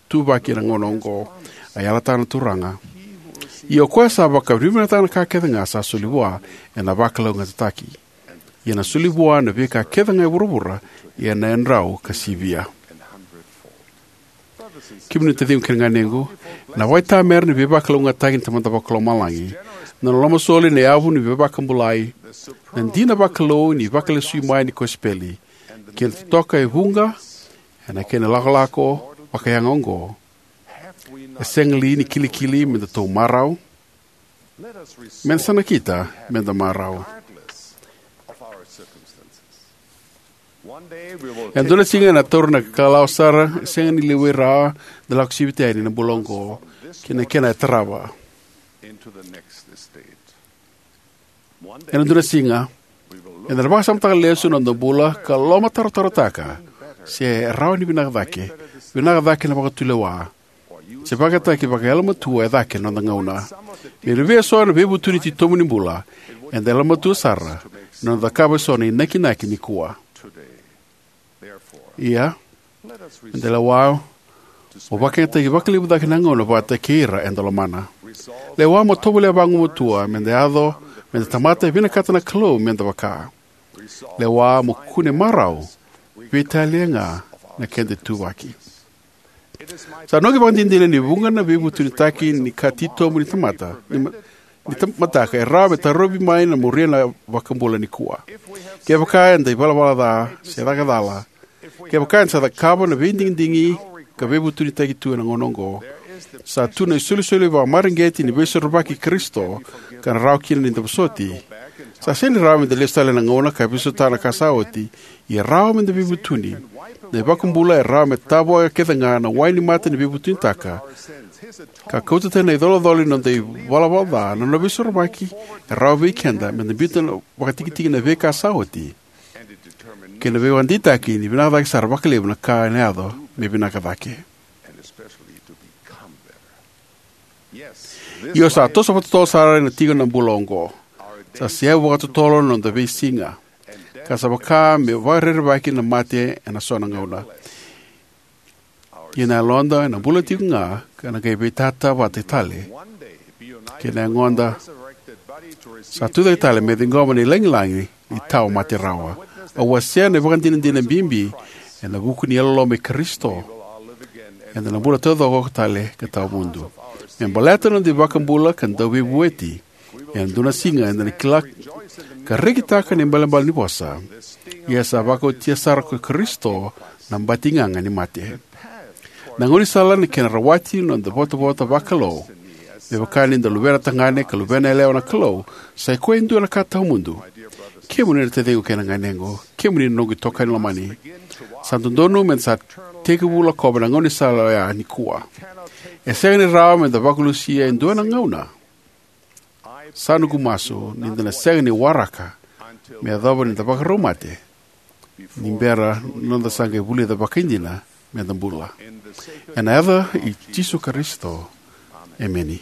tuvaki ena gauna oqo? A yalataka na Turaga: Ia ko koya sa vakavinavinakataka na ka kece ga sa soli vua, ena vakalougatataki. Ia na soli vua na veika kece ga e vuravura, ia na yadrau ka sivia. Kemuni na taciqu kei na ganequ, ena vakaitamera na veivakalougatataki ni Tamada Vakalomalagi, na nona lomasoli, na yavu ni veivakabulai, na dina vakalou ni vakalesui mai ni kosipeli, kei na totoka e vuqa ena kena ilakolako vakayaga oqo. E sega li ni kilikili me datou marau? Me da sa nakita me da marau. E dua na siga ena taura na kalawa sara, e sega ni levu rawa, da lako sivita yani na bula oqo ki na kena e tarava. Ena dua na siga eda na vakasamataka lesu na noda bula ka lomatarotarotaka se e rawa ni vinaka cake, vinaka cake na vakatulewa, se vakataki vakayalomatua e cake na noda gauna. Me vei eso na veivutuni titobu ni bula, eda yalomatua sara na noda cakava eso na inakinaki nikua. Ia, me da lewa mo vakayagataki vakalevu cake na gauna vata kei ira eda lomana. Lewa mo tovolea vagumatua me da yaco me da tamata e vinakata na Kalou me da vaka. Lewa mo kune marau, veitalia ga na keda ituvaki. Sa noqu ivakadinadina ni vuqa na veivutunitaki ni ka titobu ni tamata, ni ma-, ni tamataka e rawa me tarovi mai na muria na iVakabula nikua. Kevaka eda ivalavala ca se caka cala, kevaka eda sa cakava na veidigidigi ka veivutunitaki tu ena gauna oqo, sa tu na isolisoli vakamareqeti ni Veisorovaki i Karisito ka na rawa kina ni da vosoti. Sa sega ni rawa me da lesu tale ena gauna ka veisautaka na ka sa oti, ia rawa me da veivutuni. Na iVakabula e rawa me tavoya kece ga na wai ni mata ni veivutunitaka ka kauta tani na icolacola ni noda ivalavala ca. Na nona Veisorovaki e rawa vei keda me da biuta vakatikitiki na veika sa oti kei na veivakadeitaki ni vinaka cake sara vakalevu na ka ena yaco me vinaka cake. Io, sa toso vakatotolo sara ena tiko na bula oqo. Sa seavu vakatotolo na noda veisiga, ka sa vaka me vakarerevaki na mate ena so na gauna. Ia na yaloda ena bula tiko ga ka na qai veitata vata tale kei na yagoda sa tucake tale me ciqoma na ilagilagi ni tawa mate rawa. Au wasea na ivakadinadina bibi ena vuku ni yalololoma i Karisito. Eda na bula taucoko tale ka tawa mudu. Me baleta na noda iVakabula ka Dauveivueti, ena dua na siga eda na kila ka rekitaka na ibalebale ni vosa: Ia sa vakaotia sara ko Karisito na batigaga ni mate. Na gaunisala ni kena rawati na noda ivotavota vakalou Me vaka ni da luvena tagane ka luvena yalewa na Kalou, sa i koya e dua na ka tawamudu. Kemuni na taciqu kei na ganequ, kemuni na noqu itokani lomani. Sa dodonu me da sa tekivu lakova na gaunisala oya nikua. E sega ni rawa me da vakalusia e dua na gauna. Sa noqu masu ni da na sega ni waraka me yacova ni da vakarau mate, ni bera na noda sa qai vulica vakaidina me da bula. Ena yaca i Jisu Karisito, emeni.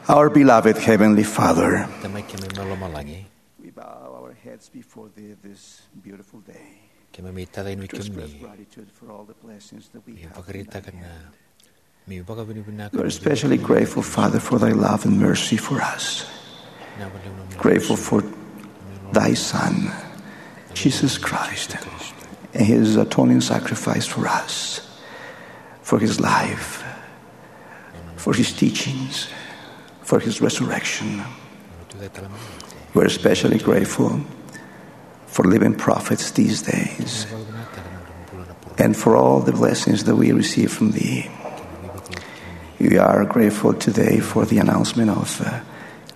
Our beloved Heavenly Father, Tamai keimami mai lomalagi, we bow our heads before Thee this beautiful day. Keimami tacani vei kemuni, gratitude for all the blessings that we have in thy hand. We're especially grateful, Father, for thy love and mercy for us. Grateful for thy Son, Jesus Christ and his atoning sacrifice for us, for his life, for his teachings, for his resurrection. We're especially grateful for living prophets these days and for all the blessings that we receive from thee. We are grateful today for the announcement of uh,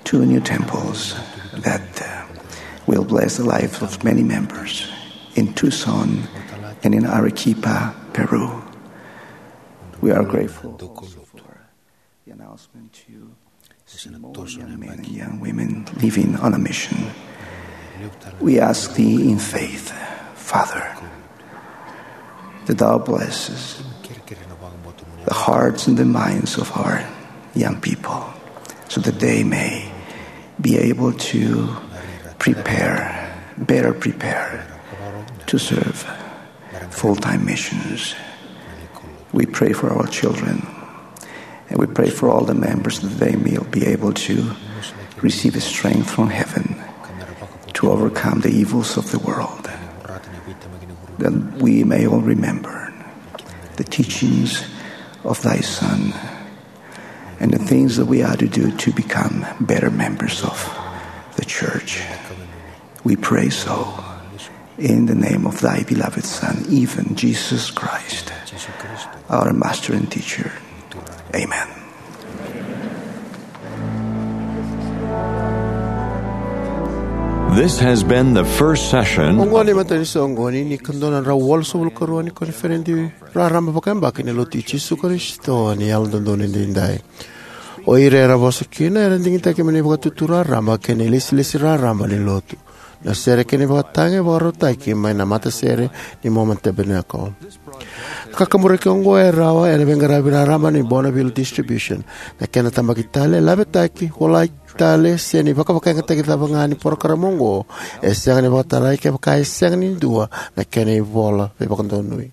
two new temples that uh, will bless the lives of many members in Tucson and in Arequipa, Peru. We are grateful also for the announcement to see more young men and young women living on a mission. We ask thee in faith, Father, that thou blesses the hearts and the minds of our young people so that they may be able to prepare, better prepare to serve full-time missions. We pray for our children, and we pray for all the members that they may be able to receive a strength from heaven to overcome the evils of the world. That we may all remember the teachings of thy Son and the things that we are to do to become better members of the church. We pray so in the name of thy beloved Son, even Jesus Christ, our Master and Teacher. Amen. This has been the first session. Oqo na imatai ni soqoni ni ka dua na drau walusagavulu ka rua ni koniferedi raraba vakayabaki ni Lotu i Jisu Karisito ni Yalododonu Edaidai. O ira era vosa kina era digitaki mai na ivakatutu raraba kei na ilesilesi raraba ni Lotu. Na sere kei na ivakatagi e vakarautaki mai na matasere ni Mormon Tabernacle. Na kakaburaki oqo e rawa ena veiqaravi raraba ni Bonneville Distribution. Na kena tabaki tale, lavetaki, volai tale, se ni vakavakayagataki cava ga ni porokaramu oqo, e sega ni vakatarai kevaka e sega ni dua na kena ivola veivakadonui.